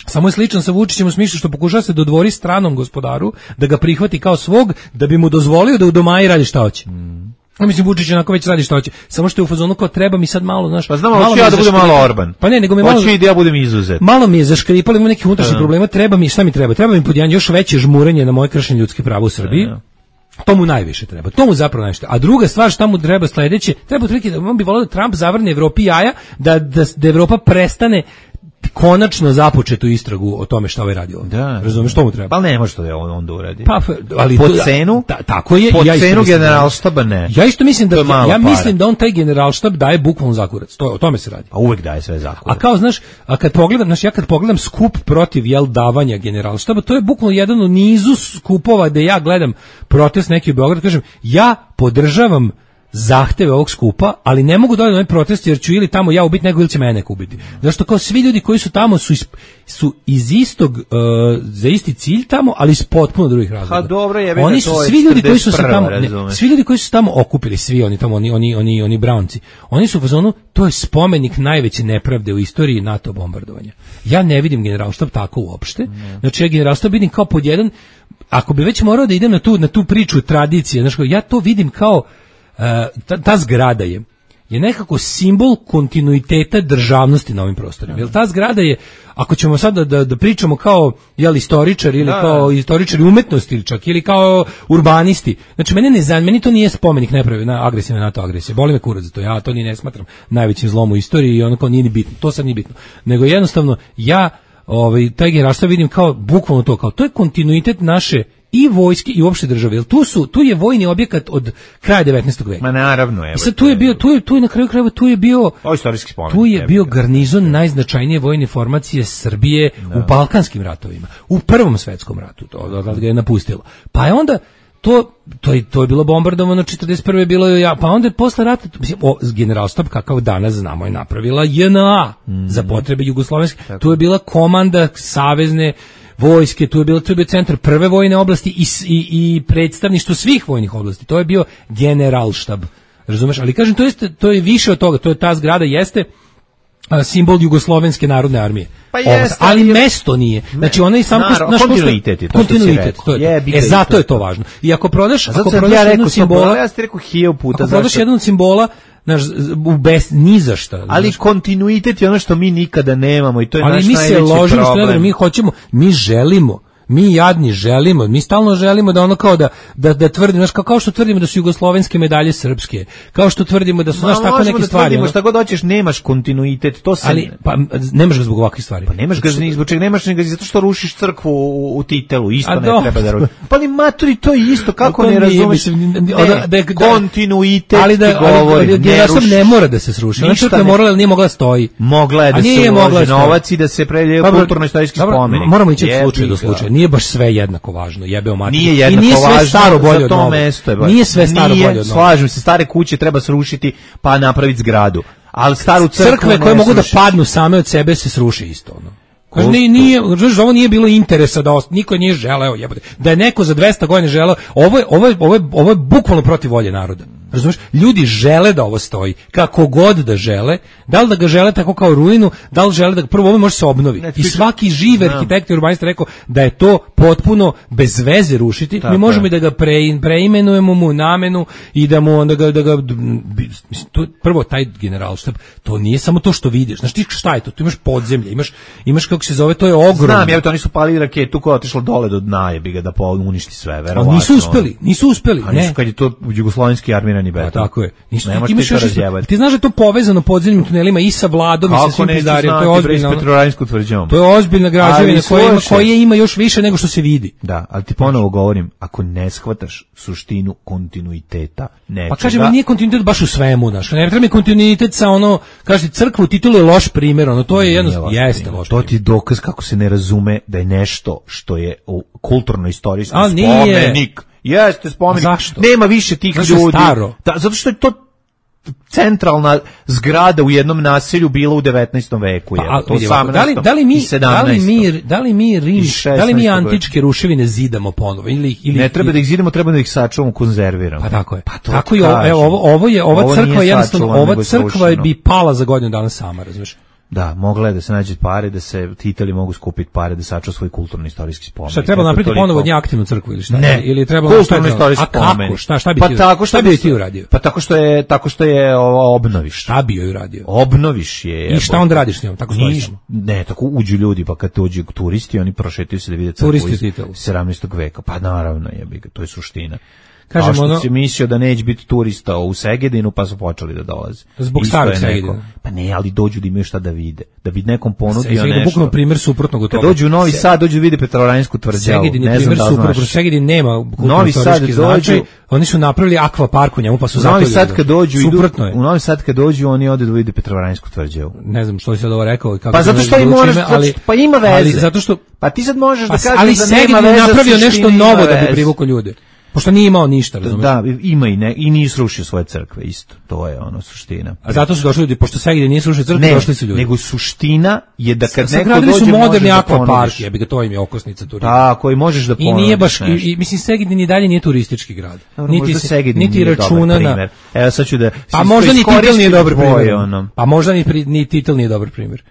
samo je sličan sa Vučićem u smislu što pokušava se dodvori stranom gospodaru, da ga prihvati kao svog, da bi mu dozvolio da u domaji radi šta hoće. Mm. Ja mislim, Vučić onako već radi šta hoće. Samo što je u fazonu kao treba mi sad malo, znaš... Pa znamo, hoću ja da budem malo Orban. Pa ne, nego mi malo... Hoću i da ja budem izuzet. Malo mi je zaškripalo, ima nekih unutrašnjih problema, treba mi, šta mi treba? Treba mi pod jedan još veće žmurenje na moje kršenje ljudskih prava u Srbiji. Ja. To mu najviše treba. To mu zapravo najviše. A druga stvar šta mu treba sledeće, treba otprilike da on bi voleo da Trump zavrne Evropi jaja, da, da, da Evropa prestane konačno započetu istragu o tome šta ovaj radio. Da. Razumeš što mu treba? Pa ne može to da on onda uradi. Pa ali po cenu? Ta, tako je. Po ja cenu generalštaba ne. Ja isto mislim da ja, ja mislim da on taj generalštab daje bukvalno za kurac. To o tome se radi. A uvek daje sve za kurac. A kao znaš, a kad pogledam, znaš, ja kad pogledam skup protiv jel davanja generalštaba, to je bukvalno jedan u nizu skupova da ja gledam protest neki u Beogradu, kažem, ja podržavam zahteve ovog skupa, ali ne mogu doći na ovaj protest jer ću ili tamo ja ubiti nego ili će mene ubiti. Zašto kao svi ljudi koji su tamo su iz, su iz istog uh, za isti cilj tamo, ali iz potpuno drugih razloga. Ha dobro je, oni su svi ljudi koji su se tamo ne, svi ljudi koji su tamo okupili, svi oni tamo oni oni oni oni Brownci. Oni su u fazonu, to je spomenik najveće nepravde u istoriji NATO bombardovanja. Ja ne vidim generalštab tako uopšte. Ne. Znači ja generalštab vidim kao pod jedan, ako bi već morao da idem na tu na tu priču tradicije, znači ja to vidim kao Uh, ta, ta zgrada je je nekako simbol kontinuiteta državnosti na ovim prostorima. Jer ta zgrada je, ako ćemo sad da, da, da pričamo kao jel, istoričar ili da, kao da. istoričari umetnosti ili čak ili kao urbanisti, znači mene ne zanima, meni to nije spomenik nepravi na agresivne NATO agresije, boli me kurac za to, ja to ni ne smatram najvećim zlom u istoriji i ono kao nije ni bitno, to sad nije bitno, nego jednostavno ja ovaj, taj generalštab vidim kao bukvalno to, kao to je kontinuitet naše i vojske i uopšte države. Jer tu su tu je vojni objekat od kraja devetnaestog veka. Ma naravno, evo. Sad tu je bio tu je tu je na kraju krajeva tu je bio o istorijski spomenik. Tu je bio garnizon najznačajnije vojne formacije Srbije da. u Balkanskim ratovima, u Prvom svetskom ratu, to od ga je napustilo. Pa je onda to to je to je bilo bombardovano četrdeset prve bilo je ja, pa onda je posle rata mislim o, generalštab kakav danas znamo je napravila J N A mm. za potrebe jugoslovenske. Tako. Tu je bila komanda savezne vojske, tu je bilo, tu je bio centar prve vojne oblasti i, i, i predstavništvo svih vojnih oblasti. To je bio generalštab. Razumeš? Ali kažem, to je, to je više od toga. To je ta zgrada jeste a, simbol Jugoslovenske narodne armije. Pa jeste, ali je, mesto nije. Znači ona i sam naš kontinuitet je to. Kontinuitet, to je. Je, e zato je to važno. I ako prodaš, ako prodaš ja jednu simbola, ja ste rekao hiljadu puta, ako prodaš jednu simbola naš u bez ni za šta. Ali znaš, kontinuitet je ono što mi nikada nemamo i to je naš najveći problem. Ali mi se ložimo što mi hoćemo, mi želimo mi jadni želimo, mi stalno želimo da ono kao da da da tvrdimo, znaš, kao, kao što tvrdimo da su jugoslovenske medalje srpske, kao što tvrdimo da su znaš tako neke da stvari. Možemo šta god hoćeš, nemaš kontinuitet, to se ali pa nemaš ga zbog ovakvih stvari. Pa nemaš ga ni zbog čega, nemaš ni ga zato što rušiš crkvu u, u titelu, isto A ne do. treba da rušiš. Pa ni maturi to je isto, kako ne razumeš? Kontinuitet ali da govori, ja sam ne mora da se sruši. Ona crkva morala ili nije mogla stoji. Mogla je da se uloži novac i da se prelije kulturno-istorijski spomenik. Moramo ići od slučaja do slučaja. Nije baš sve jednako važno, jebeo mater. Nije jednako I nije sve važno, staro bolje od novog. Nije sve staro nije, bolje od novog. Slažem se, stare kuće treba srušiti pa napraviti zgradu. Ali staru crkvu crkve koje mogu sruši. Da padnu same od sebe se sruši isto ono. Kaže nije nije, znači ovo nije bilo interesa da ost, niko nije želeo, jebote. Da je neko za dvesta godina želeo, ovo je ovo je ovo je ovo je bukvalno protiv volje naroda. Razumeš? Ljudi žele da ovo stoji, kako god da žele, da li da ga žele tako kao ruinu, da li žele da prvo ovo može se obnovi. I svaki živ arhitekt i urbanista rekao da je to potpuno bez veze rušiti. Tako mi možemo i da ga pre, preimenujemo mu namenu i da mu onda ga da ga mislim, to, prvo taj generalštab, to nije samo to što vidiš. Znaš ti šta je to? Tu imaš podzemlje, imaš imaš kako se zove, to je ogromno. Znam, ja to oni su palili raketu koja je otišla dole do dna, jebi ga da uništi sve, verovatno. A nisu uspeli, nisu uspeli, a ne. Nisu kad je to jugoslovenski armirani beton. Pa tako je. Nisu, ne ti, imaš još, ti znaš da je to povezano podzemnim tunelima i sa Vladom i sa svim pizdarijama. To je ozbiljna Petrovarainsku tvrđavom. To je ozbiljna građevina koja ima, koja ima još više nego što se vidi. Da, ali ti ponovo govorim, ako ne shvataš suštinu kontinuiteta nečega. Pa kažem, nije kontinuitet baš u svemu, znaš. Ne treba mi kontinuitet sa ono, kaže crkvu titulu je loš primjer, ono to je jedno jeste loš. To ti dokaz kako se ne razume da je nešto što je kulturno-istorijski spomenik. Jeste spomenik. Zašto? Nema više tih zašto ljudi. Staro? Da, zato što je to centralna zgrada u jednom naselju bila u devetnaestom veku, je. Pa, to sam da li da li mi da li mi da li mi Rim, da li mi antičke ruševine zidamo ponovo ili ili ne treba da ih zidamo, treba da ih sačuvamo, konzerviramo. Pa tako je. Pa tako je, evo ovo ovo je ova ovo crkva jednostavno ova crkva bi pala za godinu dana sama, razumiješ? Da, mogla je da se nađe pare, da se Titeli mogu skupiti pare, da sačuva svoj kulturno-istorijski spomenik. Šta treba napraviti ponovo od nje aktivnu crkvu ili šta? Ne, ili treba kulturno-istorijski spomenik. Kako? Šta, šta bi pa ti, tako šta bi ti uradio? Pa tako što je, tako što je ovo, obnoviš. Šta bi joj uradio? Obnoviš je. I šta onda radiš s njom? Tako stojiš? Ne, tako uđu ljudi, pa kad dođu turisti, oni prošetaju se da vide crkvu iz sedamnaestog veka. Pa naravno je, to je suština. Kažemo ono, si mislio da neće biti turista u Segedinu, pa su počeli da dolaze. Zbog starog Segedina. Pa ne, ali dođu da imaju šta da vide. Da bi nekom ponudio Segedin, nešto. Bukvalno primjer suprotnog od toga. Kad dođu u Novi Sad, dođu da vide Petrovarainsku tvrđavu. Segedin je primjer suprotnog. Segedin nema Novi Sad dođu, oni su napravili akvapark u njemu, pa su zato Novi Sad kad dođu, suprotno je. U Novi Sad kad dođu, oni ode da vide Petrovarainsku tvrđavu. Ne znam što je sad ovo rekao. Pa zato što i moraš, pa ima veze. Ali zato što, pa ti sad možeš da kažeš da nema veze. Ali Segedin je napravio nešto novo da bi privukao ljude. Pošto nije imao ništa, razumiješ? Da, ima i ne, i nije srušio svoje crkve, isto. To je ono suština. A zato su došli ljudi, pošto Segedin nije srušio crkve, ne, došli su ljudi. Nego suština je da kad S, neko dođe su moderni da akvapark, jebi ga, to im je okosnica turizma. Tako, i možeš da ponudiš. I nije baš, i, i, mislim, Segedin i dalje nije turistički grad. Dobro, niti se, niti računa na... Evo sad ću da... Pa možda ni Titel nije dobar primjer. Pa možda ni Titel nije dobar primjer.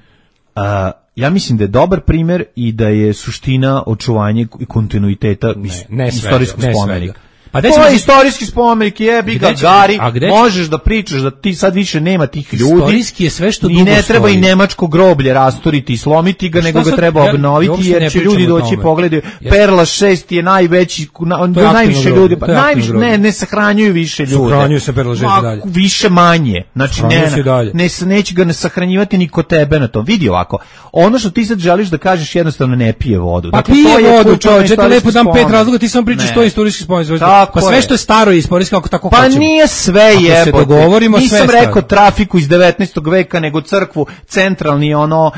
A, ja mislim da je dobar primjer i da je suština očuvanje i kontinuiteta ne, ne istorijskog svega, spomenika. Pa to je istorijski spomenik, jebi ga, Gari, možeš da pričaš da ti sad više nema tih ljudi. Istorijski je sve što dugo stoji. I ne treba i nemačko groblje rasturiti i slomiti ga, nego ga treba obnoviti, jer će ljudi doći pogledaju. Perla šest je najveći, najviše ljudi, pa najviše, ne, ne sahranjuju više ljudi. Sahranjuju se Perla šest dalje. Više manje, znači ne, neće ga ne sahranjivati ni kod tebe na tom. Vidi ovako, ono što ti sad želiš da kažeš jednostavno ne pije vodu. Pa dakle, pije vodu, čovječe, te lepo dam pet razloga, ti samo pričaš što je istorijski spomenik. Pa sve što je staro je istorijski, ako tako pa hoćemo. Pa nije sve jebote. Ako se dogovorimo, sve nisam rekao trafiku iz devetnaestog veka, nego crkvu, centralni ono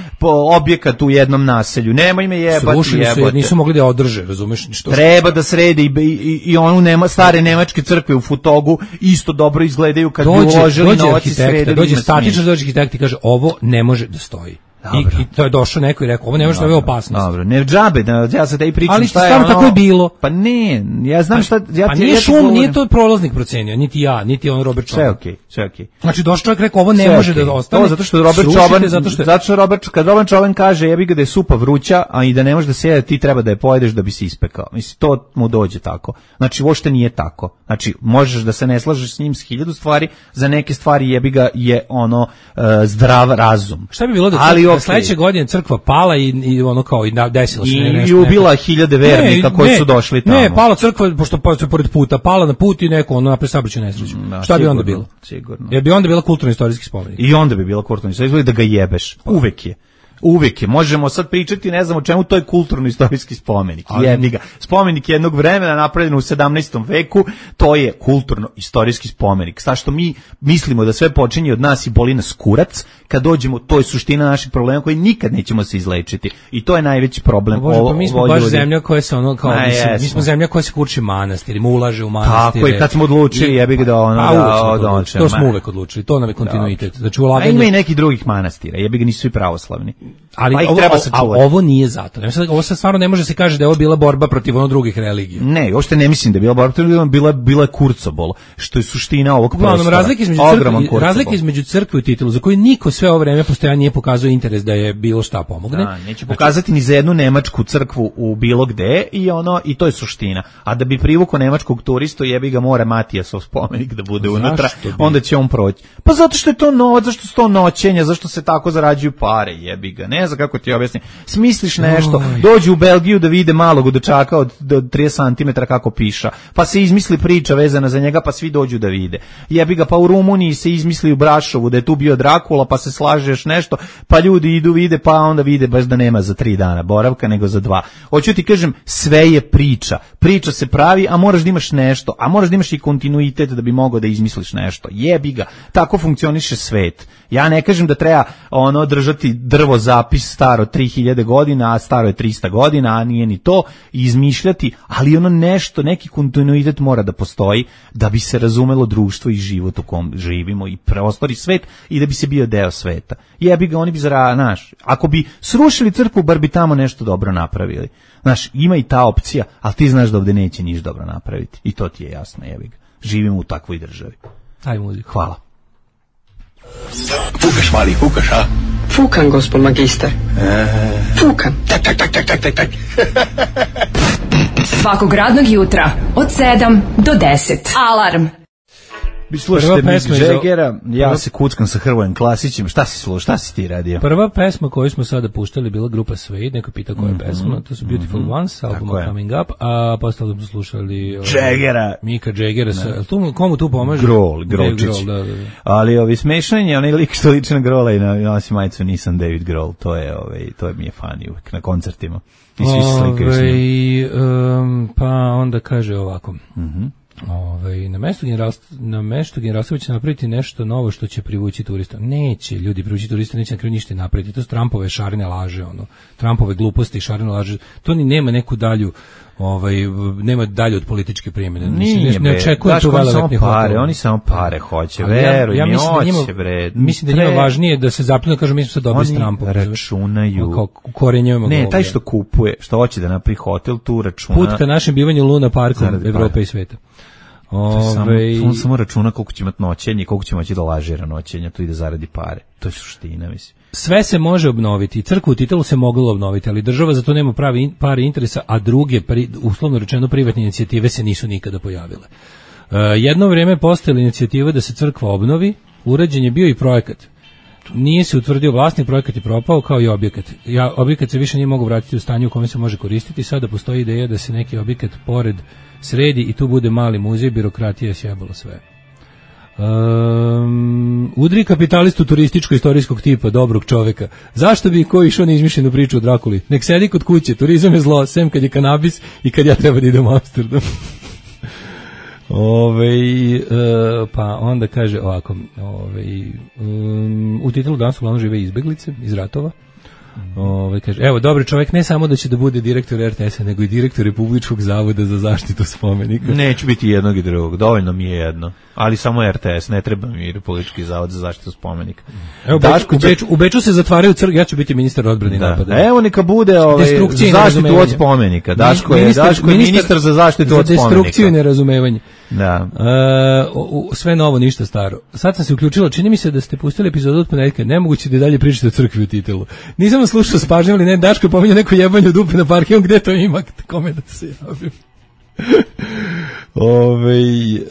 objekat u jednom naselju. Nemoj me jebati, Srušili jebote. Su, nisu mogli da održe, razumeš? Što treba da srede i, i, i onu nema, stare nemačke crkve u Futogu isto dobro izgledaju kad dođe, bi uložili novac i sredili. Dođe statično, dođe arhitekt i kaže ovo ne može da stoji. I, I to je došao neko i rekao, ovo ne može da je opasnost. Dobro, ne džabe, da ja sad da i pričam ali šta je ono. Ali tako je bilo. Pa ne, ja znam šta... Ja pa ti, nije ja šum, nije to prolaznik procenio, niti ja, niti on Robert Čoban. Sve okej, okay, sve okej. Okay. Znači došao čovjek rekao, ovo ne sve može okay. da ostane. To zato što Robert Čoban, zato što, zato što Robert, kad Robert Čoban kaže, jebi ga da je supa vruća, a i da ne može da se jede, ti treba da je pojedeš da bi se ispekao. Mislim, to mu dođe tako. Znači, uopšte nije tako. Znači, možeš da se ne slažeš s njim s hiljadu stvari, za neke stvari jebi ga je ono uh, zdrav razum. Šta bi bilo da, ali, okay. sledeće godine crkva pala i, i ono kao i desilo se I, nešto. I ubila neko. hiljade vernika ne, koji ne, su došli tamo. Ne, pala crkva, pošto pored puta, pala na put i neko ono napravi saobraćajnu nesreću. Da, šta sigurno, bi onda bilo? Sigurno. Jer bi onda bila kulturno-istorijski spomenik. I onda bi bila kulturno-istorijski spomenik da ga jebeš. Pa. Uvek je. Uvijek je. Možemo sad pričati, ne znam o čemu, to je kulturno-istorijski spomenik. Jedni ga. Spomenik jednog vremena napravljen u sedamnaestom veku, to je kulturno-istorijski spomenik. Sa što mi mislimo da sve počinje od nas i boli nas kurac, kad dođemo, to je suština naših problema koji nikad nećemo se izlečiti. I to je najveći problem. Bože, ovo, pa mi smo baš ljudi. Zemlja koja se ono, kao, Na, mislim, mi smo zemlja koja se kurči manastirima, ulaže u manastire. Tako i kad smo odlučili, I, jebi ga da ono, a, da, da odlučili, to smo uvek odlučili, to nam je kontinuitet. Znači, ulaganje... A ima i nekih drugih manastira, jebi ga nisu svi pravoslavni. Ali ovo, treba a, ovo nije zato. Ovo sad stvarno ne može se kaže da je ovo bila borba protiv ono drugih religija. Ne, uopšte ne mislim da je bila borba protiv religija, bila bila je kurcobol, što je suština ovog prostora. Razlika između crkve, razlika između crkve i titulu za koju niko sve ovo vreme postojanja nije pokazao interes da je bilo šta pomogne. Da, neće pokazati ni za jednu nemačku crkvu u bilo gde i ono i to je suština. A da bi privukao nemačkog turistu, jebi ga mora Matijasov spomenik da bude Zašto unutra, bi? Onda će on proći. Pa zato što je to novac, zašto su to noćenja, zašto se tako zarađuju pare, jebi ga. Ne znam kako ti objasnim. Smisliš nešto, dođu u Belgiju da vide malog dečaka od, od trideset centimetara kako piša, pa se izmisli priča vezana za njega, pa svi dođu da vide. Jebi ga, pa u Rumuniji se izmisli u Brašovu da je tu bio Drakula, pa se slažeš nešto, pa ljudi idu vide, pa onda vide baš da nema za tri dana boravka, nego za dva. Hoću ti kažem, sve je priča. Priča se pravi, a moraš da imaš nešto, a moraš da imaš i kontinuitet da bi mogao da izmisliš nešto. Jebi ga, tako funkcioniše svet. Ja ne kažem da treba ono držati drvo zapis staro tri hiljade godina, a staro je trista godina, a nije ni to, i izmišljati, ali ono nešto, neki kontinuitet mora da postoji da bi se razumelo društvo i život u kom živimo i prostor i svet i da bi se bio deo sveta. Jebi ga, oni bi zara, znaš, ako bi srušili crkvu, bar bi tamo nešto dobro napravili. Znaš, ima i ta opcija, ali ti znaš da ovde neće niš dobro napraviti. I to ti je jasno, jebi ga. Živimo u takvoj državi. Aj muziku. Hvala. Fukaš, mali, fukaš, a? Fukan, gospod magister. E... Fukan. Tak, tak, tak, tak, tak, tak, tak. Svakog radnog jutra od sedam do deset. Alarm. Vi slušate Mick Jaggera, ja prva... se kuckam sa Hrvojem Klasićem. Šta si slušao, šta si ti radio? Prva pesma koju smo sada puštali bila grupa Suede, neko pita koja je mm-hmm. pesma, to su Beautiful mm-hmm. Ones, album Coming Up, a posle smo slušali Jaggera. Mika Jaggera, sa, tu, komu tu pomaže? Grohl, Grolčić. Grohl, da, da, da. Ali ovi smešanje, onaj lik što liči na Grohla i na nosi majicu nisam David Grohl, to je, ovaj, to je mi je fani uvijek na koncertima. I svi se slikaju s njim. Um, pa onda kaže ovako. Mhm. Ovaj na mestu generalstva na mestu generalstva će napraviti nešto novo što će privući turista. Neće ljudi privući turista, neće na kraju ništa napraviti. To su Trumpove šarene laže, ono. Trumpove gluposti i šarene laže. To ni nema neku dalju, ovaj nema dalje od političke primjene. Nije, ne očekujem to velelepnih pare, oni samo pare hoće, veruj, ja, ja mislim hoće, da njima, bre. Mislim da njima važnije da se zapljunu, kažu mi smo sad dobili s Trumpom. Računaju. Kao korenjujemo. Ne, taj što kupuje, što hoće da napravi hotel, tu računa. Put ka našem bivanju u Luna Parku Evrope i sveta. Ove... On samo računa koliko će imati noćenje, koliko će moći da lažira noćenja, to ide zaradi pare. To je suština, mislim. sve se može obnoviti, crkvu u Titelu se moglo obnoviti, ali država za to nema pravi in, pari interesa, a druge, pri, uslovno rečeno, privatne inicijative se nisu nikada pojavile. Uh, jedno vrijeme je postojala inicijativa da se crkva obnovi, urađen je bio i projekat. Nije se utvrdio vlasnik, projekat je propao kao i objekat. Ja, objekat se više nije mogu vratiti u stanje u kome se može koristiti, sada postoji ideja da se neki objekat pored sredi i tu bude mali muzej, birokratija je sjebala sve. Um, udri kapitalistu turističko-istorijskog tipa, dobrog čoveka. Zašto bi ko išao na izmišljenu priču o Drakuli? Nek sedi kod kuće, turizam je zlo, sem kad je kanabis i kad ja treba da idem u Amsterdam. Ove, e, pa onda kaže ovako, ove, um, u Titelu danas uglavnom žive izbeglice iz ratova. Ove, kaže, evo, dobri čovjek ne samo da će da bude direktor er te es-a, nego i direktor Republičkog zavoda za zaštitu spomenika. Neću biti jednog i drugog, dovoljno mi je jedno. Ali samo er te es, ne treba mi Republički zavod za zaštitu spomenika. Evo, Daško, u, Beču, u Beču se zatvaraju crkve, ja ću biti ministar odbrane i napada. Evo neka bude ovaj, zaštitu od spomenika. Daško je ministar, Daško je ministar, ministar za zaštitu od spomenika. Za destrukciju i nerazumevanje. Da. Uh, sve novo, ništa staro. Sad sam se uključila, čini mi se da ste pustili epizodu od ponedjeljka, nemoguće da dalje pričate o crkvi u Titelu. Nisam vas slušao s pažnjom, ali ne, Daško je pominjao neko jebanje dupe na parkiju, gde to ima, kome da se javim. Ove,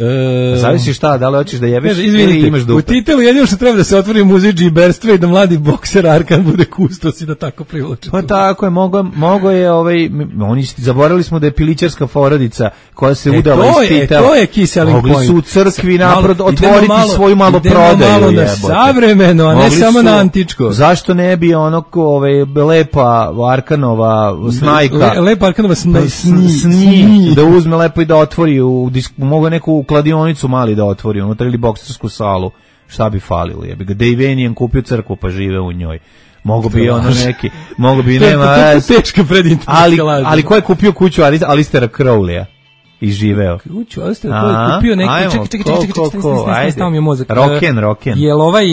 e, zavisi šta, da li hoćeš da jebeš ili imaš dupe. U Titelu jedino što treba da se otvori muzej džiberstva i da mladi bokser Arkan bude kustos i da tako privlači. Pa tako je, mogo, mogo je, ovaj, oni zaboravili smo da je pilićarska porodica koja se e, udala iz Titela. To je key selling point. Mogli su u crkvi naprod otvoriti malo, svoju malo prodaju. Malo na savremeno, a ne mogli samo su, na antičko. Zašto ne bi ono, ovaj, lepa Arkanova snajka, Le, lepa Arkanova snaj, sni, sni, da uzme lepo i da otvori u mogu neku kladionicu mali da otvori unutra ili boksersku salu, šta bi falilo, jebi ga. Dave Vanian kupio crkvu pa žive u njoj. Mogu bi ono neki, mogu bi nema, teška predinternetka ali, ali ko je kupio kuću Alistera Crowleya i živeo? Kuću Alistera, ko je kupio neki, čekaj, čekaj, čekaj, čekaj, stao mi je mozak. Rocken, Rocken. Jel ovaj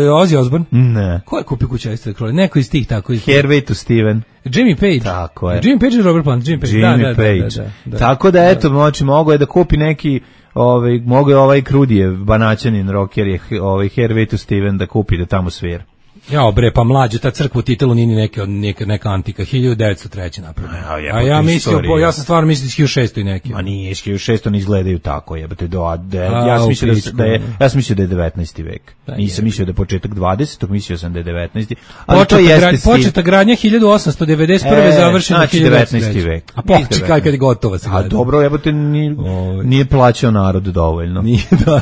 Ozzy Osbourne? Ne. Ko je kupio kuću Alistera Crowleya? Neko iz tih tako. Hervey to Steven. Jimmy Page. Tako je. Jimmy Page i Robert Plant. Jimmy Page, Jimmy da, Page. Da, da, da, da. Tako da, eto, moći, mogo je da kupi neki, ovaj, mogo je ovaj Krudijev, banaćanin, rocker je, ovaj, Hervey to Steven da kupi da tamo svira. Jao bre, pa mlađe, ta crkva u Titelu nije neke, neka, neka antika, hiljadu devetsto treće napravljena. A, a ja mislio, bo, ja sam stvarno mislio iz hiljadu šesto i neki. Ma nije, iz hiljadu šesto ne izgledaju tako, jebate, do, de, ja sam mislio da, da je, ja sam mislio da je devetnaesti vek. Da, nisam mislio da je početak dvadesetog, mislio sam da je devetnaesti. Ali početa, to jeste gra, početa gradnja hiljadu osamsto devedeset prve. E, završena znači hiljadu devetnaesti vek. A početi kad je gotova se gleda. A dobro, jebate, nije, nije plaćao narod dovoljno. Nije, da.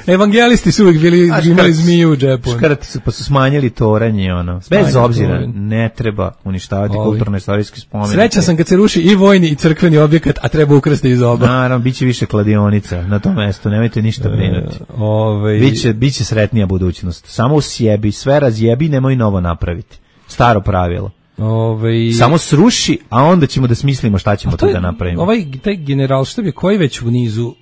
Evangelisti su uvijek bili, imali zmiju u džepu. Škrati su, pa su smanjili toranje, ono. Bez obzira, ne treba uništavati kulturno-istorijski spomenik. Sreća sam kad se ruši i vojni i crkveni objekat, a treba ukrasti iz oba. Naravno, bit će više kladionica na tom mestu, nemojte ništa brinuti. Ove... Biće, biće sretnija budućnost. Samo usjebi, sve razjebi, nemoj novo napraviti. Staro pravilo. Ove... Samo sruši, a onda ćemo da smislimo šta ćemo tu da napravimo. Ovaj taj generalštab je koji već u nizu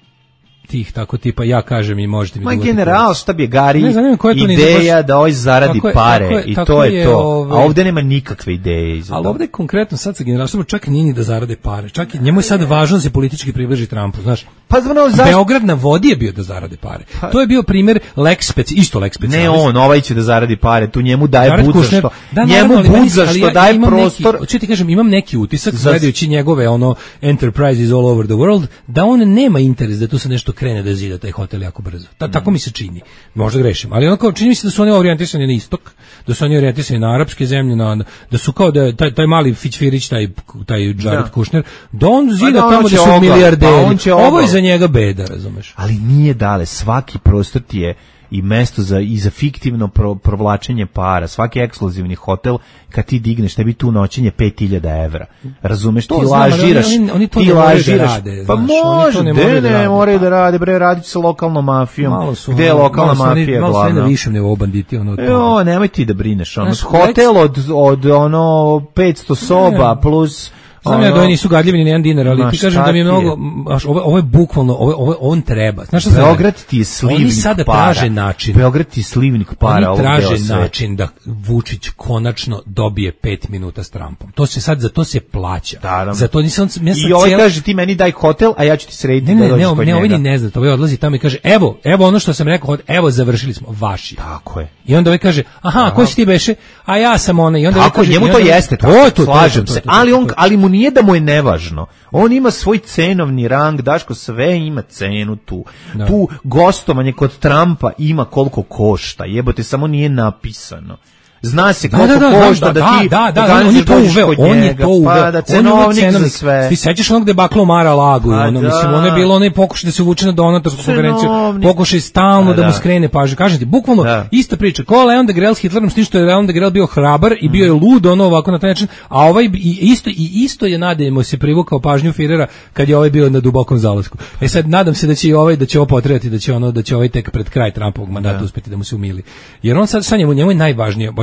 tih tako tipa ja kažem i možete mi Ma general šta bi je Gari ne, zanima, ideja baš... da ovaj zaradi tako pare tako je, i tako to je, je to ove... a ovde nema nikakve ideje iza. Ali ovde konkretno sad sa generalom čak nije ni da zarade pare, čak i njemu je sad važno da se politički približi Trumpu, znaš. Pa znamo zašto Beograd na vodi je bio da zarade pare. Pa... To je bio primer Lex Speci, isto Lex Specialis. Ne on, ovaj će da zaradi pare, tu njemu daje Jared bud za Kushner, što. Da, njemu naravno, bud za što ja, daje prostor. Hoću ti kažem, imam neki utisak za... gledajući njegove ono enterprises all over the world, da on nema interes da tu se nešto krene da zida taj hotel jako brzo. Ta, mm. Tako mi se čini. Možda grešim, ali onako čini mi se da su oni orijentisani na istok, da su oni orijentisani na arapske zemlje, na, da su kao da taj, taj mali fićfirić, taj, taj Jared da. Kushner, da on zida pa, tamo da su milijarderi. Pa ovo je za njega beda, razumeš? Ali nije dale, svaki prostor ti je i mesto za, i za fiktivno pro, provlačenje para, svaki ekskluzivni hotel, kad ti digneš, tebi tu noćenje pet hiljada evra. Razumeš, to ti znam, lažiraš, oni, oni to ti ne lažiraš. Da rade, pa znaš, može, ne, ne, ne, ne moraju da rade, bre, radit sa lokalnom mafijom. Su, gde je lokalna malo mafija malo glavna? Malo na višem nivou banditi. Ono, jo, nemoj ti da brineš. Ono, znaš, hotel od, od ono petsto soba ne. plus Znam ja da oni nisu gadljivi ni jedan dinar, ali ti kažem da mi je mnogo, ovo, ovo je bukvalno, ovo, ovo, on treba. Znaš šta Beograd ti je slivnik oni sada para. traže način. Beograd ti je slivnik para. Oni traže način da Vučić konačno dobije pet minuta s Trumpom. To se sad, za to se plaća. Naravno. Za to nisam, ja I ovaj cijel... kaže ti meni daj hotel, a ja ću ti srediti ne, da dođeš ne, kod ne, njega. Ne, ovaj ne zna, ovaj odlazi tamo i kaže, evo, evo ono što sam rekao, evo završili smo, vaši. Tako je. I onda ovaj kaže, aha, aha. Ko si ti beše? A ja sam ona. I onda tako, kaže, njemu to onda, jeste, to, tako, to, slažem to, to, se, to, to, ali, on, ali mu nije da mu je nevažno. On ima svoj cenovni rang, Daško, sve ima cenu tu. Da. Tu gostovanje kod Trumpa ima koliko košta, jebote, samo nije napisano. Zna se koliko da, da, da, košta da, da, ti da, da, da, on je to uveo, on je to uveo, pa da cenovnik, cenovnik za sve. Ti sećaš onog debakla Mara Lagu, pa ono, da. mislim, ono je bilo onaj pokušaj da se uvuče na donatorsku konferenciju, pokušaj stalno pa da mu skrene pažnju. Kažem ti, bukvalno da. Ista priča, ko Leon de Grel s Hitlerom, s tim što je Leon de Grel bio hrabar i bio je lud, ono ovako na taj način, a ovaj i isto, i isto je, nadajmo se, privukao pažnju Firera kad je ovaj bio na dubokom zalasku. E sad, nadam se da će i ovaj, da će ovo potrebati, da će ono, da će ovaj tek pred kraj Trumpovog mandata uspeti da mu se umili. Jer on sad, sa njemu, njemu je najvažnije,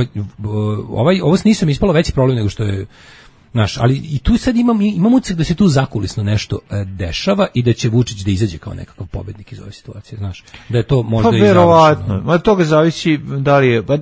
ovaj ovo nisam ispalo veći problem nego što je naš, ali i tu sad imam imam utisak da se tu zakulisno nešto e, dešava i da će Vučić da izađe kao nekakav pobednik iz ove situacije, znaš. Da je to možda pa, i verovatno. Ma toga zavisi da li je pa,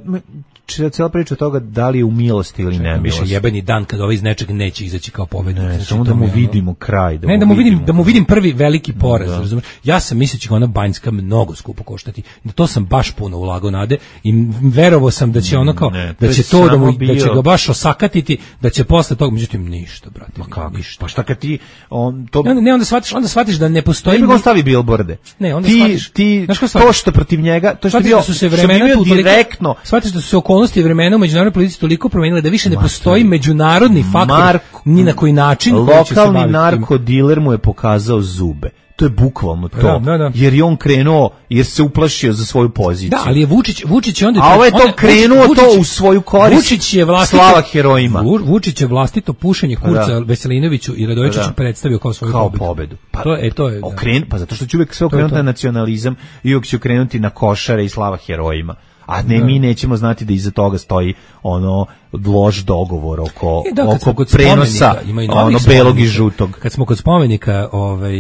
cijela priča od toga da li je u milosti ili ne. Više jebeni dan kad ovaj iz nečeg neće izaći kao pobednik. Ne, znači, samo da mu vidimo kraj. Da ne, mu da mu vidim, vidimo. da mu vidim prvi veliki poraz. Da. Razumiješ? Ja sam misleći da ona Banjska mnogo skupo koštati. Da to sam baš puno ulagao nade i verovao sam da će ono kao, ne, da će to da, mu, da će ga baš osakatiti, da će posle toga, međutim ništa, brate. Ma kako? Ništa. Pa šta kad ti on to ne, ne onda shvatiš, onda shvatiš da ne postoji. Ne bi on stavi bilborde. Ne, onda ti, shvatiš. Ti to što protiv njega, to što bio, da su se vremena tu direktno. Shvatiš da su se okolnosti i vremena u međunarodnoj politici toliko promenile da više ne postoji međunarodni faktor Marko, ni na koji način. Lokalni narkodiler mu je pokazao zube. To je bukvalno to. Da, da, da. Jer je on krenuo, jer se uplašio za svoju poziciju. Da, ali je Vučić, Vučić je onda... A ovo je to krenuo Vučić, to u svoju korist. Vučić je vlastito... Slava herojima. Vučić je vlastito pušenje Kurca da. Veselinoviću i Radojičiću predstavio kao svoju kao pobedu. pobedu. Pa, to, e, to je, okren, pa zato što će uvijek sve okrenuti na nacionalizam i uvijek će okrenuti na košare i slava herojima. A ne, da. Mi nećemo znati da iza toga stoji ono loš dogovor oko, e, da, oko prenosa ono belog i žutog. Kad smo kod spomenika, ovaj,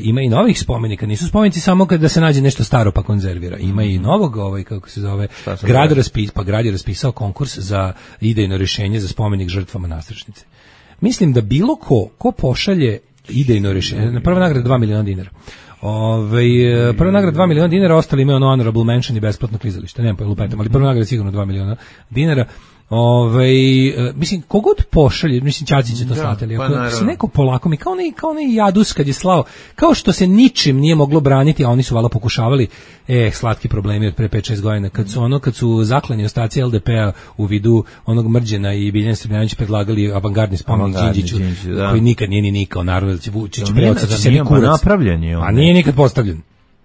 ima i novih spomenika, nisu spomenici samo kada se nađe nešto staro pa konzervira. Ima i novog, ovaj, kako se zove, grad, raspis, pa grad je raspisao konkurs za idejno rješenje za spomenik žrtvama Nastrešnice. Mislim da bilo ko, ko pošalje idejno rješenje, na prva nagrada dva miliona dinara. Ove, prva nagrada dva miliona dinara, ostali imaju ono honorable mention i besplatno klizalište, nemam pa lupetam, ali prva nagrada sigurno dva miliona dinara. Ove, mislim, kogod pošalje, mislim, Ćaci će to slati, ali ako se neko polako mi, kao onaj, kao onaj Jadus kad je slao, kao što se ničim nije moglo braniti, a oni su vala pokušavali, e, slatki problemi od pre pet šest godina, kad su ono, kad su zaklani ostaci L D P-a u vidu onog Mrđena i Biljana Srbljanić predlagali avangardni spomenik Đinđiću, koji nikad nije ni nikao, naravno da će Vučić preocaći sebi kurac. Napravljen je on. A nije nikad postavljen.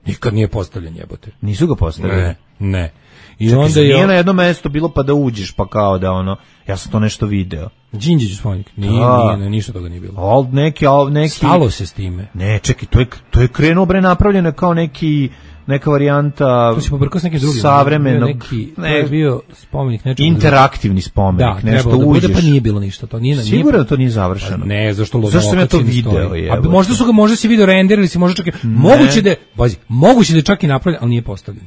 Nikad nije postavljen, jebote. Nisu ga postavili? Ne, ne. I čekaj, onda je nije na jedno mesto bilo pa da uđeš, pa kao da ono, ja sam to nešto video. Đinđić spomenik, nije, nije, nije, ništa toga nije bilo. Al neki, al neki... Stalo se s time. Ne, čekaj, to je, to je krenuo bre napravljeno kao neki, neka varijanta... To si pobrkao s nekim drugim. Savremenog... Neki, ne, to je bio spomenik nečeg... Interaktivni spomenik, da, nešto da uđeš. Da, pa nije bilo ništa. To nije, sigurno nije, da to nije završeno. Ne, zašto lo zašto sam ja to video? Je, a možda su ga, možda si video render ili si možda čak... Ne. Moguće da je, bazi, moguće da je čak i napravljen, ali nije postavljen.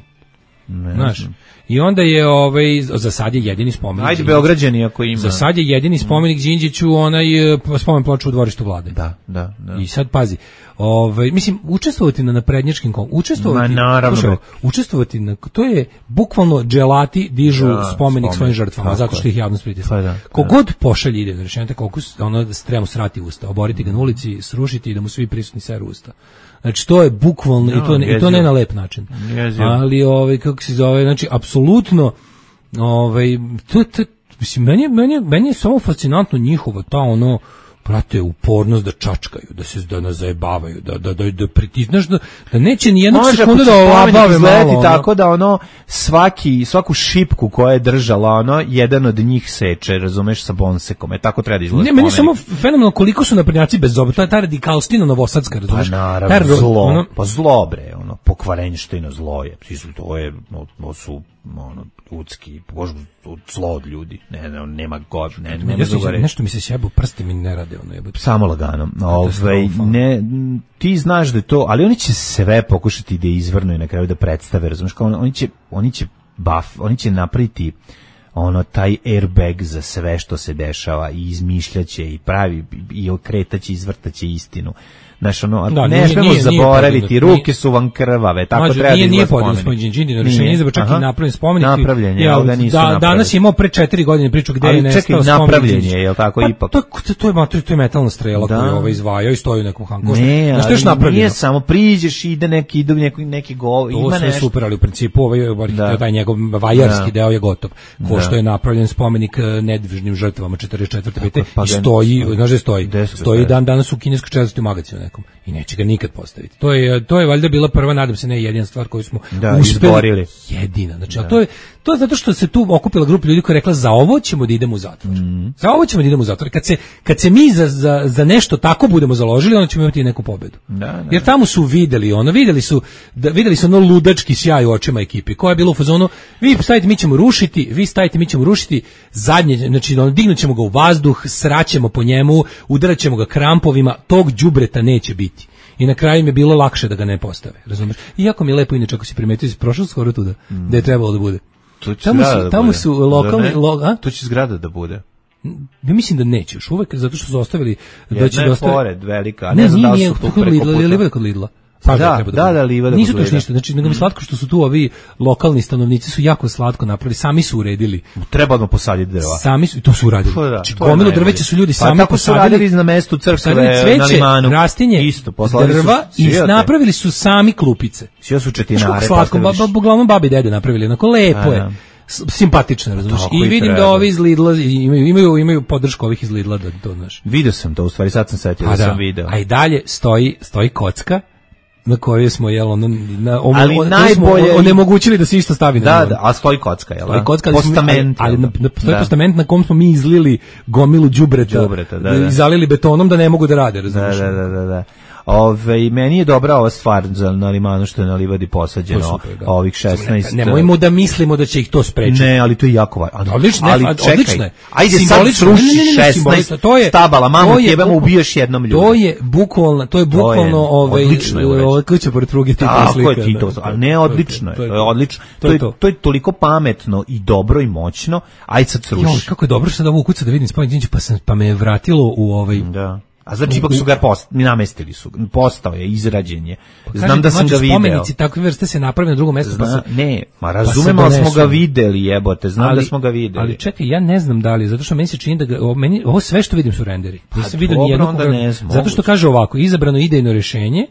Ne, znaš, i onda je ovaj za sad je jedini spomenik. Ajde Beograđani ako ima. Za sad je jedini spomenik Đinđiću onaj spomen ploča u dvorištu vlade. Da, da, da. I sad pazi, ovaj mislim učestvovati na naprednjačkim kon, učestvovati, slušaj, učestvovati na to je bukvalno dželati dižu da, spomenik, spomenik svojim žrtvama zato što ih javnost pritisla. Pa da, kogod pošalje ide na rešenje koliko ono da stremo srati usta, oboriti ga na ulici, srušiti i da mu svi prisutni seru usta. Znači to je bukvalno no, i to ne, i to ne na lep način. Jezio. Ali ovaj kako se zove, znači apsolutno ovaj to, to mislim meni meni meni je samo fascinantno njihovo ta ono prate upornost da čačkaju, da se da nas zajebavaju, da da da, da pritisneš da, da neće ni jednog sekunde da olabave malo. Tako da ono svaki svaku šipku koja je držala ono jedan od njih seče, razumeš, sa bonsekom. E tako treba da izgleda. Ne, meni samo fenomenalno koliko su naprednjaci bez zoba, ta ta radikalstina novosadska, razumeš? Pa naravno, zlo, ono, pa zlo bre, ono ono, pokvarenština, zlo je, to je, to su, ono, ljudski, bož, zlo od ljudi, ne, ne, nema god, ne, nema ja se, nešto mi se sjebo, prsti mi ne rade, ono, jebote. Samo lagano, ovaj, ne, ti znaš da je to, ali oni će sve pokušati da izvrnu i na kraju da predstave, razumiješ, kao oni će, oni će buff, oni će napraviti ono taj airbag za sve što se dešava i izmišljaće i pravi i okretaće, izvrtaće istinu. Znaš, ono, da, ne smemo zaboraviti, nije, ruke su vam krvave, tako mađu, treba nije, da izgleda spomenik. Nije podijel spomenik, rešenje izabra čak i napravljen spomenik. Napravljen je, ali ga nisu da, napravili. Danas je imao pre četiri godine priču gde ali je nestao spomenik. Ali čekaj, napravljen je, je li tako, pa, ipak? To, to, to, je, to je metalna strela da. Koju je ovaj izvajao i stoji u nekom hangu. Ne, ali što nije samo priđeš, ide neki, ide neki, neki gol, ima nešto. To sve super, ali u principu ovaj, da. Taj njegov vajarski deo je gotov. Ko što je napravljen spomenik nedvižnim žrtvama četrdeset četvrte pete i stoji, znaš da stoji, stoji dan danas u kineskoj četvrtoj magazinu nekom. I neće ga nikad postaviti. To je to je valjda bila prva, nadam se, ne jedina stvar koju smo da, uspeli. Izborili. Jedina. Znači, da. a to je to je zato što se tu okupila grupa ljudi koja je rekla za ovo ćemo da idemo u zatvor. Mm. Za ovo ćemo da idemo u zatvor. Kad se kad se mi za, za, za nešto tako budemo založili, onda ćemo imati neku pobedu. Da, da. Jer tamo su videli, ono videli su da videli su ono ludački sjaj u očima ekipe. Koja je bilo u fazonu, vi stavite mi ćemo rušiti, vi stavite mi ćemo rušiti zadnje, znači ono, dignućemo ga u vazduh, sraćemo po njemu, udaraćemo ga krampovima, tog đubreta neće biti. I na kraju mi je bilo lakše da ga ne postave, razumeš? Iako mi je lepo inače ako si primetio, si prošao skoro tuda, mm. da je trebalo da bude. Tamo su, da tamo bude. Su lokalni... Lo, a? To će zgrada da bude. Ja mislim da neće još uvek, zato što su ostavili... Jedna da će je dostavi... pored velika, a ne, ne znam da li su tu preko puta. Nije li kod Lidla? Pa da, da, da, da, livada nisu to ništa, znači nego mi slatko što su tu ovi lokalni stanovnici su jako slatko napravili, sami su uredili. Treba da posaditi drva. Sami su i to su uradili. Znači gomilu drveća su ljudi sami pa, tako posadili. Tako su radili na mestu crkve cveće, na limanu. Rastinje, isto, drva su, i napravili su sami klupice. Sve su četinare. Slatko, ba, ba, uglavnom babi i dede napravili, onako lepo je. Simpatično, razumiješ. I vidim da ovi iz Lidla imaju, imaju, imaju podršku ovih iz Lidla da to, znaš. Vidio sam to, u stvari sad sam setio da, da sam video. A i dalje stoji, stoji kocka na kojoj smo jel ono na om, ali on, najbolje onemogućili da se isto stavi da, na da, a stoji kocka jel da? Kocka, postament, ali, ali na, na, stoji da. Postament na kom smo mi izlili gomilu đubreta, đubreta da, da. I zalili betonom da ne mogu da rade, razumiješ. Da, da, da, da. Ove, meni je dobra ova stvar za na limanu što je na livadi posađeno super, ovih šesnaest. Ne, nemojmo da mislimo da će ih to sprečiti. Ne, ali to je jako važno. Odlično, ali odlično je. Ajde sad sruši šesnaest stabala, mamo tebe ubiješ jednom ljudu. To je bukvalno, to je bukvalno ovaj ovaj kuća pored pruge tipa slika. Tako je Tito, ali ne odlično je. To je odlično. To je to je toliko pametno i dobro i moćno. Ajde sad sruši. Jo, kako je dobro što da ovu kuću da vidim spomenik, pa sam pa me je vratilo u ovaj da. A znači ipak su ga post, mi namestili su, postao je, izrađen je. Znam da sam ga video. Spomenici takve vrste se naprave na drugom mestu. Zna, pa se, ne, ma razumemo pa da smo ga videli, jebote, znam ali, da smo ga videli. Ali čekaj, ja ne znam da li, zato što meni se čini da ga, ovo, meni, ovo sve što vidim su renderi. Nisam vidio ni jednog, zato što kaže ovako, izabrano idejno rješenje,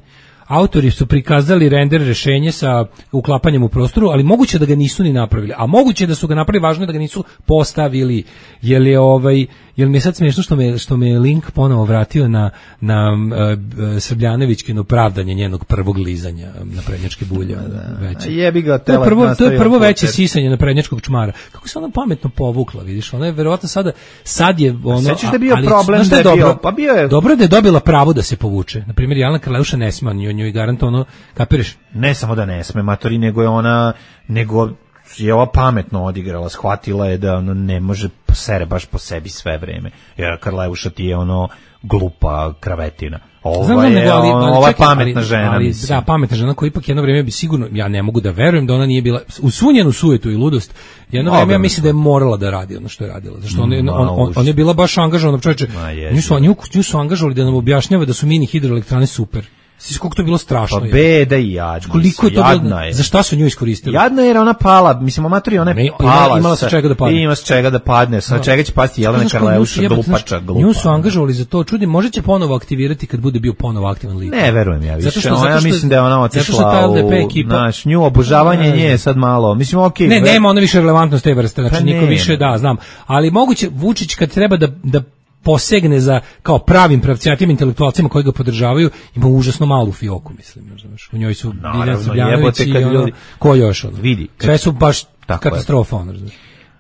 autori su prikazali render rješenje sa uklapanjem u prostoru, ali moguće da ga nisu ni napravili. A moguće da su ga napravili, važno je da ga nisu postavili. Jel je ovaj jel mi je sad smiješno što me što me link ponovo vratio na na uh, Srbljanovićkino pravdanje njenog prvog lizanja na prednjačke bulje, veće. Jebi ga, to je prvo to je prvo veće sisanje na prednjačkog čmara. Kako se ona pametno povukla, vidiš? Ona je verovatno sada sad je ono sećaš da je bio problem da je dobro, bio, pa bio je dobro da je dobila pravo da se povuče. Na primjer Jelena Karleuša ne sme, on njoj garantovano, kapiraš? Ne samo da ne sme, matori, nego je ona nego je ova pametno odigrala, shvatila je da ono ne može sere baš po sebi sve vreme. Jer Karleuša ti je ono glupa kravetina. Ova znam, je nego, ali, ali, ova čekaj, pametna ali, žena. Ali, da, pametna žena koja ipak jedno vrijeme bi sigurno, ja ne mogu da verujem da ona nije bila, u svu njenu sujetu i ludost, jedno vrijeme ja mislim da je morala da radi ono što je radila. Zašto on, mm, on, on, on je bila baš angažovana, čovječe, nju su, nju, nju su angažovali da nam objašnjava da su mini hidroelektrane super. Sviš koliko to je bilo strašno. Pa beda i jadna. Koliko je to bilo, je. Za šta su nju iskoristili? Jadna jer ona pala, mislim, amatori, ona je pala. Imala se čega da padne. Ima se čega da padne, sa čega će pasti Jelena Karleuša, glupača, glupa. Nju su angažovali za to, čudim, može će ponovo aktivirati kad bude bio ponovo aktivan lik. Ne, verujem ja više. Zato što, zato što, ja mislim da je ona otišla u, znaš, nju obožavanje nje sad malo, mislim, okej. Okay, ne, ver... nema ona više relevantnost te vrste, znači niko više, da, znam. Ali moguće, Vučić kad treba da, da posegne za kao pravim pravcijatim intelektualcima koji ga podržavaju, ima užasno malu fioku, mislim, znaš. U njoj su Biljana Srbljanović i ono, ljudi... ko još ono. Vidi, sve su baš katastrofa, ono, znaš.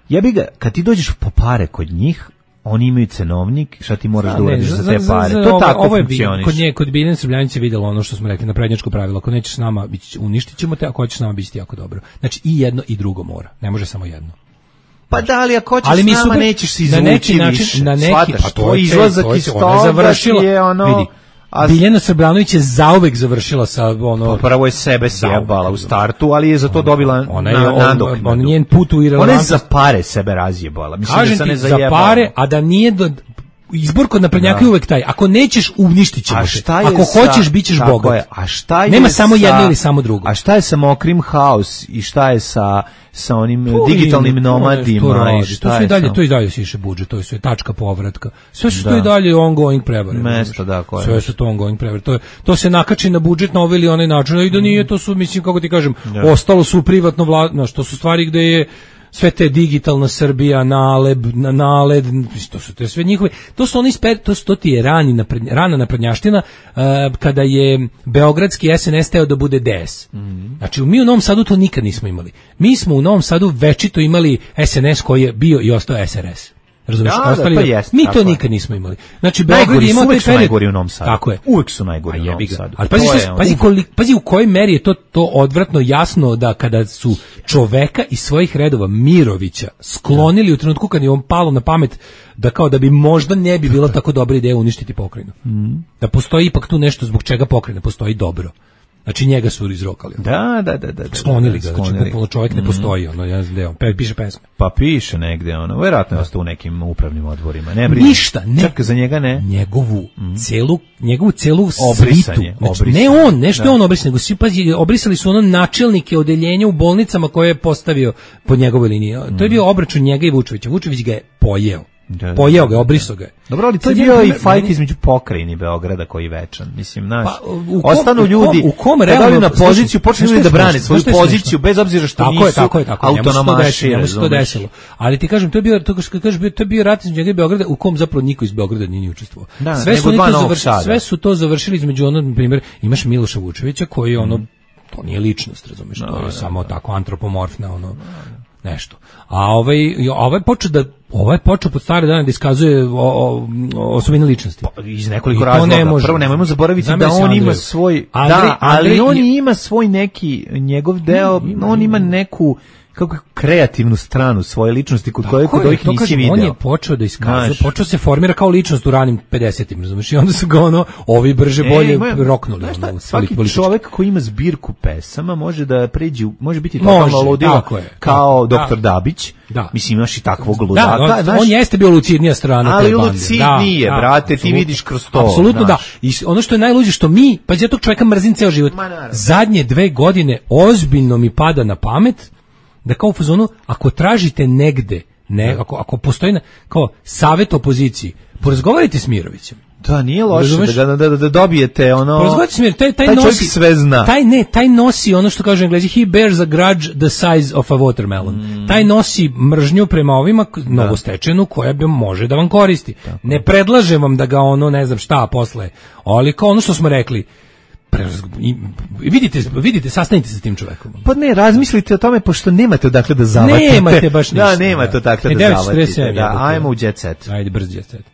Jebi ga, kad ti dođeš po pare kod njih, oni imaju cenovnik, šta ti moraš da uradiš za te za, pare. za, to ovo, tako ovo je, funkcioniš. Kod nje, kod Biljane Srbljanice videlo ono što smo rekli, naprednjačko pravilo, ako nećeš s nama, uništit ćemo te, ako hoćeš s nama, bit će ti jako dobro. Znači i jedno i drugo mora, ne može samo jedno. Pa da, ali ako hoćeš ali s mi nama, super, nećeš se na izvući neki način, više. na neki, Svataš, pa to je izlazak iz toga je ono... Vidi, A Biljana Srbljanović je zauvek završila sa ono pa prvo je sebe sjebala u startu, ali je za to dobila ona je nadoknadu. on njen put u irelevantnost. Ona je za pare sebe razjebala. Mislim Kažem da se ne ti, zajebala. za pare, a da nije do izbor kod naprednjaka je uvek taj. Ako nećeš, uništit ćemo te. Ako sa, hoćeš, bit ćeš bogat. A šta je nema samo sa, jedno ili samo drugo. A šta je sa Mokrim House i šta je sa sa onim to digitalnim im, nomadima i šta to je sve dalje, sam? to i dalje siše budžet, to je sve tačka povratka. Sve su da. To i dalje ongoing prevare. Mesto, da, koje sve su to ongoing prevare. To, je, to se nakači na budžet na ovaj ili onaj način, i da nije, to su, mislim, kako ti kažem, da. Ostalo su privatno vladno, što su stvari gde je sve te digitalna Srbija, Naleb, Naled, to su te sve njihove, to su oni sper, to, to ti je rani napred, rana naprednjaština uh, kada je beogradski S N S teo da bude D S. Mm. Znači, mi u Novom Sadu to nikad nismo imali. Mi smo u Novom Sadu večito imali S N S koji je bio i ostao S R S. Razumiješ? Da, ostali, da, to jest, mi to je. Nikad nismo imali. Znači, Beograd ima uvek taj su najgori u Novom Sadu. Tako je. Uvek su najgori u Novom Sadu. Ali pazi, što, pazi, kolik, pazi u kojoj meri je to, to odvratno jasno da kada su čoveka iz svojih redova Mirovića sklonili u trenutku kad je on palo na pamet da kao da bi možda ne bi bila tako dobra ideja uništiti pokrajinu. Mm. Da postoji ipak tu nešto zbog čega pokrajina postoji dobro. Znači njega su izrokali. Da, da, da, da. Sklonili ga, znači bukvalno čovjek ne postoji, ono, ja znam gde on, pe, piše pesme. Pa piše negde, ono, vjerojatno je ostao u nekim upravnim odborima. Ne brini. Ništa, ne. Čak za njega ne. Njegovu mm. celu, njegovu celu obrisanje, svitu. Znači, obrisanje. Ne on, nešto da. On obrisao, nego svi, pazi, obrisali su ono načelnike odeljenja u bolnicama koje je postavio po njegovoj liniji. Mm. To je bio obračun njega i Vučevića. Vučević ga je pojeo. Da, pojeo ga, obrisao ga. Dobro, ali to je bio i fajt između pokrajine Beograda koji je večan. Mislim, znaš, pa, kom, ostanu ljudi, u kom, da dali na poziciju, počnu ljudi da brane svoju poziciju, bez obzira što tako nisu je, tako je, tako je, autonomaši. Njemu se to desilo. Ali ti kažem, to je bio, to, kažeš, to je bio rat između njega i Beograda, u kom zapravo niko iz Beograda nije ni učestvovao. Da, sve, su to završili, sve su to završili između ono, na primjer, imaš Miloša Vučevića koji je ono, to nije ličnost, razumiješ, to je samo tako antropomorfna, ono, nešto. A ovaj ovaj počeo da ovaj počeo pod stare dane da iskazuje o, o, osobine ličnosti. Pa, iz nekoliko razloga. Ne može. Prvo nemojmo zaboraviti Zamisli da on Andreju. Ima svoj Andrej, da, ali Andrej, on ima svoj neki njegov deo, ima, on ima neku kako kreativnu stranu svoje ličnosti kod koje kod ovih nisi video. On je počeo da iskazuje, Znaš, počeo se formira kao ličnost u ranim pedesetim, razumiješ? I onda su ga ono, ovi brže bolje e, roknuli. Šta, ono, svaki politički. Čovjek koji ima zbirku pesama može da pređe, može biti totalno ludilo kao doktor Dabić. Da. Mislim, imaš i takvog ludaka. Da, on, znaš, on jeste bio lucidnija strana. Ali lucidnije, da, brate, da, ti vidiš kroz to. Apsolutno da. I ono što je najluđe, što mi, pa ja tog čovjeka mrzim ceo život. Zadnje dve godine ozbiljno mi pada na pamet da kao u fazonu, ako tražite negde, ne, ako, ako postoji na, kao savjet opoziciji, porazgovarajte s Mirovićem. Da, nije loše da, da, da, da dobijete ono... Porazgovarajte s Mirovićem, taj, taj, taj nosi... sve zna. Taj, ne, taj nosi ono što kažu Englezi, he bears a grudge the size of a watermelon. Mm. Taj nosi mržnju prema ovima, novostečenu, koja bi može da vam koristi. Tako. Ne predlažem vam da ga ono, ne znam šta, posle, ali kao ono što smo rekli, I vidite, vidite, sastanite se s tim čovekom. Pa ne, razmislite o tome, pošto nemate odakle da zavatite. Nemate baš ništa. Da, nemate odakle da zavatite. Da, ajmo u Jet Set. Ajde, brz Jet Set.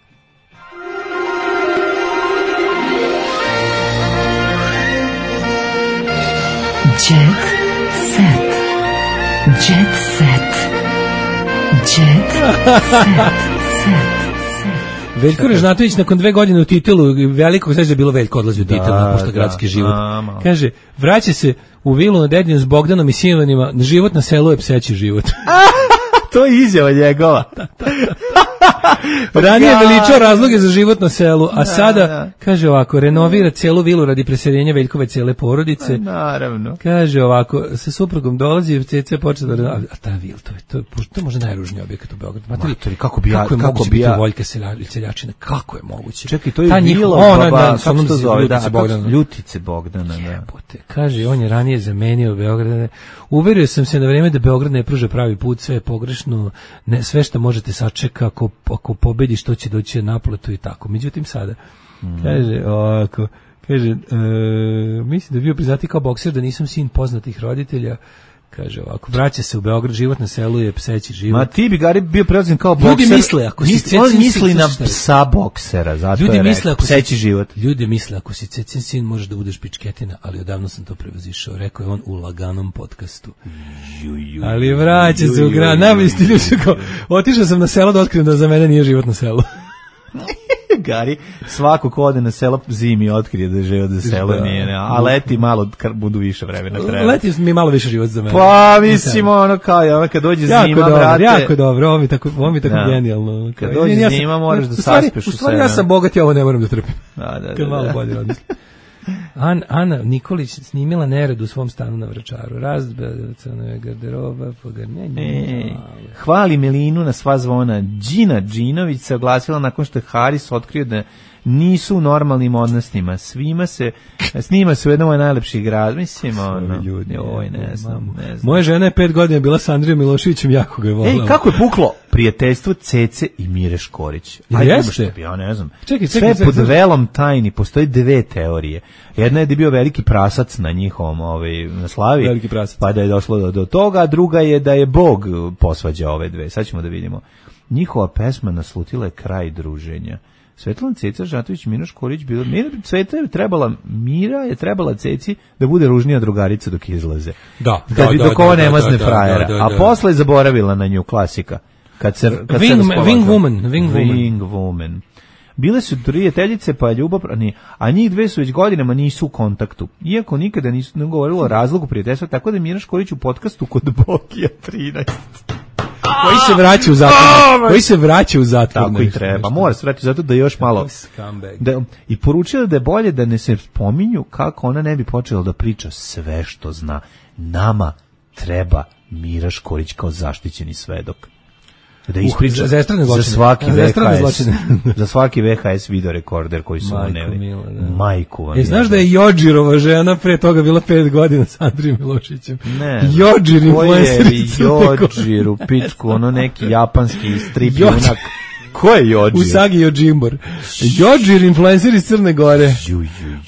Jet Set. Jet Set. Jet Set. Veljko Režnatović nakon dve godine u titulu velikog, znači da je bilo Veljko odlazi u titul na pošta gradski život. A, kaže, vraća se u vilu na Dedinju s Bogdanom i sinovanima, život na selu je pseći život. To je izjava njegova. Ranije je veličao razloge za život na selu, a da, sada, da. kaže ovako, renovira celu vilu radi preseljenja Veljkove cele porodice. Naravno. Kaže ovako, sa suprugom dolazi i Ceca počela da... A ta vil, to je, to je, to je možda najružniji objekat u Beogradu. Materi, kako bi ja... Kako je kako moguće bi ja... biti Voljka seljačina? Kako je moguće? Čekaj, to je vila o, baba, na, na, kako se to zove? Da, Bogdana. Ljutice Bogdana, da. Jebote, kaže, on je ranije zamenio Beograd. Uverio sam se na vreme da Beograd ne pruža pravi put, sve je pogrešno, ne, sve što možete sačeka, ako, ako pobedi što će doći na naplatu i tako. Međutim, sada, mm. kaže, ovako, kaže, e, mislim da je bio priznati kao bokser, da nisam sin poznatih roditelja, Kaže ovako, vraća se u Beograd, život na selu je pseći život. Ma ti bi Gari bio preuzim kao bokser. Ljudi misle, ako si misli, on misli na psa boksera, zato ljudi je misle, ako pseći si, život. Ljudi misle, ako si cecin sin, možeš da budeš pičketina, ali odavno sam to prevazišao, rekao je on u laganom podcastu. Ju, ju, ali vraća se u grad, najbolji stilju su kao, otišao sam na selo da otkrijem da za mene nije život na selu. Gari, svako ko ode na selo zimi otkrije da je život za selo da. Nije, ne, a leti malo budu više vremena treba. Leti mi malo više život za mene. Pa mislim ono kao, ono kad dođe jako zima, dobro, brate. Jako dobro, ovo mi tako, ovo mi tako da. Genijalno. Kad dođe ja zima moraš da saspeš u sve. U stvari ja sam bogat, ja ovo ne moram da trpim. Da, da, kad da. malo bolje odmislim. An, Ana Nikolić snimila nered u svom stanu na Vračaru. Razbacana je garderoba, pogarnjenje. E, hvali Melinu na sva zvona. Đina Đinović se oglasila nakon što je Haris otkrio da nisu u normalnim odnosima. Svima se, snima se u jednom od najlepših grada. Mislim, ono, ljudi, oj, ne znam, ne znam. Moja žena je pet godina bila sa Andrijom Miloševićem, jako ga je volala. Ej, kako je puklo prijateljstvo Cece i Mire Škorić? Ajde, jeste? Ja ne znam. Čekaj, čekaj, sve pod velom tajni, postoji dve teorije. Jedna je da je bio veliki prasac na njihovom ovaj, na slavi, veliki prasac. Pa da je došlo do, do toga, a druga je da je Bog posvađao ove dve. Sad ćemo da vidimo. Njihova pesma naslutila je kraj druženja. Svetlana Ceca Žatović, Mira Škorić, bilo Mira Ceta je trebala, Mira je trebala Ceci da bude ružnija drugarica dok izlaze. Da, da, da, dok ova da, nema da, zne da, frajera. da, da, da. A posle je zaboravila na nju, klasika. Kad se, kad Wing, se Wing Woman. Wing, Wing Woman. Bile su prijateljice, pa ljubav, a njih dve su već godinama nisu u kontaktu. Iako nikada nisu ne govorilo o razlogu prijateljstva, tako da Mira Škorić u podcastu kod Bokija trinaest. Koji se vraća u zatvor. Koji se vraća u zatvor. Tako i treba. Mora se vratiti zato da još malo. Da, I poručila da je bolje da ne se spominju kako ona ne bi počela da priča sve što zna. Nama treba Mira Škorić kao zaštićeni svedok. Da ispriča uh, za, za svaki V H S za svaki V H S video rekorder koji su uneli. Majku vam. E, znaš da je Jođirova žena pre toga bila pet godina sa Andrijom Milošićem? Ne. Jođir influencer. Jođir u pičku, ono neki japanski strip junak. Ko je Jođir? Usagi Jođimbor. Jođir influencer iz Crne Gore.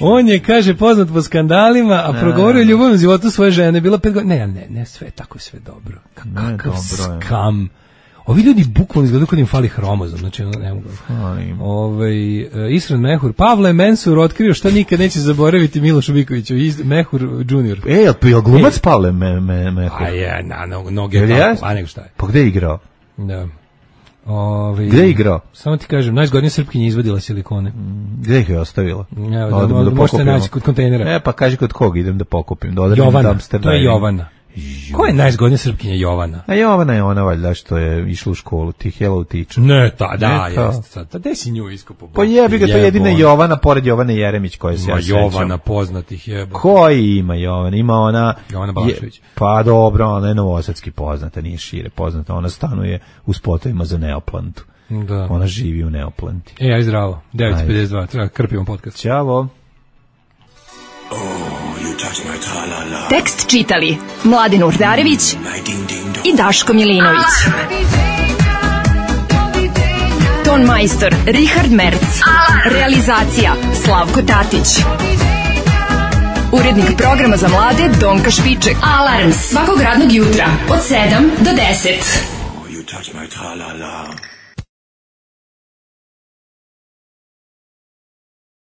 On je, kaže, poznat po skandalima, a progovorio o ljubavnom životu svoje žene. Bila pet godina. Ne, ne, ne, sve tako je sve dobro. Kakav skam. Ovi ljudi bukvalno izgledaju kad im fali hromozom, znači ne mogu. Ovaj uh, Isran Mehur, Pavle Mensur otkrio šta nikad neće zaboraviti Miloš Viković, Mehur junior. Ej, jel je glumac Pavle me, me, Mehur? A je, na no, noge tako, a nego šta je. Pa gde je igrao? Da. Ovaj gde je igrao? Samo ti kažem, najzgodnija Srpkinja izvadila silikone. Mm, gde ih je ostavila? Ja, da, da, da možete naći kod kontejnera. E, pa kaži kod koga idem da pokupim, da odem Jovana, dumpster. To je Jovana. Ko je najzgodnija Srpkinja? Jovana? A Jovana je ona valjda što je išla u školu, ti Hello Teacher. Ne, ta, da, jeste. Sad, gde si nju iskopao? Pa jebi ga, to je jedina Jovana, pored Jovane Jeremić koja se ja sećam. Jovana poznatih jeba. Koji ima Jovana? Ima ona... Jovana Balašević. Pa dobro, ona je novosadski poznata, nije šire poznata. Ona stanuje u spotovima za Neoplantu. Da. Ona živi u Neoplanti. E, aj zdravo. devet pedeset dva, treba krpimo podcast. Ćao. Tekst čitali Mladin Urdarević i Daško Milinović. Ton majstor Richard Merc. Realizacija Slavko Tatić. Urednik programa za mlade Donka Špiček. Alarms svakog radnog jutra od sedam do deset.